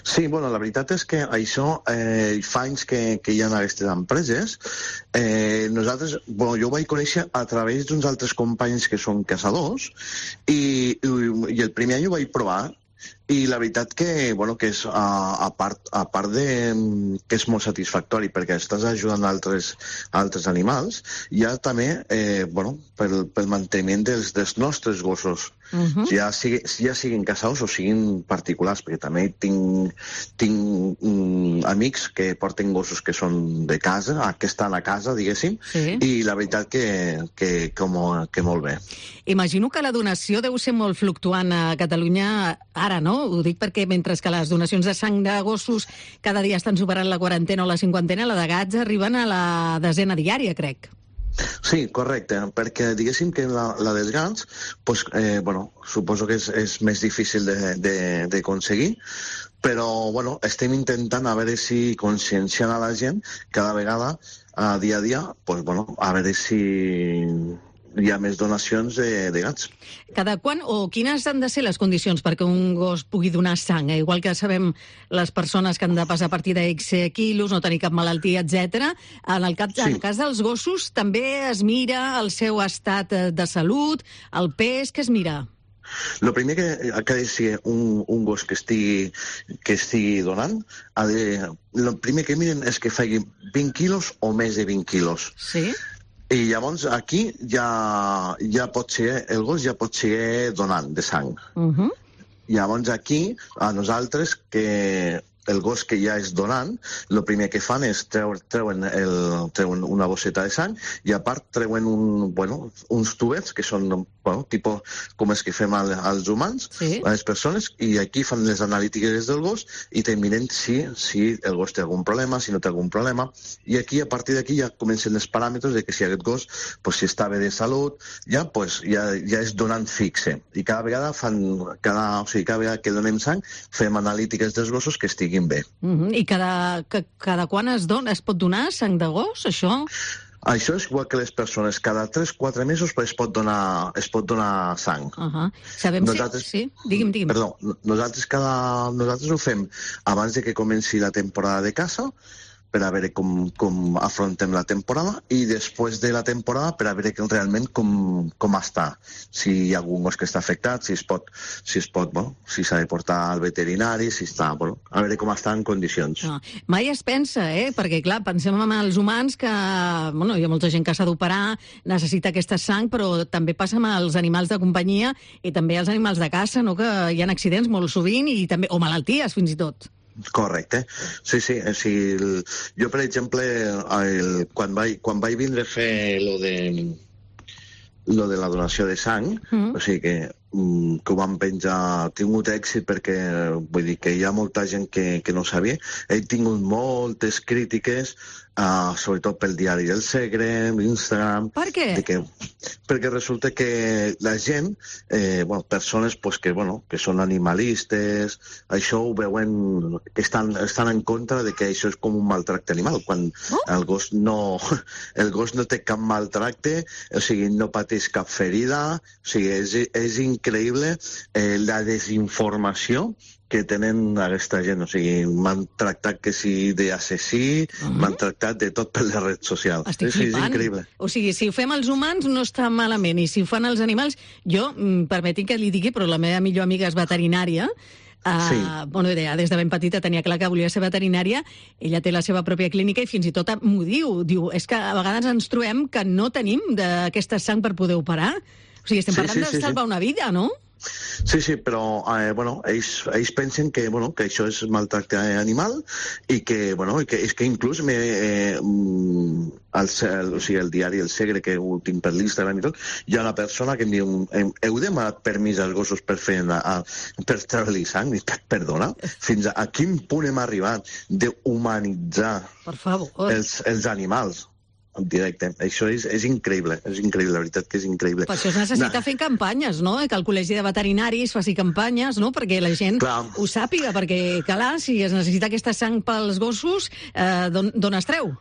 Sí, bueno, la veritat és que això eh, fa anys que, que hi ha aquestes empreses. Eh, nosaltres, bueno, jo ho vaig conèixer a través d'uns altres companys que són caçadors i, i, i el primer any ho vaig provar. I la veritat que, bueno, que és, a, a, part, a part de que és molt satisfactori perquè estàs ajudant altres, altres animals, hi ha també, eh, bueno, pel, pel manteniment dels, dels nostres gossos. Uh-huh. ja, sigui, ja siguin caçadors o siguin particulars, perquè també tinc, tinc um, amics que porten gossos que són de casa, que estan a casa, diguéssim, sí. I la veritat que, que, que, mo, que molt bé. Imagino que la donació deu ser molt fluctuant a Catalunya ara, no? Ho dic perquè mentre que les donacions de sang de gossos cada dia estan superant la quarantena o la cinquantena, la de gats arriben a la desena diària, crec. Sí, correcte, perquè diguéssim que la, la dels gats, pues, eh, bueno, suposo que és, és més difícil d'aconseguir, però bueno, estem intentant a veure si conscienciant a la gent cada vegada, a dia a dia, pues, bueno, a veure si hi ha més donacions de, de gats. Cada quan o quines han de ser les condicions perquè un gos pugui donar sang? Eh? Igual que sabem les persones que han de passar a partir de X quilos, no tenir cap malaltia, etcètera. En el cas, sí. en el cas dels gossos també es mira el seu estat de salut, el pes, què es mira? El primer que ha de ser un, un gos que estigui, que estigui donant, ha de, el primer que miren és que faci vint quilos o més de vint quilos. Sí. I llavors aquí ja, ja pot ser, el gos ja pot ser donant de sang. Uh-huh. Llavors aquí, a nosaltres, que el gos que ja és donant, el primer que fan és treure, treuen, el, treuen una bosseta de sang i a part treuen un, bueno, uns tubets que són bueno, tipus com els que fem al, als humans, sí. a les persones, i aquí fan les analítiques del gos i te miren si, si el gos té algun problema, si no té algun problema, i aquí a partir d'aquí ja comencen els paràmetres de que si aquest gos pues, si està bé de salut, ja, pues, ja, ja és donant fixe. I cada vegada fan, cada, o sigui, cada vegada que donem sang fem analítiques dels gossos que estiguin bé. Uh-huh. I cada, que, cada quan es, don, es pot donar sang de gos, això? Això és igual que les persones. Cada tres o quatre mesos es pot donar, es pot donar sang. Uh-huh. Sabem nosaltres, si... Sí? Digui'm, digui'm. Perdó, nosaltres, cada, nosaltres ho fem abans de que comenci la temporada de caça, per a veure com, com afrontem la temporada, i després de la temporada per a veure realment com, com està. Si hi ha algun gos que està afectat, si es pot, si es pot, bueno, si s'ha de portar al veterinari, si està, bueno, a veure com està en condicions. No. Mai es pensa, eh? Perquè, clar, pensem en els humans que, bueno, hi ha molta gent que s'ha d'operar, necessita aquesta sang, però també passa amb els animals de companyia i també els animals de caça, no?, que hi ha accidents molt sovint i també, o malalties, fins i tot. Correcte. Sí, sí. O sigui, el, jo, per exemple, el, quan, vaig, quan vaig vindre a fer lo de, lo de la donació de sang, mm. o sigui que, que ho vam penjar, ha tingut èxit perquè vull dir que hi ha molta gent que, que no sabia. He tingut moltes crítiques, uh, sobretot pel diari del Segre, l'Instagram... Per què? De que, perquè resulta que la gent, eh, bueno, persones pues, que, bueno, que són animalistes, això ho veuen, que estan, estan en contra de que això és com un maltracte animal, quan oh? el gos no el gos no té cap maltracte, o sigui, no pateix cap ferida, o sigui, és, és increïble eh, la desinformació que tenen aquesta gent, o sigui, m'han tractat que sí d'assassí, uh-huh. m'han tractat de tot per les redes socials. Estic és, flipant. És increïble. O sigui, si ho fem els humans no està malament, i si ho fan els animals... Jo, permetin que li digui, però la meva millor amiga és veterinària, uh, sí. bueno, des de ben petita tenia clar que volia ser veterinària, ella té la seva pròpia clínica i fins i tot m'ho diu, diu, és que a vegades ens trobem que no tenim d'aquesta sang per poder operar. O sigui, estem parlant sí, sí, de salvar sí, sí. una vida, no? Sí, sí, però eh, bueno, ells, ells pensen que, bueno, que això és maltracte animal i que, bueno, i que, és que inclús me, eh, el, el, o sigui, el diari El Segre, que ho tinc per l'Instagram i tot, hi ha una persona que em diu, heu demanat permís als gossos per fer a, a, per treure-li sang? I, perdona, fins a, a quin punt hem arribat d'humanitzar els, els animals? En directe. Això és, és increïble, és increïble, la veritat que és increïble. Per això es necessita no. fer campanyes, no? Que el Col·legi de Veterinaris faci campanyes, no? Perquè la gent clar. ho sàpiga, perquè, clar, si es necessita aquesta sang pels gossos, eh, d'on es treu?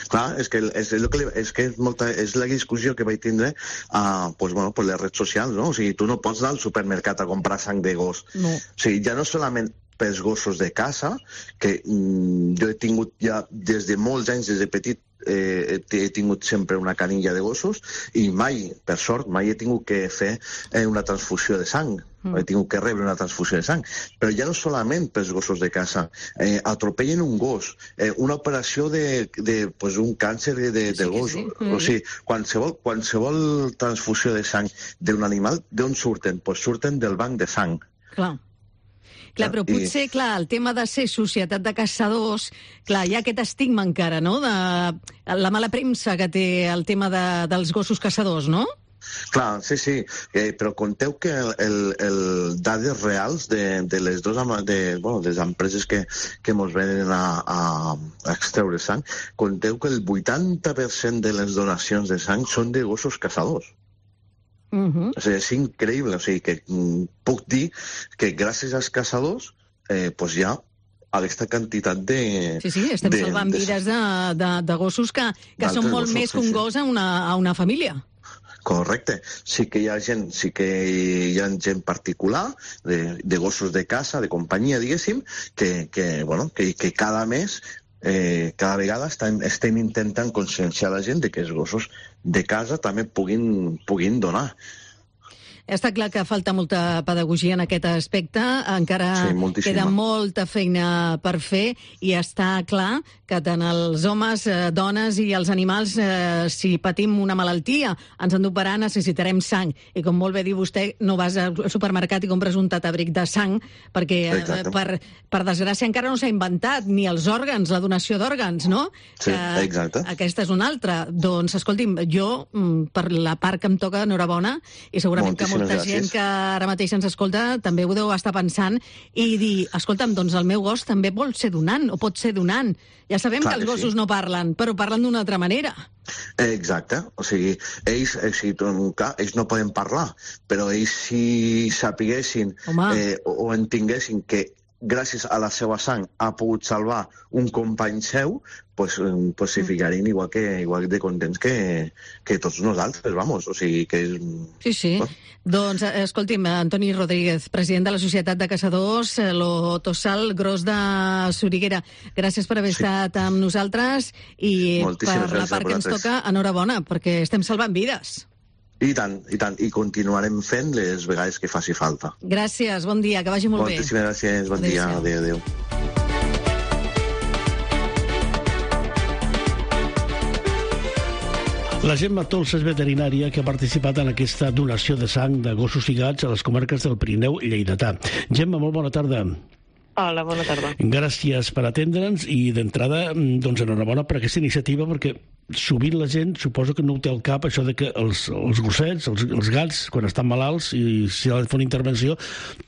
Clar, és que, és, és, que, és, que és, molta, és la discussió que vaig tindre uh, pues, bueno, per les redes socials, no? O sigui, tu no pots anar al supermercat a comprar sang de gos. No. O sigui, ja no solament pels gossos de casa, que mm, jo he tingut ja des de molts anys, des de petit, eh, he tingut sempre una canilla de gossos i mai, per sort, mai he tingut que fer eh, una transfusió de sang. Mm. He tingut que rebre una transfusió de sang. Però ja no solament pels gossos de casa. Eh, atropellen un gos, eh, una operació de, de pues, un càncer de, de, de gos. Sí, sí. O sigui, qualsevol, qualsevol transfusió de sang d'un animal, d'on surten? Pues surten del banc de sang. Clar. Clar, però potser, clar, el tema de ser societat de caçadors, clar, hi ha aquest estigma encara, no?, de la mala premsa que té el tema de, dels gossos caçadors, no? Clar, sí, sí, eh, però conteu que el, el, el dades reals de, de les dues de, bueno, de les empreses que, que mos venen a, a, a extreure sang, conteu que el vuitanta per cent de les donacions de sang són de gossos caçadors. Uh-huh. O sigui, és increïble, o sigui, que mm, puc dir que gràcies als caçadors eh, pues ja aquesta quantitat de... Sí, sí, estem de, salvant de, vides de, de, de gossos que, que són molt gossos, més que un sí, gos a una, a una família. Correcte. Sí que hi ha gent, sí que hi ha gent particular, de, de gossos de casa, de companyia, diguéssim, que, que, bueno, que, que cada mes Eh, cada vegada estem, estem intentant conscienciar la gent de que els gossos de casa també puguin, puguin donar. està clar que falta molta pedagogia en aquest aspecte, encara sí, queda molta feina per fer i està clar que tant els homes, eh, dones i els animals, eh, si patim una malaltia, ens han d'operar, necessitarem sang. I com molt bé diu vostè, no vas al supermercat i compres un tatabric de sang, perquè eh, per, per desgràcia encara no s'ha inventat ni els òrgans, la donació d'òrgans, no? Sí, que exacte. Aquesta és una altra. Doncs, escolti'm, jo, per la part que em toca, enhorabona, i segurament Moltíssimes que molta gràcies. gent que ara mateix ens escolta també ho deu estar pensant i dir, escolta'm, doncs el meu gos també vol ser donant, o pot ser donant. Ja sabem Clar que els que gossos sí. no parlen, però parlen d'una altra manera. Exacte, o sigui, ells, eh, si, clar, ells no poden parlar, però ells si sapiguessin eh, o, o entenguessin que gràcies a la seva sang ha pogut salvar un company seu, pues, pues s'hi ficarien igual, que, igual de contents que, que tots nosaltres, vamos, o sigui que és... Sí, sí. Oh. Doncs, escolti'm, Antoni Rodríguez, president de la Societat de Caçadors, lo Tossal Gros de Soriguera, gràcies per haver sí. estat amb nosaltres i Moltíssimes per la part que ens toca, enhorabona, perquè estem salvant vides. I tant, i tant, i continuarem fent les vegades que faci falta. Gràcies, bon dia, que vagi molt bé. Moltíssimes gràcies, bon dia, adéu, adéu. La Gemma Tols és veterinària que ha participat en aquesta donació de sang de gossos i gats a les comarques del Pirineu i Lleidatà. Gemma, molt bona tarda. Hola, bona tarda. Gràcies per atendre'ns i d'entrada, doncs enhorabona per aquesta iniciativa, perquè sovint la gent suposo que no ho té al cap, això de que els, els gossets, els, els gats, quan estan malalts i si ha de fer una intervenció,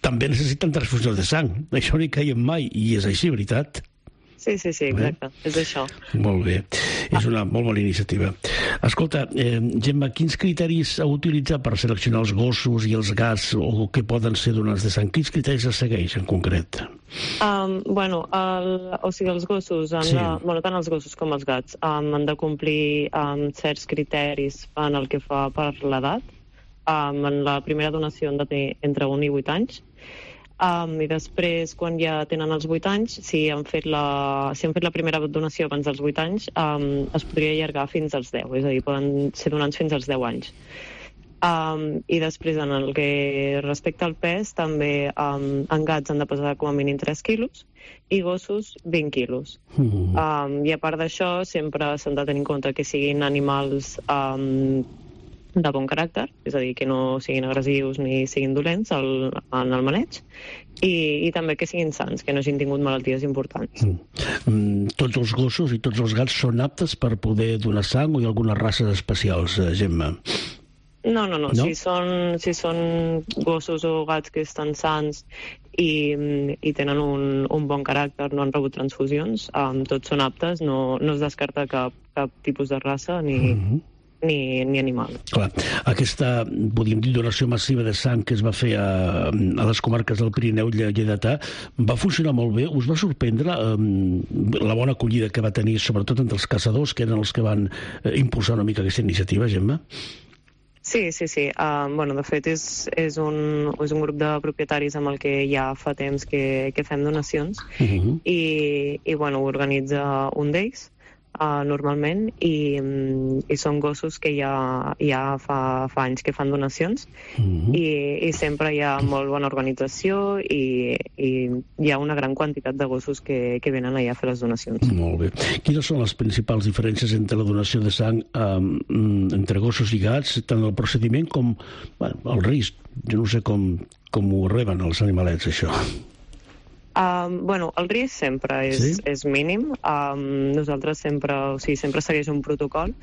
també necessiten transfusions de sang. Això no hi caiem mai, i és així, veritat? Sí, sí, sí, exacte, eh? És això. Molt bé, és una molt bona iniciativa. Escolta, eh, Gemma, quins criteris heu utilitzat per seleccionar els gossos i els gats o que poden ser donants de sang? Quins criteris es segueix en concret? Um, bueno, el, o sigui, els gossos, han sí. de, bueno, tant els gossos com els gats, um, han de complir um, certs criteris en el que fa per l'edat. Um, en la primera donació han de tenir entre un i vuit anys. Um, I després, quan ja tenen els vuit anys, si han fet la, si han fet la primera donació abans dels vuit anys, um, es podria allargar fins als deu, és a dir, poden ser donants fins als deu anys. Um, I després, en el que respecta al pes, també um, en gats han de pesar com a mínim tres quilos i gossos vint quilos. Mm. Um, I a part d'això, sempre s'han de tenir en compte que siguin animals um, de bon caràcter, és a dir, que no siguin agressius ni siguin dolents el, en el maneig, i, i també que siguin sants, que no hagin tingut malalties importants. Mm. Tots els gossos i tots els gats són aptes per poder donar sang o hi ha algunes races especials, Gemma? No, no, no. no? Si, són, si són gossos o gats que estan sants i, i tenen un, un bon caràcter, no han rebut transfusions, um, tots són aptes, no, no es descarta cap, cap tipus de raça ni... Mm-hmm. Ni, ni animal. Clar, aquesta, podríem dir, donació massiva de sang que es va fer a, a les comarques del Pirineu i Lleidatà va funcionar molt bé. Us va sorprendre eh, la bona acollida que va tenir, sobretot entre els caçadors, que eren els que van eh, impulsar una mica aquesta iniciativa, Gemma? Sí, sí, sí. Uh, bueno, de fet, és, és, un, és un grup de propietaris amb el que ja fa temps que, que fem donacions uh-huh. i, i bueno, ho organitza un d'ells. Uh, normalment i, i són gossos que ja, ja fa, fa anys que fan donacions mm-hmm. I, i sempre hi ha molt bona organització i, i hi ha una gran quantitat de gossos que, que venen allà a fer les donacions. Molt bé. Quines són les principals diferències entre la donació de sang um, entre gossos i gats, tant el procediment com bueno, el risc? Jo no sé com, com ho reben els animalets, això. Um, bueno, el risc sempre és, sí? és mínim. Um, nosaltres sempre, o sigui, sempre segueix un protocol.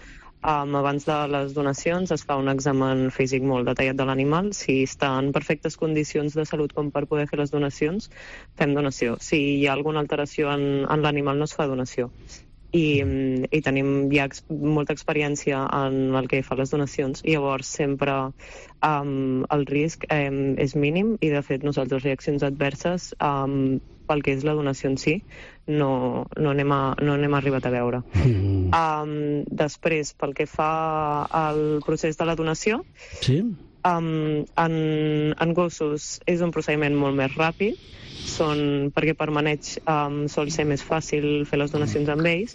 Um, abans de les donacions es fa un examen físic molt detallat de l'animal. Si està en perfectes condicions de salut com per poder fer les donacions, fem donació. Si hi ha alguna alteració en, en l'animal, no es fa donació. I, i tenim ja ex, molta experiència en el que fa les donacions i llavors sempre um, el risc um, és mínim i de fet nosaltres reaccions adverses um, pel que és la donació en si no, no, anem, a, no anem arribat a veure. Mm. Um, després, pel que fa al procés de la donació, sí? um, en, en gossos és un procediment molt més ràpid, són, perquè per maneig um, sol ser més fàcil fer les donacions amb ells.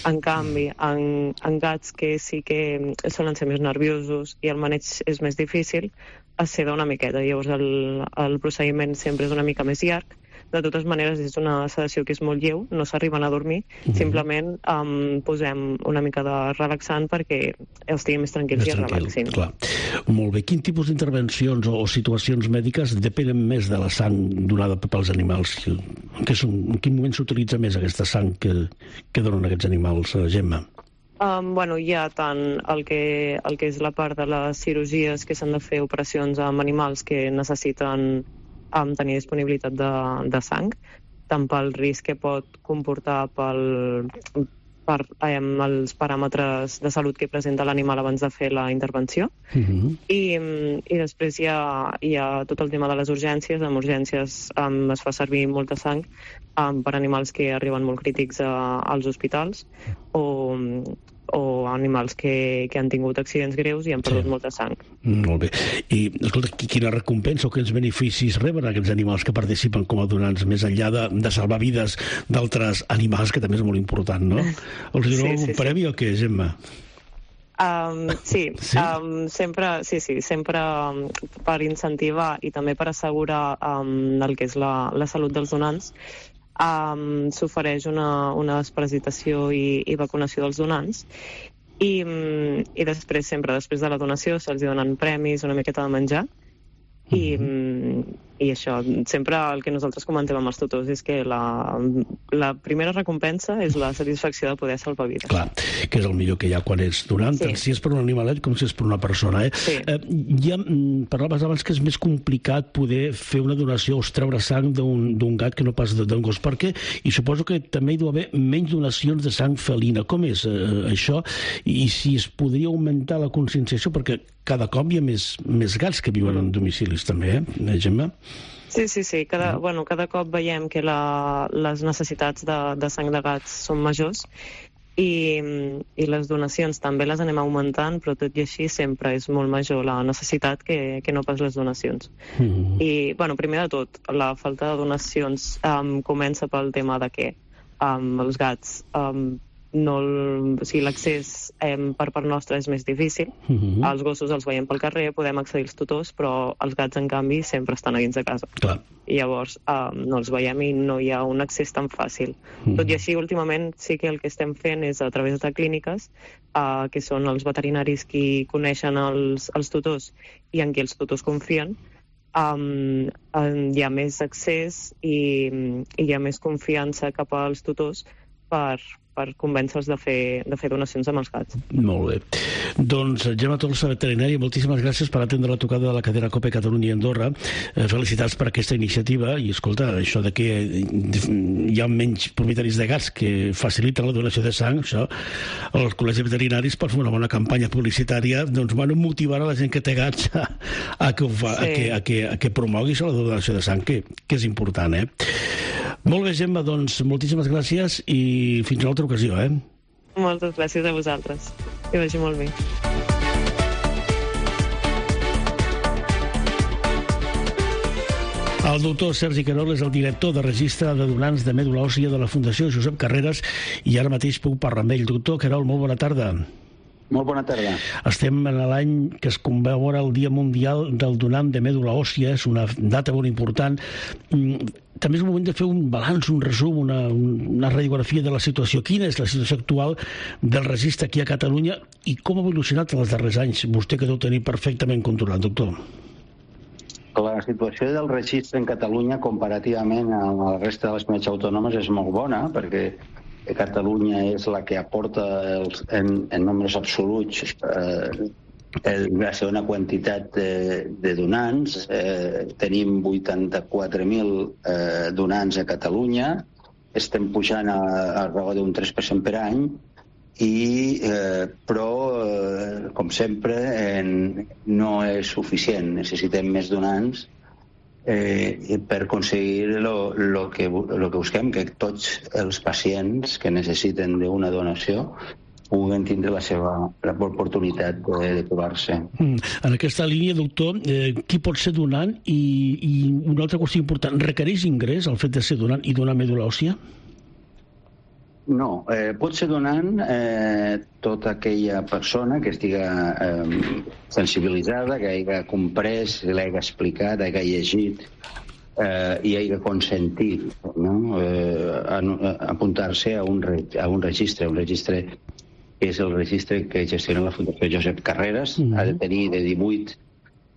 En canvi, en, en gats que sí que solen ser més nerviosos i el maneig és més difícil, es seda una miqueta, llavors el, el procediment sempre és una mica més llarg. De totes maneres, és una sedació que és molt lleu, no s'arriben a dormir, mm-hmm. simplement um, posem una mica de relaxant perquè estiguin més tranquils més i es relaxin. Clar. Molt bé. Quin tipus d'intervencions o, o situacions mèdiques depenen més de la sang donada pels animals? En, són, en quin moment s'utilitza més aquesta sang que, que donen aquests animals, Gemma? Um, bueno, hi ha tant el que, el que és la part de les cirurgies que s'han de fer operacions amb animals que necessiten um, tenir disponibilitat de, de sang, tant pel risc que pot comportar pel, per um, els paràmetres de salut que presenta l'animal abans de fer la intervenció. Mm-hmm. I, i després hi ha, hi ha tot el tema de les urgències. En urgències um, es fa servir molta sang um, per animals que arriben molt crítics a, als hospitals o, o animals que, que han tingut accidents greus i han perdut sí. molta sang. Molt bé. I, escolta, quina recompensa o quins beneficis reben aquests animals que participen com a donants, més enllà de, de salvar vides d'altres animals, que també és molt important, no? Els donen sí, sí, un premi sí. o què, Gemma? Um, sí, sí? Um, sempre, sí, sí, sempre um, per incentivar i també per assegurar um, el que és la, la salut dels donants, um, s'ofereix una, una desparasitació i, i vacunació dels donants. I, um, i després, sempre després de la donació, se'ls donen premis, una miqueta de menjar. I, mm-hmm. i això, sempre el que nosaltres comentem amb els tutors és que la, la primera recompensa és la satisfacció de poder salvar vides. Clar, que és el millor que hi ha quan ets donant, sí. tant si és per un animalet com si és per una persona. Eh? Sí. Eh, ja parlaves abans que és més complicat poder fer una donació o treure sang d'un gat que no pas d'un gos. Per què? I suposo que també hi deu haver menys donacions de sang felina. Com és eh, això? I si es podria augmentar la conscienciació, perquè cada cop hi ha més, més gats que viuen en domicilis també, eh, Gemma? Sí, sí, sí. Cada, bueno, cada cop veiem que la, les necessitats de, de sang de gats són majors i, i les donacions també les anem augmentant, però tot i així sempre és molt major la necessitat que, que no pas les donacions. Mm-hmm. I, bueno, primer de tot, la falta de donacions um, comença pel tema de que um, els gats... Um, no, o sigui, l'accés eh, per part nostra és més difícil. Uh-huh. Els gossos els veiem pel carrer, podem accedir als tutors, però els gats, en canvi, sempre estan a dins de casa. Clar. I llavors eh, no els veiem i no hi ha un accés tan fàcil. Uh-huh. Tot i així, últimament, sí que el que estem fent és a través de clíniques, eh, que són els veterinaris qui coneixen els, els tutors i en qui els tutors confien, um, hi ha més accés i, i hi ha més confiança cap als tutors per... per convèncer-los de fer, de fer donacions amb els gats. Molt bé. Doncs, Gemma Tolsa, veterinària, moltíssimes gràcies per atendre la trucada de la cadena COPE Catalunya i Andorra. Eh, felicitats per aquesta iniciativa i, escolta, això de que hi ha menys propietaris de gats que faciliten la donació de sang, això, els col·legis veterinaris per fer una bona campanya publicitària, doncs, bueno, motivar a la gent que té gats a, a, que, ho fa, sí. a, que, a, que, a que promoguis la donació de sang, que, que és important, eh? Molt bé, Gemma, doncs, moltíssimes gràcies i fins a l'altra ocasió, eh? Moltes gràcies a vosaltres. Que vagi molt bé. El doctor Sergi Querol és el director de registre de donants de mèdula òssia de la Fundació Josep Carreras i ara mateix puc parlar amb ell. Doctor Querol, molt bona tarda. Molt bona tarda. Estem en l'any que es commemora el Dia Mundial del Donant de Mèdula Òssia, és una data molt important. També és un moment de fer un balanç, un resum, una, una radiografia de la situació. Quina és la situació actual del registre aquí a Catalunya i com ha evolucionat en els darrers anys? Vostè que deu tenir perfectament controlat, doctor. La situació del registre en Catalunya comparativament a la resta de les comunitats autònomes és molt bona, perquè Catalunya és la que aporta els, en, en nombres absoluts eh, la segona quantitat de, de donants. Eh, tenim vuitanta-quatre mil eh, donants a Catalunya, estem pujant a, a raó d'un tres per cent per any, i, eh, però, eh, com sempre, en, no és suficient. Necessitem més donants Eh, per aconseguir lo, lo, que, lo que busquem, que tots els pacients que necessiten d'una donació puguen tindre la seva oportunitat de, de trobar-se. Mm. En aquesta línia, doctor, eh, qui pot ser donant? I, i una altra qüestió important, requereix ingrés el fet de ser donant i donar mèdula òssia? No, eh, pot ser donant eh, tota aquella persona que estiga eh, sensibilitzada, que hagi comprès, l'hagi explicat, hagi llegit eh, i hagi consentit, no? eh, a, a apuntar-se a, un re, a un registre. Un registre és el registre que gestiona la Fundació Josep Carreras, mm-hmm. ha de tenir de divuit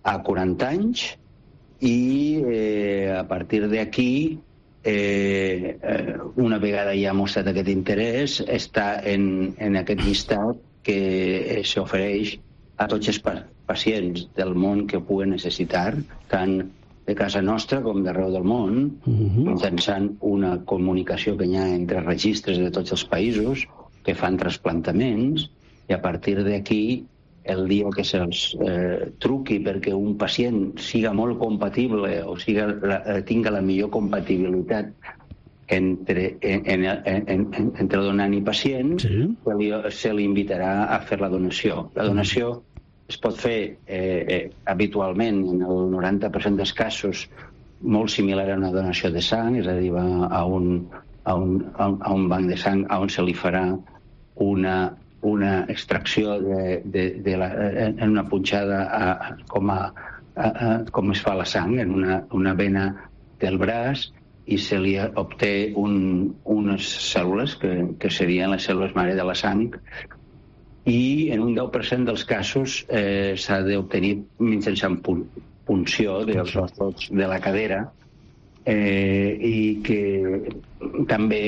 a quaranta anys i eh, a partir d'aquí Eh, eh, una vegada ja ha mostrat aquest interès, està en, en aquest llistat que s'ofereix a tots els pa pacients del món que ho puguen necessitar, tant de casa nostra com d'arreu del món, uh-huh. mitjançant una comunicació que hi ha entre registres de tots els països que fan trasplantaments, i a partir d'aquí el dia que se'ls eh, truqui perquè un pacient siga molt compatible o siga la, tinga la millor compatibilitat entre, en, en, en, en, entre donant i pacient, sí. se, li, se li invitarà a fer la donació. La donació es pot fer eh, eh, habitualment, en el noranta per cent dels casos, molt similar a una donació de sang, és a dir, va a un, a un, a un banc de sang on se li farà una una extracció de, de, de la, en una punxada a, com, a, a, a, com es fa la sang, en una, una vena del braç, i se li obté un, unes cèl·lules que, que serien les cèl·lules mare de la sang, i en un deu per cent dels casos eh, s'ha d'obtenir mitjançant pun punció dels ossos de la cadera, eh, i que també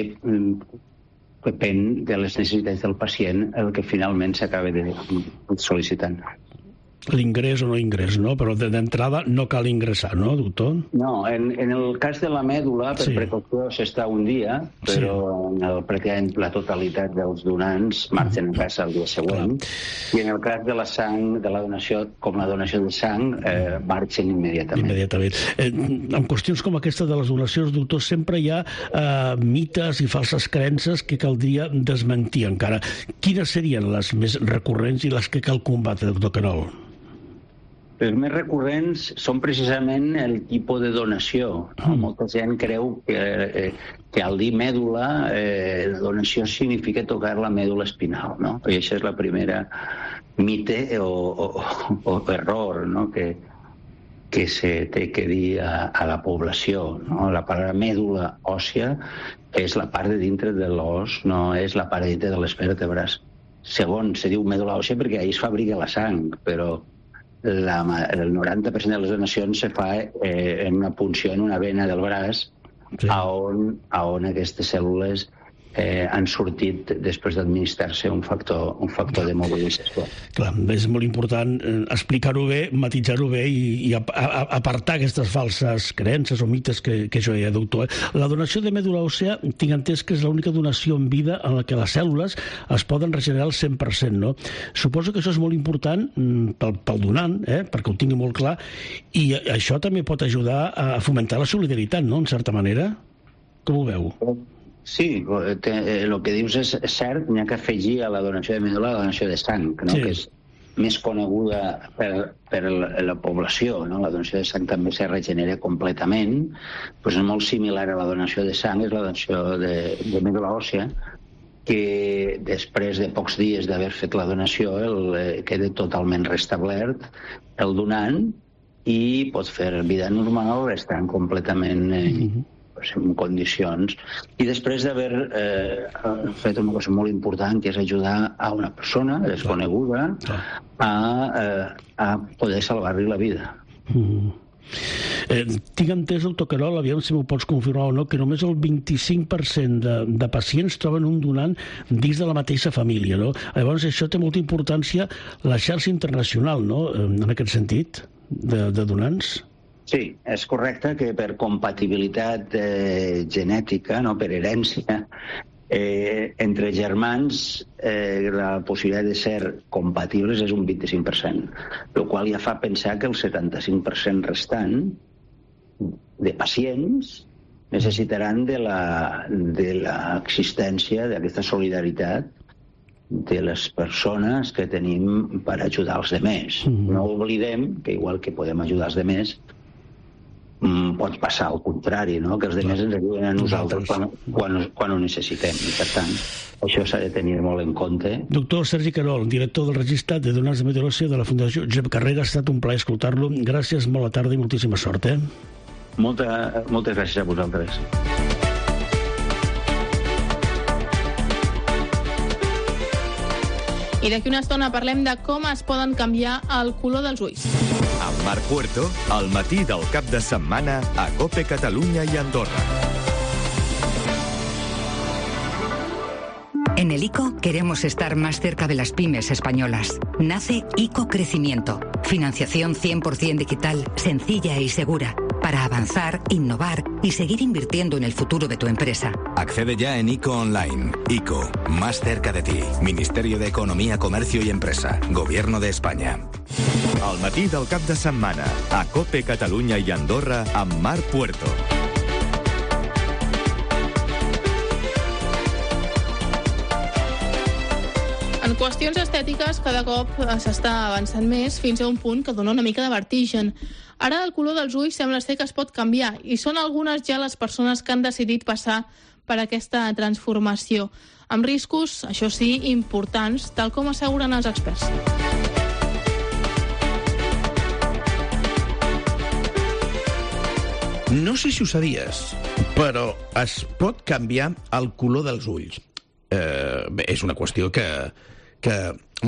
depèn de les necessitats del pacient el que finalment s'acaba sol·licitant. L'ingrés o no ingrés, no? Però d'entrada no cal ingressar, no, doctor? No, en, en el cas de la mèdula, per sí. precaució s'està un dia, però sí. en el, pràcticament la totalitat dels donants marxen a casa el dia següent, clar. I en el cas de la sang, de la donació, com la donació de sang, eh, marxen immediatament. Immediatament. Eh, en qüestions com aquesta de les donacions, doctor, sempre hi ha eh, mites i falses creences que caldria desmentir encara. Quines serien les més recurrents i les que cal combatre, doctor Querol? Els més recurrents són precisament el tipus de donació. No? Molta gent creu que, eh, que al dir mèdula, eh, la donació significa tocar la mèdula espinal, no? I això és la primera mite o, o, o error, no? que, que se té que dir a, a la població. No? La paraula mèdula òssia és la part de dintre de l'os, no és la part de dintre de les vèrtebres. Segon, se diu mèdula òssia perquè ahí es fabrica la sang, però La, el noranta per cent de les donacions se fa eh, en una punció en una vena del braç, sí. a, on, a on aquestes cèl·lules eh, han sortit després d'administrar-se un factor, un factor de mobilització. Clar, és molt important eh, explicar-ho bé, matisar-ho bé i, i a, a, apartar aquestes falses creences o mites que, que jo deia, doctor. La donació de mèdula òssea, tinc entès que és l'única donació en vida en la que les cèl·lules es poden regenerar al cent per cent, no? Suposo que això és molt important mm, pel, pel donant, eh, perquè ho tingui molt clar, i això també pot ajudar a fomentar la solidaritat, no?, en certa manera. Com ho veu? Sí, el que dius és cert, n'hi ha que afegir a la donació de mèdula la donació de sang, no? Sí. Que és més coneguda per, per la, la població, no? La donació de sang també se regenera completament, doncs és molt similar a la donació de sang, és la donació de, de mèdula òssia, que després de pocs dies d'haver fet la donació el, eh, queda totalment restablert el donant i pot fer vida normal estant completament eh, mm-hmm. en condicions, i després d'haver eh, fet una cosa molt important, que és ajudar a una persona desconeguda a, eh, a poder salvar-li la vida. Mm. Eh, tinc entès, doctor Querol, aviam si m'ho pots confirmar o no, que només el vint-i-cinc per cent de, de pacients troben un donant dins de la mateixa família, no? Llavors això té molta importància la xarxa internacional, no?, en aquest sentit, de, de donants. Sí, és correcte que per compatibilitat eh, genètica, no, per herència, eh, entre germans eh, la possibilitat de ser compatibles és un vint-i-cinc per cent, el qual ja fa pensar que el setanta-cinc per cent restant de pacients necessitaran de l'existència d'aquesta solidaritat de les persones que tenim per ajudar els demés. Mm-hmm. No oblidem que igual que podem ajudar els demés, mm, pot passar al contrari, no? Que els altres ens ajuden a nosaltres quan, quan, quan ho necessitem. I, per tant, això s'ha de tenir molt en compte. Doctor Sergi Querol, director del Registre de Donants de Meteorologia de la Fundació Josep Carrera, ha estat un plaer escoltar-lo. Gràcies, bona tarda i moltíssima sort. Eh? Molta, moltes gràcies a vosaltres. I d'aquí una estona parlem de com es poden canviar el color dels ulls. Amb Marc Puerto, al matí del cap de setmana a COPE Catalunya i Andorra. En el I C O queremos estar más cerca de las pymes españolas. Nace I C O Crecimiento. Financiación cien por ciento digital, sencilla y segura, para avanzar, innovar y seguir invirtiendo en el futuro de tu empresa. Accede ya en I C O Online. I C O, más cerca de ti. Ministerio de Economía, Comercio y Empresa. Gobierno de España. Al matí del cap de setmana a COPE Catalunya i Andorra amb Marc Puerto. En qüestions estètiques, cada cop s'està avançant més fins a un punt que dona una mica de vertigen. Ara el color dels ulls sembla ser que es pot canviar i són algunes ja les persones que han decidit passar per aquesta transformació, amb riscos, això sí, importants, tal com asseguren els experts. No sé si ho sabies, però es pot canviar el color dels ulls. Eh, bé, és una qüestió que, que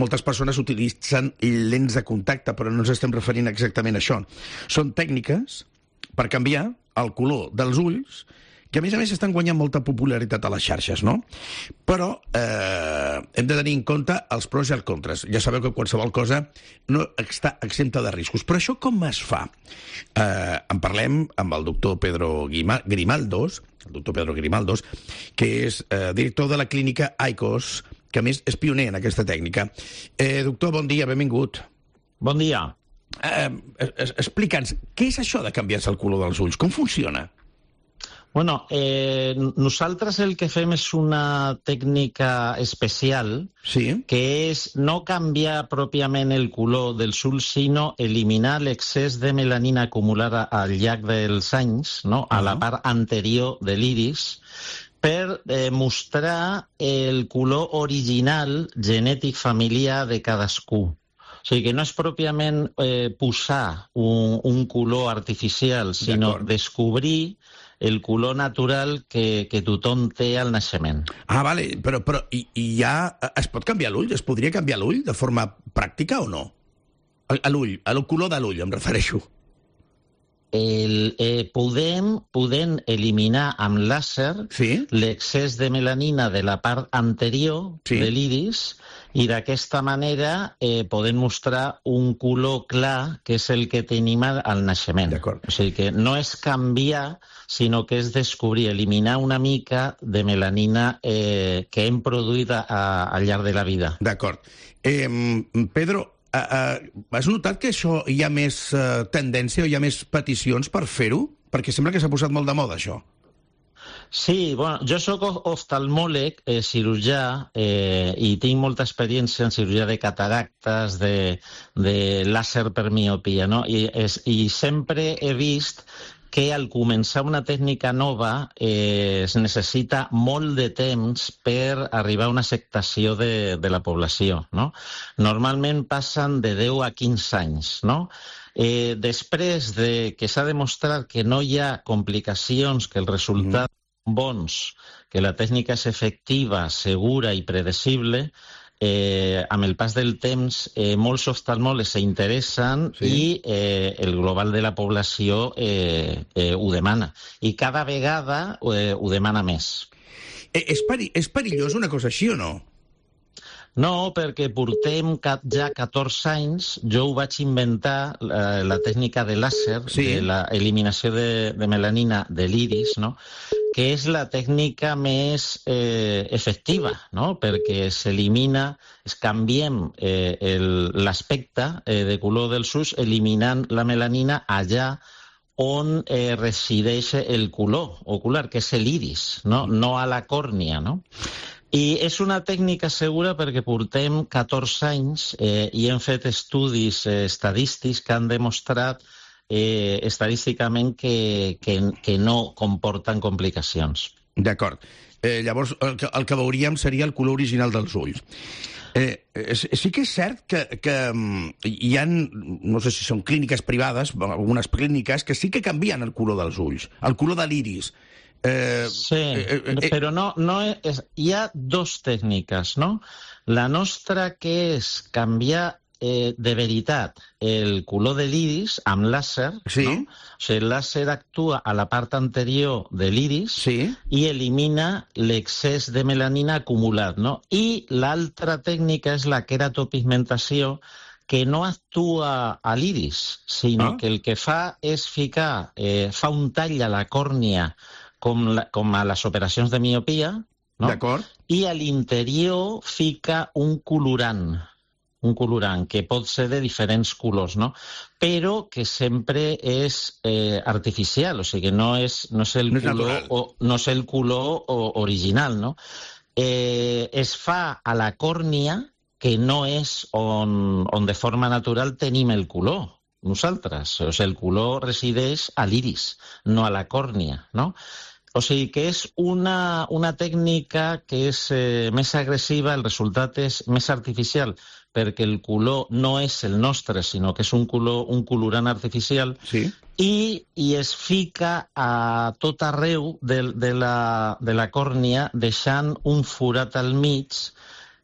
moltes persones utilitzen lents de contacte, però no ens estem referint exactament a això. Són tècniques per canviar el color dels ulls, que a més a més estan guanyant molta popularitat a les xarxes, no? Però eh, hem de tenir en compte els pros i els contres. Ja sabeu que qualsevol cosa no està exempta de riscos. Però això com es fa? Eh, en parlem amb el doctor Pedro Grimaldos, el doctor Pedro Grimaldos, que és eh, director de la clínica I C O S, que a més és pioner en aquesta tècnica. Eh, doctor, bon dia, benvingut. Bon dia. Eh, Explica'ns, què és això de canviar-se el color dels ulls? Com funciona? Bueno, eh, nosaltres el que fem és una tècnica especial, sí, que és no canviar pròpiament el color dels ulls, sinó eliminar l'excés de melanina acumulada al llarg dels anys, no? A la part anterior de l'iris, per eh, mostrar el color original genètic familiar de cadascú. O sigui que no és pròpiament eh, posar un, un color artificial, sinó descobrir el color natural que, que tothom té al naixement. Ah, vale, però, però i, i ja es pot canviar l'ull? Es podria canviar l'ull de forma pràctica o no? A l'ull, al color de l'ull em refereixo. El, eh, podem, podem eliminar amb làser sí? l'excés de melanina de la part anterior sí. de l'iris i d'aquesta manera eh, podem mostrar un color clar que és el que tenim al naixement. O sigui que no és canviar, sinó que és descobrir, eliminar una mica de melanina eh, que hem produït a, a, al llarg de la vida. D'acord. Eh, Pedro, Uh, uh, has notat que això hi ha més uh, tendència o hi ha més peticions per fer-ho? Perquè sembla que s'ha posat molt de moda, això. Sí, bueno, jo sóc oftalmòleg, eh, cirurgià, eh, i tinc molta experiència en cirurgia de cataractes, de, de làser per miopia, no? I, és, i sempre he vist que al començar una tècnica nova eh, es necessita molt de temps per arribar a una acceptació de, de la població, no? Normalment passen de deu a quinze anys, no? Eh, després de que s'ha demostrat que no hi ha complicacions, que els resultats són bons, que la tècnica és efectiva, segura i predecible, Eh, amb el pas del temps, eh, molts oftalmòlegs s'interessen sí. i eh, el global de la població eh, eh, ho demana. I cada vegada eh, ho demana més. Eh, és, peri és perillós una cosa així o no? No, perquè portem ja catorze anys, jo ho vaig inventar, la, la tècnica de làser, sí. de l'eliminació de, de melanina de l'iris, no? Que és la tècnica més eh, efectiva, no? Perquè s'elimina, es canviem eh, l'aspecte eh, de color dels ulls eliminant la melanina allà on eh, resideix el color ocular, que és l'iris, no? No a la còrnia, no? I és una tècnica segura perquè portem catorze anys eh, i hem fet estudis eh, estadístics que han demostrat eh, estadísticament que, que, que no comporten complicacions. D'acord. Eh, llavors, el que, el que veuríem seria el color original dels ulls. Eh, sí que és cert que, que hi ha, no sé si són clíniques privades, algunes clíniques, que sí que canvien el color dels ulls, el color de l'iris. Eh, sí, eh, eh, però no, no és, hi ha dos tècniques, no? La nostra, que és canviar eh, de veritat el color de l'iris amb làser, sí. No? O sigui, el làser actua a la part anterior de l'iris sí. i elimina l'excés de melanina acumulat, no? I l'altra tècnica és la queratopigmentació, que no actua a l'iris, sinó ah. que el que fa és ficar, eh, fa un tall a la còrnia com, la, com a les operacions de miopia, no? D'acord. I a l'interior fica un colorant, un colorant que pot ser de diferents colors, no? Però que sempre és eh, artificial, o sigui que no és, no és el no és color, o, no és el color o, original, no? Eh, es fa a la còrnia, que no és on, on de forma natural tenim el color, nosaltres. O sigui, el color resideix a l'iris, no a la còrnia, no? O sigui que és una, una tècnica que és eh, més agressiva, el resultat és més artificial, perquè el color no és el nostre, sinó que és un color, un colorant artificial, sí. i, i es fica a tot arreu de, de, la, de la còrnia, deixant un forat al mig,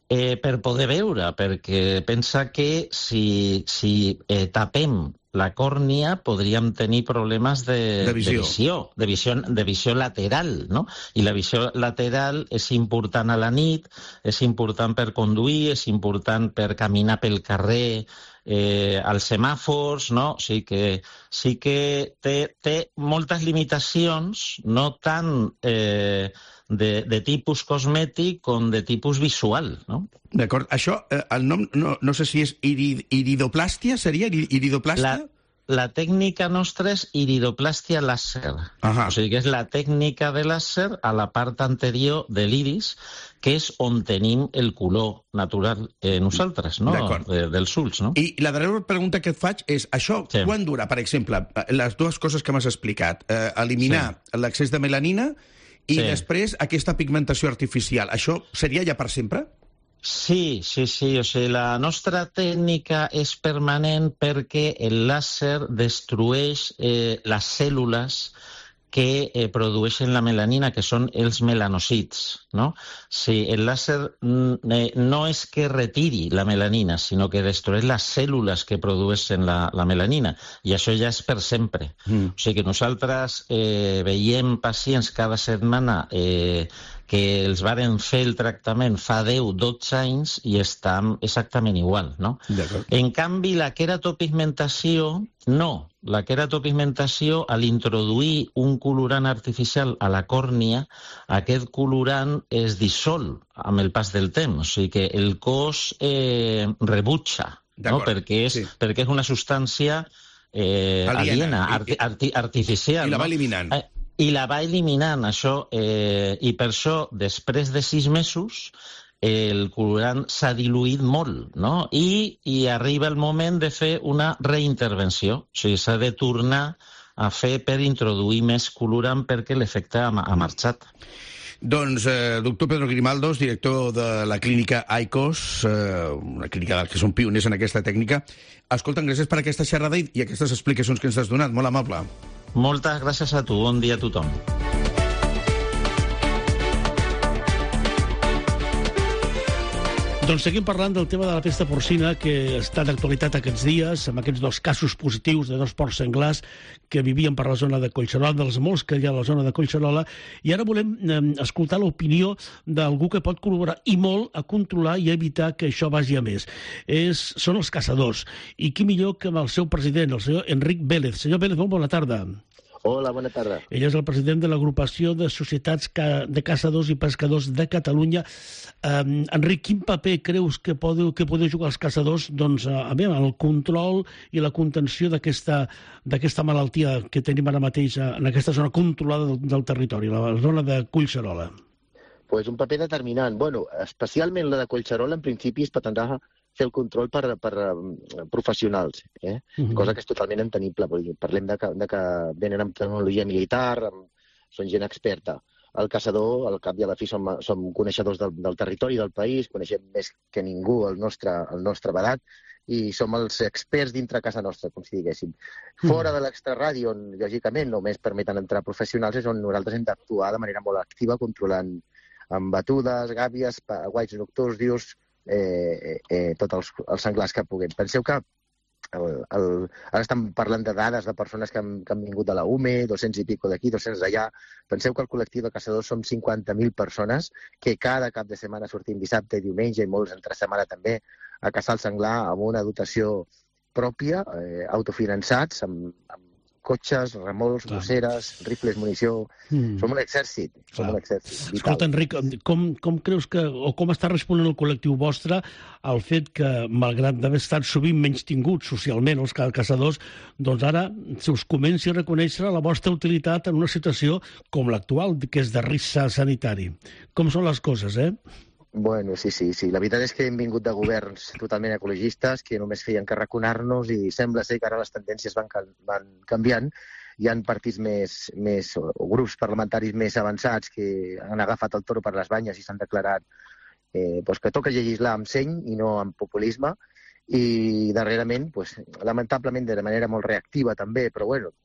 eh, per poder veure, perquè pensa que si, si eh, tapem la còrnia podríem tenir problemes de, de visió, de visió, de visió, de visió lateral, no? I la visió lateral és important a la nit, és important per conduir, és important per caminar pel carrer, eh, als semàfors, no? O sigui que sí que té, té moltes limitacions, no tant eh, de, de tipus cosmètic com de tipus visual, no? D'acord. Això, eh, el nom, no, no sé si és irid, iridoplàstia, seria? Iridoplàstia? La, la tècnica nostra és iridoplàstia làser. Ahà. O sigui que és la tècnica de làser a la part anterior de l'iris, que és on tenim el color natural eh, nosaltres, no? De, dels ulls, no? I la darrera pregunta que et faig és, això sí. Quan dura, per exemple, les dues coses que m'has explicat, eh, eliminar sí. l'excés de melanina i sí. després aquesta pigmentació artificial, això seria ja per sempre? Sí, sí, sí. O sigui, la nostra tècnica és permanent perquè el làser destrueix eh, les cèl·lules que eh, produeixen la melanina, que són els melanòcits, no? Sí, el làser eh, no és que retiri la melanina, sinó que destrueix les cèl·lules que produeixen la, la melanina, i això ja és per sempre. Mm. O sigui que nosaltres eh, veiem pacients cada setmana eh, que els varen fer el tractament fa deu o dotze anys i estan exactament igual, no? En canvi, la queratopigmentació, no. La queratopigmentació, al introduir un colorant artificial a la còrnia, aquest colorant es dissol amb el pas del temps, o sigui que el cos eh, rebutja, no? perquè, és, sí. perquè és una substància eh, aliena, arti arti artificial. I la va no? eliminant. Eh, I la va eliminant, això, eh, i per això, després de sis mesos, el colorant s'ha diluït molt, no? I, I arriba el moment de fer una reintervenció. O sigui, s'ha de tornar a fer per introduir més colorant perquè l'efecte ha, ha marxat. Doncs, eh, doctor Pedro Grimaldos, director de la clínica AICOS, eh, una clínica que són pioners en aquesta tècnica. Escolta'm, gràcies per aquesta xerrada i, i aquestes explicacions que ens has donat. Molt amable. Moltes gràcies a tu. Bon dia a tothom. Doncs seguim parlant del tema de la pesta porcina, que està d'actualitat aquests dies, amb aquests dos casos positius de dos porcs senglars que vivien per la zona de Collserola, dels molts que hi ha a la zona de Collserola, i ara volem eh, escoltar l'opinió d'algú que pot col·laborar i molt a controlar i a evitar que això vagi a més. És, són els caçadors, i qui millor que amb el seu president, el senyor Enric Vélez. Senyor Vélez, molt bona tarda. Hola, bona tarda. Ell és el president de l'agrupació de societats de caçadors i pescadors de Catalunya. Um, Enric, quin paper creus que podeu, que podeu jugar els caçadors doncs, a, a veure, en el control i la contenció d'aquesta d'aquesta malaltia que tenim ara mateix en aquesta zona controlada del, del territori, la zona de Collserola? Pues un paper determinant. Bueno, especialment la de Collserola, en principi, es pretendrà fer el control per, per professionals, eh? Mm-hmm. Cosa que és totalment entenible. Parlem de que, de que venen amb tecnologia militar, amb, són gent experta. El caçador, al cap i a la fi, som, som coneixedors del, del territori del país, coneixem més que ningú el nostre, el nostre vedat, i som els experts dintre casa nostra, com si diguéssim. Fora de l'extraradi, on, lògicament, només permeten entrar professionals, és on nosaltres hem d'actuar de manera molt activa, controlant amb batudes, gàbies, guaits nocturns, dius, eh, eh, tots els, els senglars que puguem. Penseu que El, el, ara estem parlant de dades de persones que han, que han vingut de la U M E, dos-cents i pico d'aquí, dos-cents d'allà. Penseu que el col·lectiu de caçadors som cinquanta mil persones que cada cap de setmana sortim dissabte i diumenge, i molts entre setmana també, a caçar el senglar amb una dotació pròpia, eh, autofinançats, amb, amb cotxes, remolcs, gosseres, rifles, munició... Mm. Som un exèrcit, som Clar. un exèrcit vital. Escolta, Enric, com, com creus que, o com està responent el col·lectiu vostre al fet que, malgrat d'haver estat sovint menys tinguts socialment els caçadors, doncs ara se us comenci a reconèixer la vostra utilitat en una situació com l'actual, que és de risc sanitari. Com són les coses, eh? Bueno, sí, sí, sí. La veritat és que hem vingut de governs totalment ecologistes que només feien que raconar-nos, i sembla ser que ara les tendències van, van canviant. Hi ha partits més, més, o grups parlamentaris més avançats que han agafat el toro per les banyes i s'han declarat eh, pues que toca legislar amb seny i no amb populisme, i darrerament, pues, lamentablement de manera molt reactiva també, però bueno,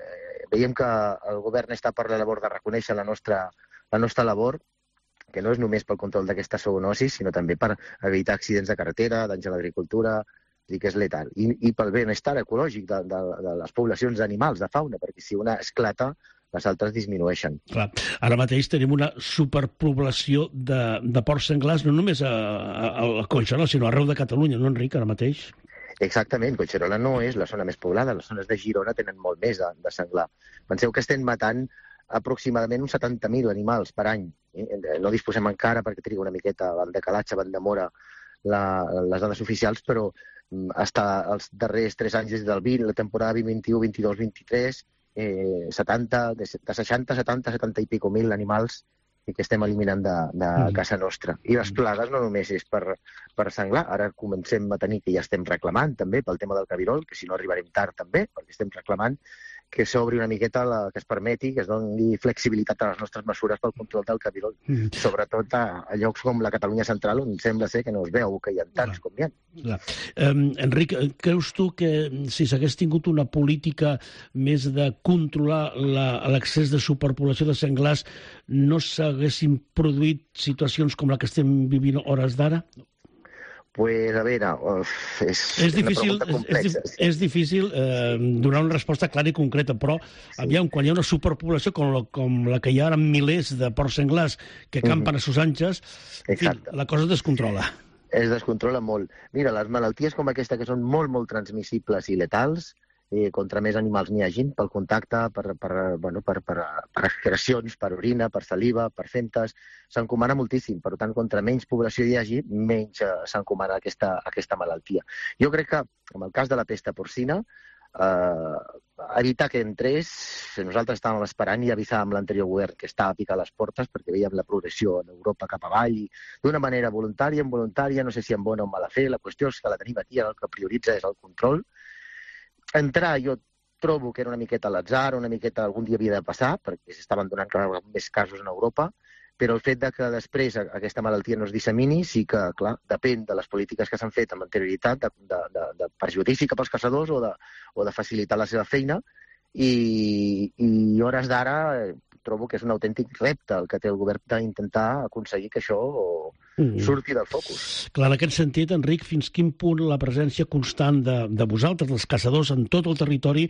eh, veiem que el govern està per la labor de reconèixer la nostra, la nostra labor, que no és només pel control d'aquesta zoonosi, sinó també per evitar accidents de carretera, danys a l'agricultura, i que és letal. I, i pel benestar ecològic de, de, de les poblacions d'animals, de fauna, perquè si una esclata, les altres disminueixen. Clar. Ara mateix tenim una superpoblació de, de porcs senglars, no només a, a, a Collserola, sinó arreu de Catalunya, no, Enric, ara mateix? Exactament, Collserola no és la zona més poblada, les zones de Girona tenen molt més de, de senglar. Penseu que estem matant aproximadament uns setanta mil animals per any. No disposem encara, perquè triga una miqueta el decalatge, van demora la, les dades oficials, però fins els darrers tres anys, des del vint, la temporada vint vint-i-u, vint-i-dos, vint-i-tres, eh, setanta, de, de seixanta, setanta, setanta i pico mil animals que estem eliminant de, de casa nostra. I les plagues no només és per, per senglar, ara comencem a tenir, que ja estem reclamant també pel tema del cabirol, que si no arribarem tard també, perquè estem reclamant que s'obri una miqueta, la, que es permeti, que es doni flexibilitat a les nostres mesures pel control del cabirol, mm. sobretot a, a llocs com la Catalunya central, on sembla ser que no es veu que hi ha tants Clar. com hi ha. Clar. Um, Enric, creus tu que si s'hagués tingut una política més de controlar l'accés de superpoblació de senglars, no s'haguessin produït situacions com la que estem vivint hores d'ara? Pues, a veure, uf, és, és difícil, una pregunta complexa. És, és difícil eh, donar una resposta clara i concreta, però sí. aviam, quan hi ha una superpoblació com la, com la que hi ha ara amb milers de porcs senglars que campen mm-hmm. a sus anches, en fi, la cosa es descontrola. Es descontrola molt. Mira, les malalties com aquesta, que són molt, molt transmissibles i letals, eh, contra més animals n'hi hagin, pel contacte, per, per, bueno, per, per, per excrecions, per orina, per saliva, per femtes, s'encomana moltíssim. Per tant, contra menys població hi hagi, menys eh, s'encomana aquesta, aquesta malaltia. Jo crec que, en el cas de la pesta porcina, eh, evitar que entrés, nosaltres estàvem esperant i avisàvem l'anterior govern que estava a picar les portes perquè veiem la progressió en Europa cap avall, i d'una manera voluntària, involuntària, no sé si amb bona o mala fe, la qüestió és que la tenim aquí, el que prioritza és el control. Entrar, jo trobo que era una miqueta a l'atzar, una miqueta algun dia havia de passar, perquè s'estaven donant cada vegada més casos en Europa, però el fet de que després aquesta malaltia no es dissemini sí que, clar, depèn de les polítiques que s'han fet amb anterioritat, de, de, de, de perjudici cap als caçadors o de, o de facilitar la seva feina, i, i hores d'ara trobo que és un autèntic repte el que té el govern d'intentar aconseguir que això mm. surti del focus. Clar, en aquest sentit, Enric, fins quin punt la presència constant de, de vosaltres, els caçadors, en tot el territori,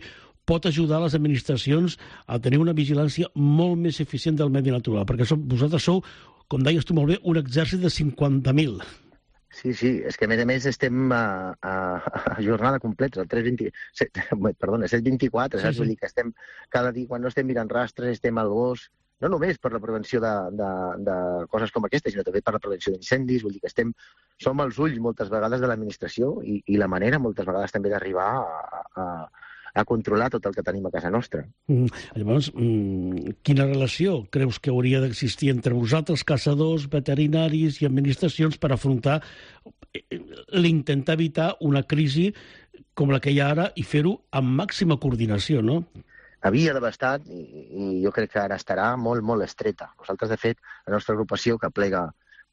pot ajudar les administracions a tenir una vigilància molt més eficient del medi natural? Perquè som, vosaltres sou, com deies tu molt bé, un exèrcit de cinquanta mil. Sí, sí, és que a més a més estem a, a, a jornada completa, el tres vint, set, perdona, set vint-i-quatre, saps? Sí, sí. Vull dir que estem cada dia, quan no estem mirant rastres, estem al gos, no només per la prevenció de, de, de coses com aquesta, sinó també per la prevenció d'incendis, vull dir que estem, som els ulls moltes vegades de l'administració i, i la manera moltes vegades també d'arribar a, a, a controlar tot el que tenim a casa nostra. Mm, llavors, mm, quina relació creus que hauria d'existir entre vosaltres, caçadors, veterinaris i administracions, per afrontar l'intentar evitar una crisi com la que hi ha ara i fer-ho amb màxima coordinació, no? Havia d'haver estat, i, i jo crec que ara estarà molt, molt estreta. Nosaltres, de fet, la nostra agrupació, que plega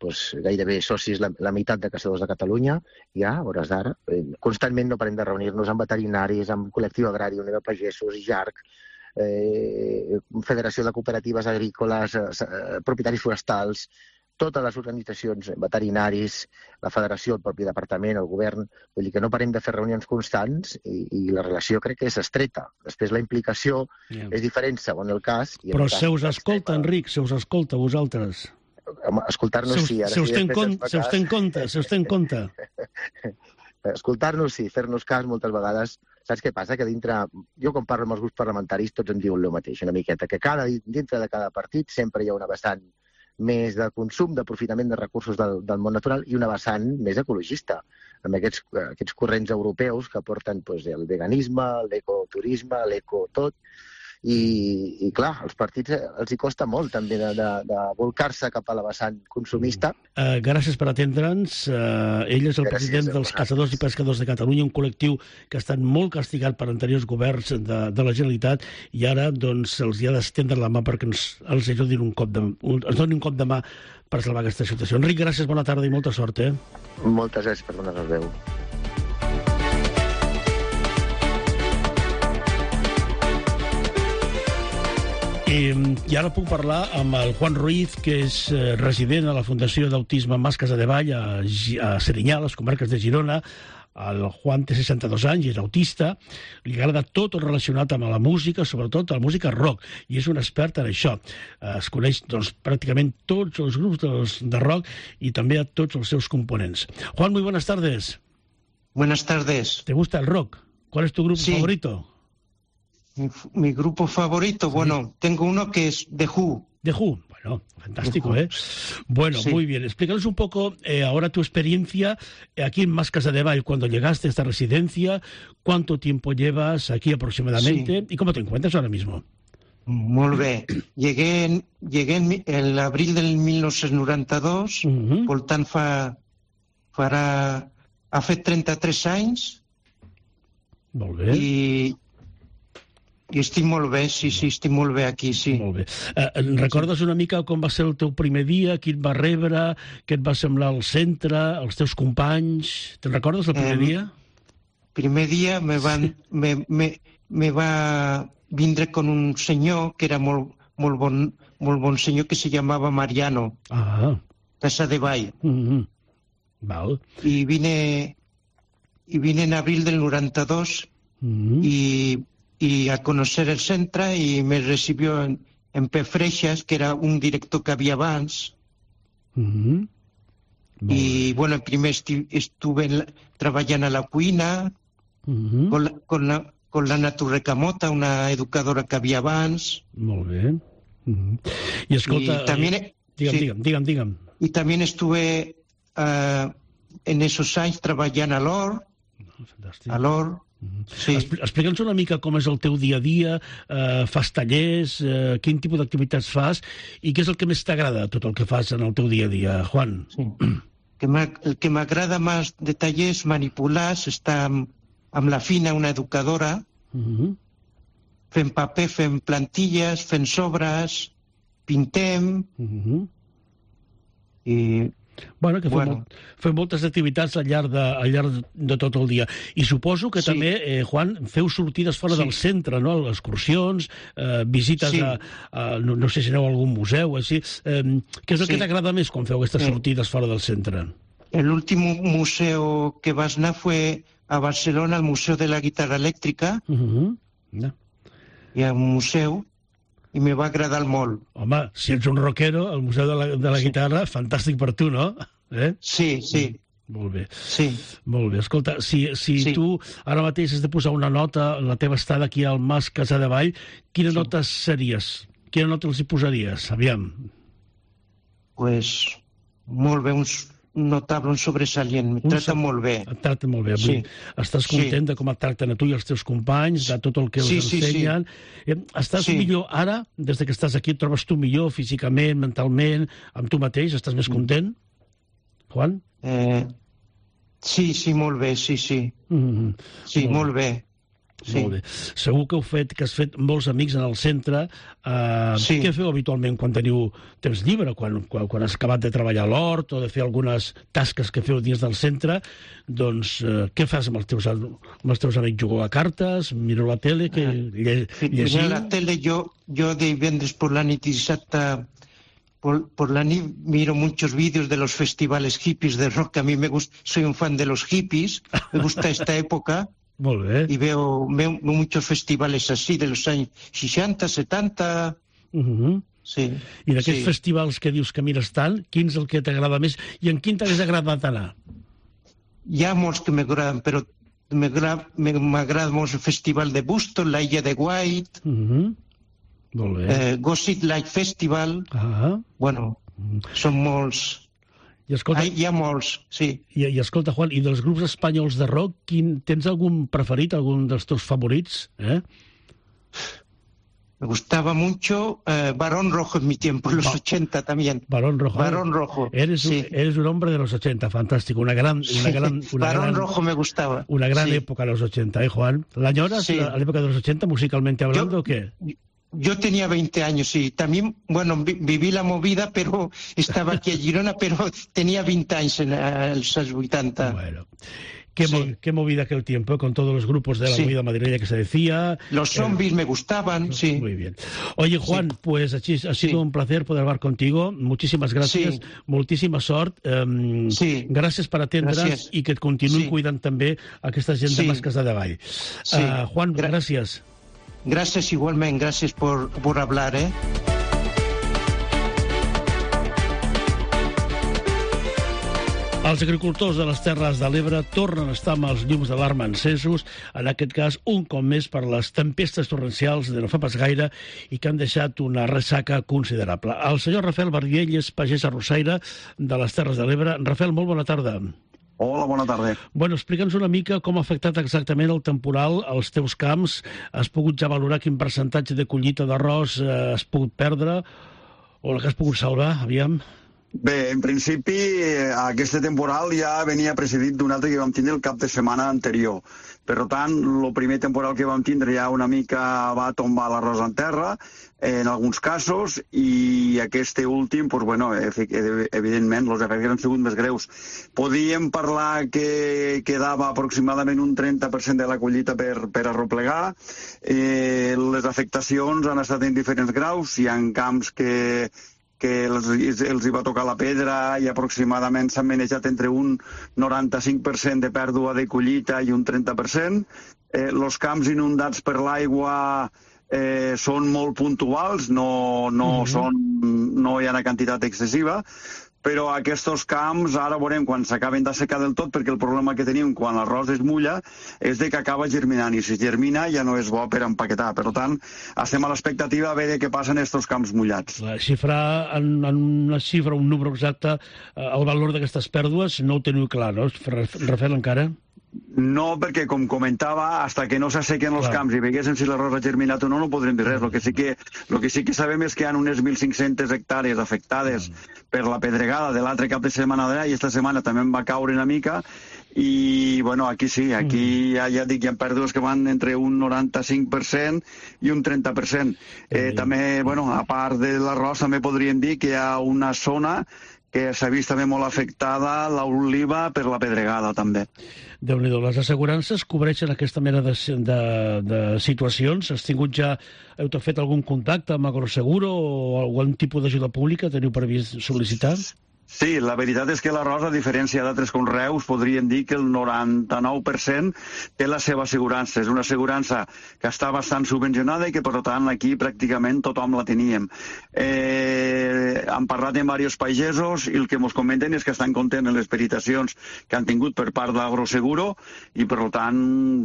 doncs, gairebé socis la, la meitat de caçadors de Catalunya, ja, a hores d'ara, eh, constantment no parem de reunir-nos amb veterinaris, amb Col·lectiu Agrari, Unió de Pagesos, J A R C, eh, Federació de Cooperatives Agrícoles, eh, propietaris forestals, totes les organitzacions, veterinaris, la federació, el propi departament, el govern, vull dir que no parem de fer reunions constants i, i la relació crec que és estreta. Després la implicació yeah. és diferent segons el cas. I Però el cas se us escolta, Enric, se us escolta a vosaltres. Escoltar-nos sí. Ara se us té en compte, se us té en compte. Escoltar-nos sí, fer-nos cas moltes vegades. Saps què passa? Que dintre, jo quan parlo amb els grups parlamentaris tots em diuen el mateix, una miqueta, que cada, dintre de cada partit sempre hi ha una vessant més de consum, d'aprofitament de recursos del, del món natural i una vessant més ecologista, amb aquests, aquests corrents europeus que porten doncs, el veganisme, l'ecoturisme, l'eco tot, i, i clar, als partits els hi costa molt també de, de, de volcar-se cap a la vessant consumista. Uh, gràcies per atendre'ns. Uh, ell és el gràcies president dels Caçadors i Pescadors de Catalunya, un col·lectiu que ha estat molt castigat per anteriors governs de, de la Generalitat i ara doncs, els hi ha d'estendre la mà perquè ens, els ajudin un cop de, un, ens donin un cop de mà per salvar aquesta situació. Enric, gràcies, bona tarda i molta sort. Eh? Moltes gràcies per donar-nos veu. I, I ara puc parlar amb el Juan Ruiz, que és eh, resident a la Fundació d'Autisme Mas Casadevall, a, a Serinyà, a les comarques de Girona. El Juan té seixanta-dos anys i és autista. Li agrada tot el relacionat amb la música, sobretot la música rock, i és un expert en això. Es coneix doncs, pràcticament tots els grups de, de rock i també a tots els seus components. Juan, muy buenas tardes. Buenas tardes. ¿Te gusta el rock? ¿Cuál es tu grupo sí. favorito? Mi, mi grupo favorito, sí. bueno, tengo uno que es The Who. The Who, bueno, fantástico, ¿eh? Bueno, sí. muy bien. Explícanos un poco eh, ahora tu experiencia aquí en Mas Casadevall, cuando llegaste a esta residencia, cuánto tiempo llevas aquí aproximadamente sí. y cómo te encuentras ahora mismo. Molt bé. Llegué en, llegué en el abril del mil nou-cents noranta-dos, uh-huh. per tant fa, farà, ha fet trenta-tres anys. Molt bé. I I estic molt bé, sí, sí, estic molt bé aquí, sí. Molt bé. Eh, recordes una mica com va ser el teu primer dia, qui et va rebre, què et va semblar el centre, els teus companys? Te'n recordes el primer eh, dia? Primer dia me, van, me, me, me va vindre con un senyor que era molt, molt, bon, molt bon senyor que se llamava Mariano. Ah. Casadevall. Mm-hmm. Val. I vine, y vine en abril del noranta-dos mm-hmm. y... y a conocer el centre y me recibió en, en P. Freixas, que era un director que había abans. Mm-hmm. Y bueno, primer esti estuve la, treballant a la cuina mm-hmm. con, la, con, la, con la Naturrecamota, una educadora que havia abans. Molt bé. Mm-hmm. I escolta... Y también, eh, digue'm, sí, digue'm, digue'm, digue'm. Y también estuve uh, en esos anys treballant a l'Or. Fantàstic. A l'Or. Sí. Explica'ns una mica com és el teu dia a dia, eh, fas tallers, eh, quin tipus d'activitats fas i què és el que més t'agrada tot el que fas en el teu dia a dia, Juan? Sí. Que el que m'agrada més de tallers manipulars està amb, amb la Fina, una educadora, uh-huh. fent paper, fent plantilles, fent sobres, pintem, uh-huh. i... Bueno, que fem, bueno. molt, fem moltes activitats al llarg, de, al llarg de tot el dia. I suposo que sí. també, eh, Juan, feu sortides fora sí. del centre, no? Excursions, eh, visites sí. a, a... No, no sé si aneu a algun museu, així. Eh, què és el sí. que t'agrada més quan feu aquestes sí. sortides fora del centre? El último museo que vas anar fue a Barcelona, al Museu de la Guitarra Elèctrica. Uh-huh. yeah. Hi ha un museu i me va agradar molt. Home, si ets un rockero, el Museu de la, de la sí. Guitarra, fantàstic per tu, no? Eh? Sí, sí. Molt bé. Sí. Molt bé. Escolta, si, si sí. tu ara mateix has de posar una nota en la teva estada aquí al Mas Casadevall, quina sí. nota series? Quina nota els hi posaries? Aviam. Pues, molt bé, uns, notable, un sobresalient. Em tracten molt bé. Et tracten molt bé. Sí. Estàs content de com et tracten a tu i als teus companys, de tot el que Sí, us sí, sí. ensenyen. Eh, Estàs Sí. millor ara, des de que estàs aquí, et trobes tu millor físicament, mentalment, amb tu mateix? Estàs més content? Juan? Eh, sí, sí, molt bé, sí, sí. Mm-hmm. Sí, molt bé. Sí. Molt bé. Segur que heu fet, que has fet molts amics en el centre. Uh, Sí. Què feu habitualment quan teniu temps llibre, quan, quan, quan has acabat de treballar a l'hort o de fer algunes tasques que feu dins del centre? Doncs uh, què fas amb els teus, amb els teus amics? Jugueu a cartes? Mireu la tele? Que, lle, Mira llegiu? la tele, yo, yo de divendres por la nit y dissabte por, por la nit miro muchos vídeos de los festivales hippies de rock. A mí me gusta, soy un fan de los hippies, me gusta esta época. Molt bé. Y veo, veo muchos festivales así de los años seixanta, setanta. Uh-huh. Sí. I d'aquests sí. festivals que dius que mires tant, quin és el que t'agrada més i en quin t'hagués agradat anar? Hi ha molts que m'agraden, però m'agrada m'agrada molt el festival de Boston, la Illa de White, Uh-huh. Molt bé. eh, Gossip Light Festival. Ah. Bueno, són molts. I escolta, Ai, hi ha molts, sí. I, I escolta, Juan, i dels grups espanyols de rock, quin, tens algun preferit, algun dels teus favorits? Eh? Me gustaba mucho eh, Barón Rojo en mi tiempo, en los Ba- ochenta también. Barón Rojo. Barón Rojo. Eres, sí. un, eres un hombre de los ochenta, fantástico. Una gran, una gran, una Barón gran, Rojo me gustaba. Una gran sí. época, los ochenta, ¿eh, Juan? ¿La añoras, Sí. la, la época de los ochenta, musicalmente hablando, o qué? Yo tenía veinte años, sí. También, bueno, vi- viví la movida, pero estaba aquí a Girona, pero tenía veinte años en eh, los años ochenta. Bueno. Qué, Sí. mo- qué movida aquel tiempo, con todos los grupos de la Sí. movida madrileña que se decía. Los zombies me gustaban, sí. Muy bien. Oye, Juan, Sí. pues ha sido Sí. un placer poder hablar contigo. Muchísimas gracias. Sí. Moltíssima sort. Um, Sí. Gràcies per atendre's Gràcies. i que et continuï Sí. cuidant també aquesta gent de Sí. Masques de Davall. Sí. Uh, Juan, Gra- gràcies. Gracias igualmente, gracias por, por hablar, ¿eh? Els agricultors de les Terres de l'Ebre tornen a estar amb els llums d'alarma encesos, en aquest cas un cop més per les tempestes torrencials de no fa pas gaire i que han deixat una ressaca considerable. El senyor Rafael Bardiell és pagès arrossaire de les Terres de l'Ebre. Rafael, molt bona tarda. Hola, bona tarda. Bueno, explica'ns una mica com ha afectat exactament el temporal als teus camps. Has pogut ja valorar quin percentatge de collita d'arròs eh, has pogut perdre o la que has pogut salvar, aviam? Bé, en principi, eh, aquest temporal ja venia precedit d'un altre que vam tindre el cap de setmana anterior. Per tant, el primer temporal que vam tindre ja una mica va tombar l'arròs en terra, eh, en alguns casos, i aquest últim, doncs, bueno, evidentment, els efectes han sigut més greus. Podíem parlar que quedava aproximadament un trenta per cent de la collita per, per arroplegar. Eh, les afectacions han estat en diferents graus. Hi ha camps que que els, els hi va tocar la pedra i aproximadament s'han manejat entre un noranta-cinc per cent de pèrdua de collita i un trenta per cent. Eh, els camps inundats per l'aigua eh, són molt puntuals, no, no, Mhm. són, no hi ha una quantitat excessiva, però aquests camps ara veurem quan s'acaben d'assecar del tot, perquè el problema que tenim quan l'arròs es mulla és de que acaba germinant, i si germina ja no és bo per empaquetar. Per tant, estem a l'expectativa a veure què passa en aquests camps mullats. La xifra, en, en una xifra, un número exacte, eh, el valor d'aquestes pèrdues no ho teniu clar, no? Rafael, encara? No, perquè, com comentava, hasta que no s'assequen els Clar. camps i veguéssim si l'arròs ha germinat o no, no podrem dir res. El que sí que, lo que, sí que sabem és que hi ha unes mil cinc-centes hectàrees afectades per la pedregada de l'altre cap de setmana d'allà, i esta setmana també en va caure una mica, i, bueno, aquí sí, aquí ja, ja dic, hi ha pèrdues que van entre un noranta-cinc per cent i un trenta per cent. Eh, també, bueno, a part de l'arròs, també podríem dir que hi ha una zona que s'ha vist també molt afectada, l'oliva, per la pedregada, també. Déu-n'hi-do, les assegurances cobreixen aquesta mena de, de, de situacions? Has tingut ja, heu fet algun contacte amb Agroseguro o algun tipus d'ajuda pública teniu previst sol·licitar? Sí, la veritat és que l'arròs, a diferència d'altres conreus, podríem dir que el noranta-nou per cent té la seva assegurança. És una assegurança que està bastant subvencionada i que, per tant, aquí pràcticament tothom la teníem. Eh, hem parlat amb diversos pagesos i el que ens comenten és que estan contents en les peritacions que han tingut per part d'Agroseguro i, per tant,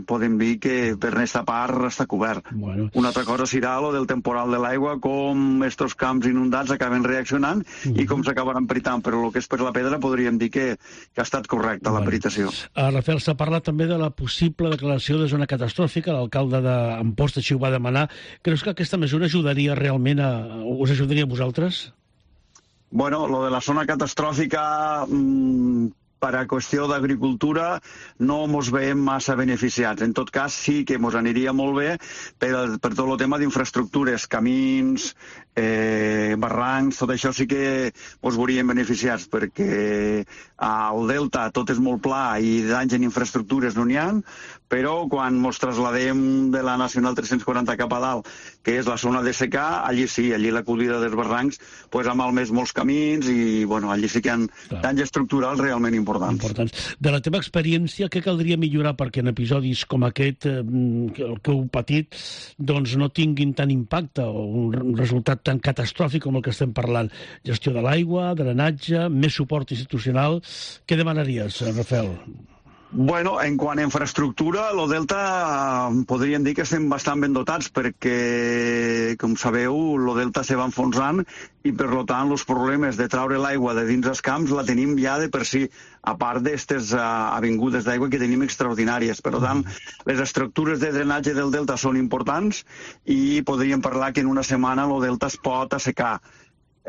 podem dir que per aquesta part està cobert. Bueno. Una altra cosa serà lo del temporal de l'aigua, com estos camps inundats acaben reaccionant mm-hmm. i com s'acabaran peritant però el que és per la pedra podríem dir que, que ha estat correcta la peritació. Uh, Rafael, s'ha parlat també de la possible declaració de zona catastròfica, l'alcalde d'Amposta així ho va demanar. Creus que aquesta mesura ajudaria realment a... us ajudaria a vosaltres? Bueno, lo de la zona catastròfica, mmm, per a qüestió d'agricultura, no mos veiem massa beneficiats. En tot cas, sí que mos aniria molt bé per, per tot el tema d'infraestructures, camins, eh, barrancs, tot això sí que mos veuríem beneficiats, perquè al Delta tot és molt pla i danys en infraestructures no n'hi ha, però quan mos trasladem de la Nacional tres-cents quaranta cap a dalt, que és la zona de secà, allí sí, allí l'acollida dels barrancs pues, ha malmès molts camins i bueno, allí sí que hi ha danys estructurals realment importants. importants. De la teva experiència, què caldria millorar perquè en episodis com aquest, eh, que heu patit, doncs no tinguin tant impacte o un resultat tan catastròfic com el que estem parlant? Gestió de l'aigua, drenatge, més suport institucional... Què demanaries, Rafael? Bueno, en quant a infraestructura, el Delta podríem dir que estem bastant ben dotats perquè, com sabeu, el Delta se va enfonsant i, per tant, els problemes de traure l'aigua de dins els camps la tenim ja de per si, a part d'aquestes uh, avingudes d'aigua que tenim extraordinàries. Per tant, les estructures de drenatge del Delta són importants i podríem parlar que en una setmana el Delta es pot assecar.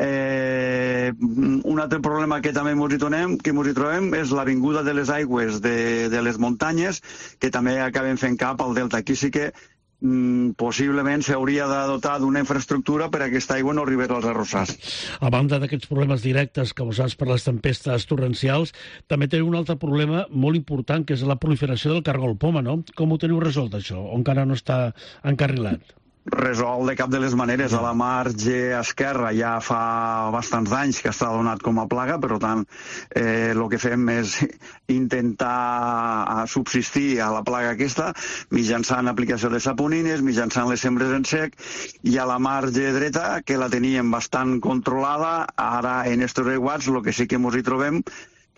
Eh, un altre problema que també ens hi trobem, que ens hi trobem és l'avinguda de les aigües de, de les muntanyes, que també acaben fent cap al delta. Aquí sí que mm, possiblement s'hauria de dotar d'una infraestructura per a que aquesta aigua no arribés als arrossars. A banda d'aquests problemes directes causats per les tempestes torrencials, també teniu un altre problema molt important, que és la proliferació del cargol poma, no? Com ho teniu resolt, això? O encara no està encarrilat? Resolt de cap de les maneres. A la marge esquerra ja fa bastants anys que està donat com a plaga, per tant, eh, el que fem és intentar subsistir a la plaga aquesta mitjançant aplicació de saponines, mitjançant les sembres en sec, i a la marge dreta, que la teníem bastant controlada, ara en estos aiguats el que sí que ens hi trobem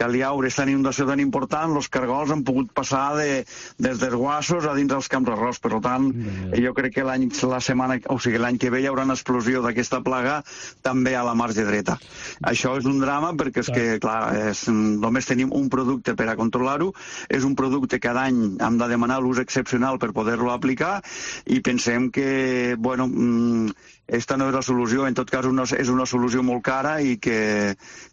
que al llaure aquesta inundació tan important, els cargols han pogut passar de, des dels guassos a dins dels camps d'arròs. Per tant, mm. jo crec que l'any la setmana, o sigui, l'any que ve hi haurà una explosió d'aquesta plaga també a la marge dreta. Això és un drama perquè és que, clar, és, només tenim un producte per a controlar-ho, és un producte que cada any hem de demanar l'ús excepcional per poder-lo aplicar i pensem que, bueno, aquesta no és la solució, en tot cas una, és una solució molt cara i que,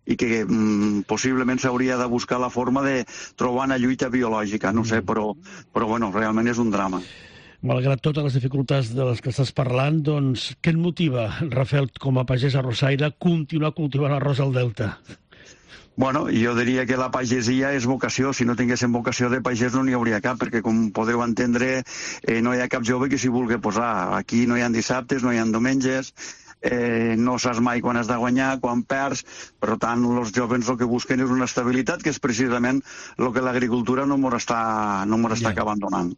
i que mm, possiblement s'hauria de buscar la forma de trobar una lluita biològica, no sé, però, però bueno, realment és un drama. Malgrat totes les dificultats de les que estàs parlant, doncs, què et motiva, Rafael, com a pagès arrossaire, continuar cultivant arròs al Delta? Bueno, jo diria que la pagesia és vocació. Si no tinguéssim vocació de pagès no n'hi hauria cap, perquè com podeu entendre eh, no hi ha cap jove que s'hi vulgui posar. Aquí no hi ha dissabtes, no hi ha diumenges, eh, no saps mai quan has de guanyar, quan perds. Per tant, els joves el que busquen és una estabilitat, que és precisament el que l'agricultura no ens està, no ens està ja. acabant donant.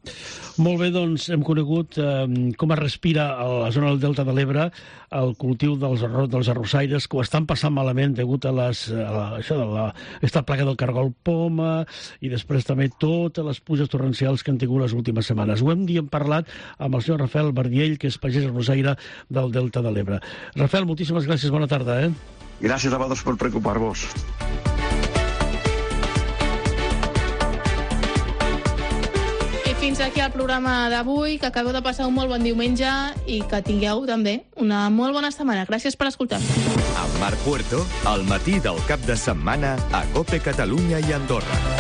Molt bé, doncs hem conegut eh, com es respira a la zona del Delta de l'Ebre el cultiu dels, dels arrossaires, que ho estan passant malament degut a, les, a la, això de la, aquesta plaga del cargol poma i després també totes les pluges torrencials que han tingut les últimes setmanes. Ho hem dit, hem parlat amb el senyor Rafael Bardiell, que és pagès arrossaire del Delta de l'Ebre. Rafael, moltíssimes gràcies, bona tarda. Eh? Gràcies a vosaltres per preocupar-vos. I fins aquí el programa d'avui, que acabeu de passar un molt bon diumenge i que tingueu també una molt bona setmana. Gràcies per escoltar-nos. Amb Marc Puerto, al matí del cap de setmana a COPE Catalunya i Andorra.